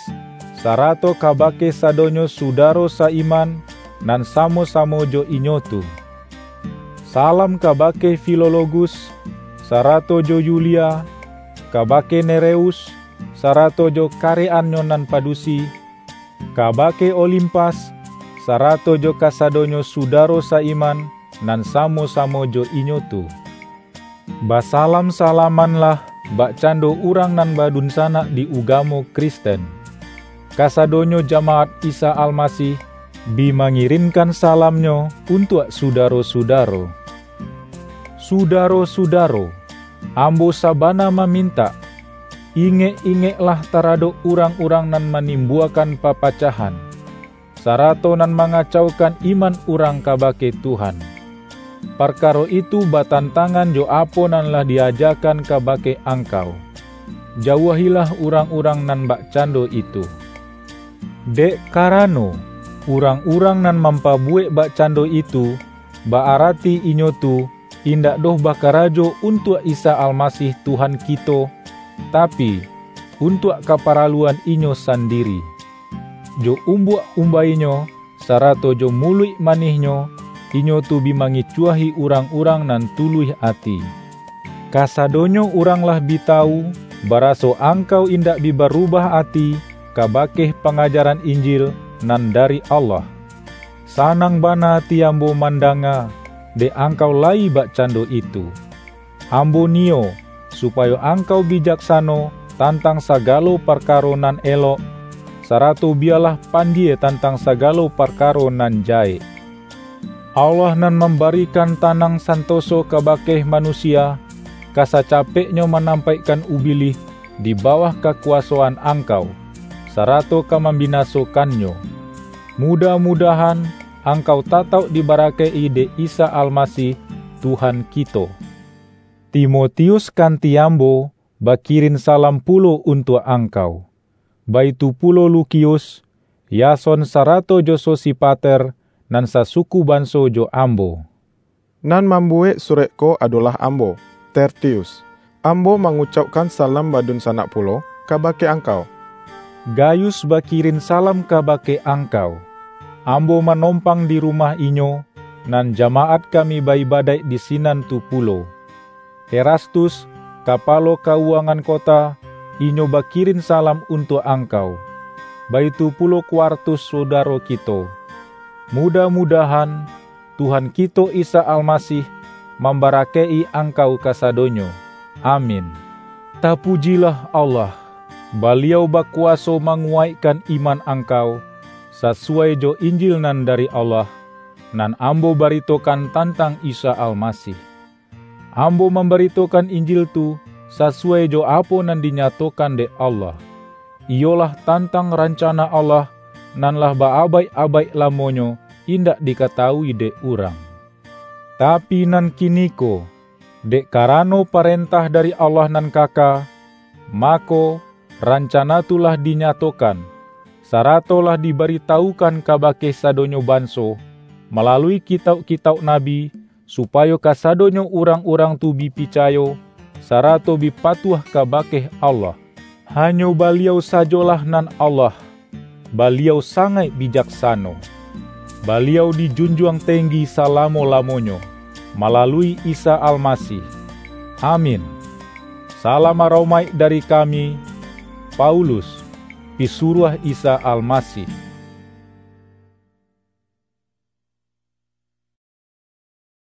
sarato kabake sadonyo sudaro sa-iman nan samo-samo jo inyo tu. Salam kabake Filologus, sarato jo Yulia, kabake Nereus, sarato jo kareannyo nan padusi, kabake Olimpas, sarato jo kasadonyo sudaro sa-iman nan samo-samo jo inyo tu. Basalam-salamanlah bakcando urang nan badunsanak di ugamo Kristen. Kasadonyo jamaat Isa Almasih bi mangirinkan salamnyo untuak sudaro-sudaro. Sudaro-sudaro, ambo sabana mamintak, ingek-ingeklah taradok urang-urang nan manimbuakan papacahan, sarato nan mangacaukan iman urang kabake Tuhan. Parkaro itu batantangan jo apo nan lah diajakan kabake angkau. Jauahilah urang-urang nan bakcando itu. Dek karano, urang-urang nan mampabuwek bakcando itu, ba-arati inyo tu indak doh bakarajo untuak Isa Almasih Tuhan kito, tapi, untuak kaparaluan inyo sandiri. Jo umbuak umbainyo, sarato jo muluik manihnyo, inyo tu bi mangicuahi urang-urang nan tuluih ati. Kasadonyo urang lah bi tawu, baraso angkau indak bi barubah ati kabake pangajaran Injil nan dari Allah. Sanang bana ati ambo mandanga, dek angkau layi bakcando itu. Ambo niyo, supayo angkau bijaksano tantang sagalo parkaro nan elok, sarato biyalah pandie tantang sagalo parkaro nan jahek. Allah nan mambarikan tanang santoso kabake manusia, ka sacapeknyo manampaikkan Ubilih di bawah kakuwasoan angkau, sarato ka mambinasokannyo. Mudah-mudahan angkau tatauk dibarakaik-i dek Isa Almasih, Tuhan kito. Timotius kanti ambo bakirin salam pulo untuak angkau. Baitu pulo Lukius, Yason sarato jo Sosipater, nan sasuku banso jo ambo. Nan mambuwek surek ko adolah ambo, Tertius. Ambo mangucaukkan salam badunsanak pulo kabake angkau. Gayus bakirin salam kabake angkau. Ambo manompang di rumah inyo, nan jamaat kami ba-ibadaik di sinan tu pulo. Erastus, kapalo kauwangan kota, inyo bakirin salam untuak angkau. Baitu pulo Kuartus, sudaro kito. Mudah-mudahan, Tuhan kito Isa Almasih mambarakaik-i angkau kasadonyo. Amin. Tapujilah Allah, Baliau bakuwaso manguwaikkan iman angkau, sasuwai jo Injil nan dari Allah, nan ambo baritokan tantang Isa Almasih. Ambo mambaritokan Injil tu sasuwai jo apo nan dinyatokan dek Allah, iyolah tantang rancana Allah nan lah ba-abaik-abaik lamonyo indak dikatawui dek urang. Tapi nan kiniko, dek karano parentah dari Allah nan kaka, mako, rancana tu lah dinyatokan, sarato lah dibaritawukan kabake sadonyo banso, malalui kitauk-kitauk nabi, supayo kasadonyo urang-urang tu bi picayo, sarato bi patuah kabake Allah. Hanyo Baliau sajolah nan Allah. Baliau sangaik bijaksano. Baliau dijunjuang tenggi salamo-lamonyo, malalui Isa Almasih. Amin. Salam aromaik dari kami, Paulus, pisuruah Isa Almasih.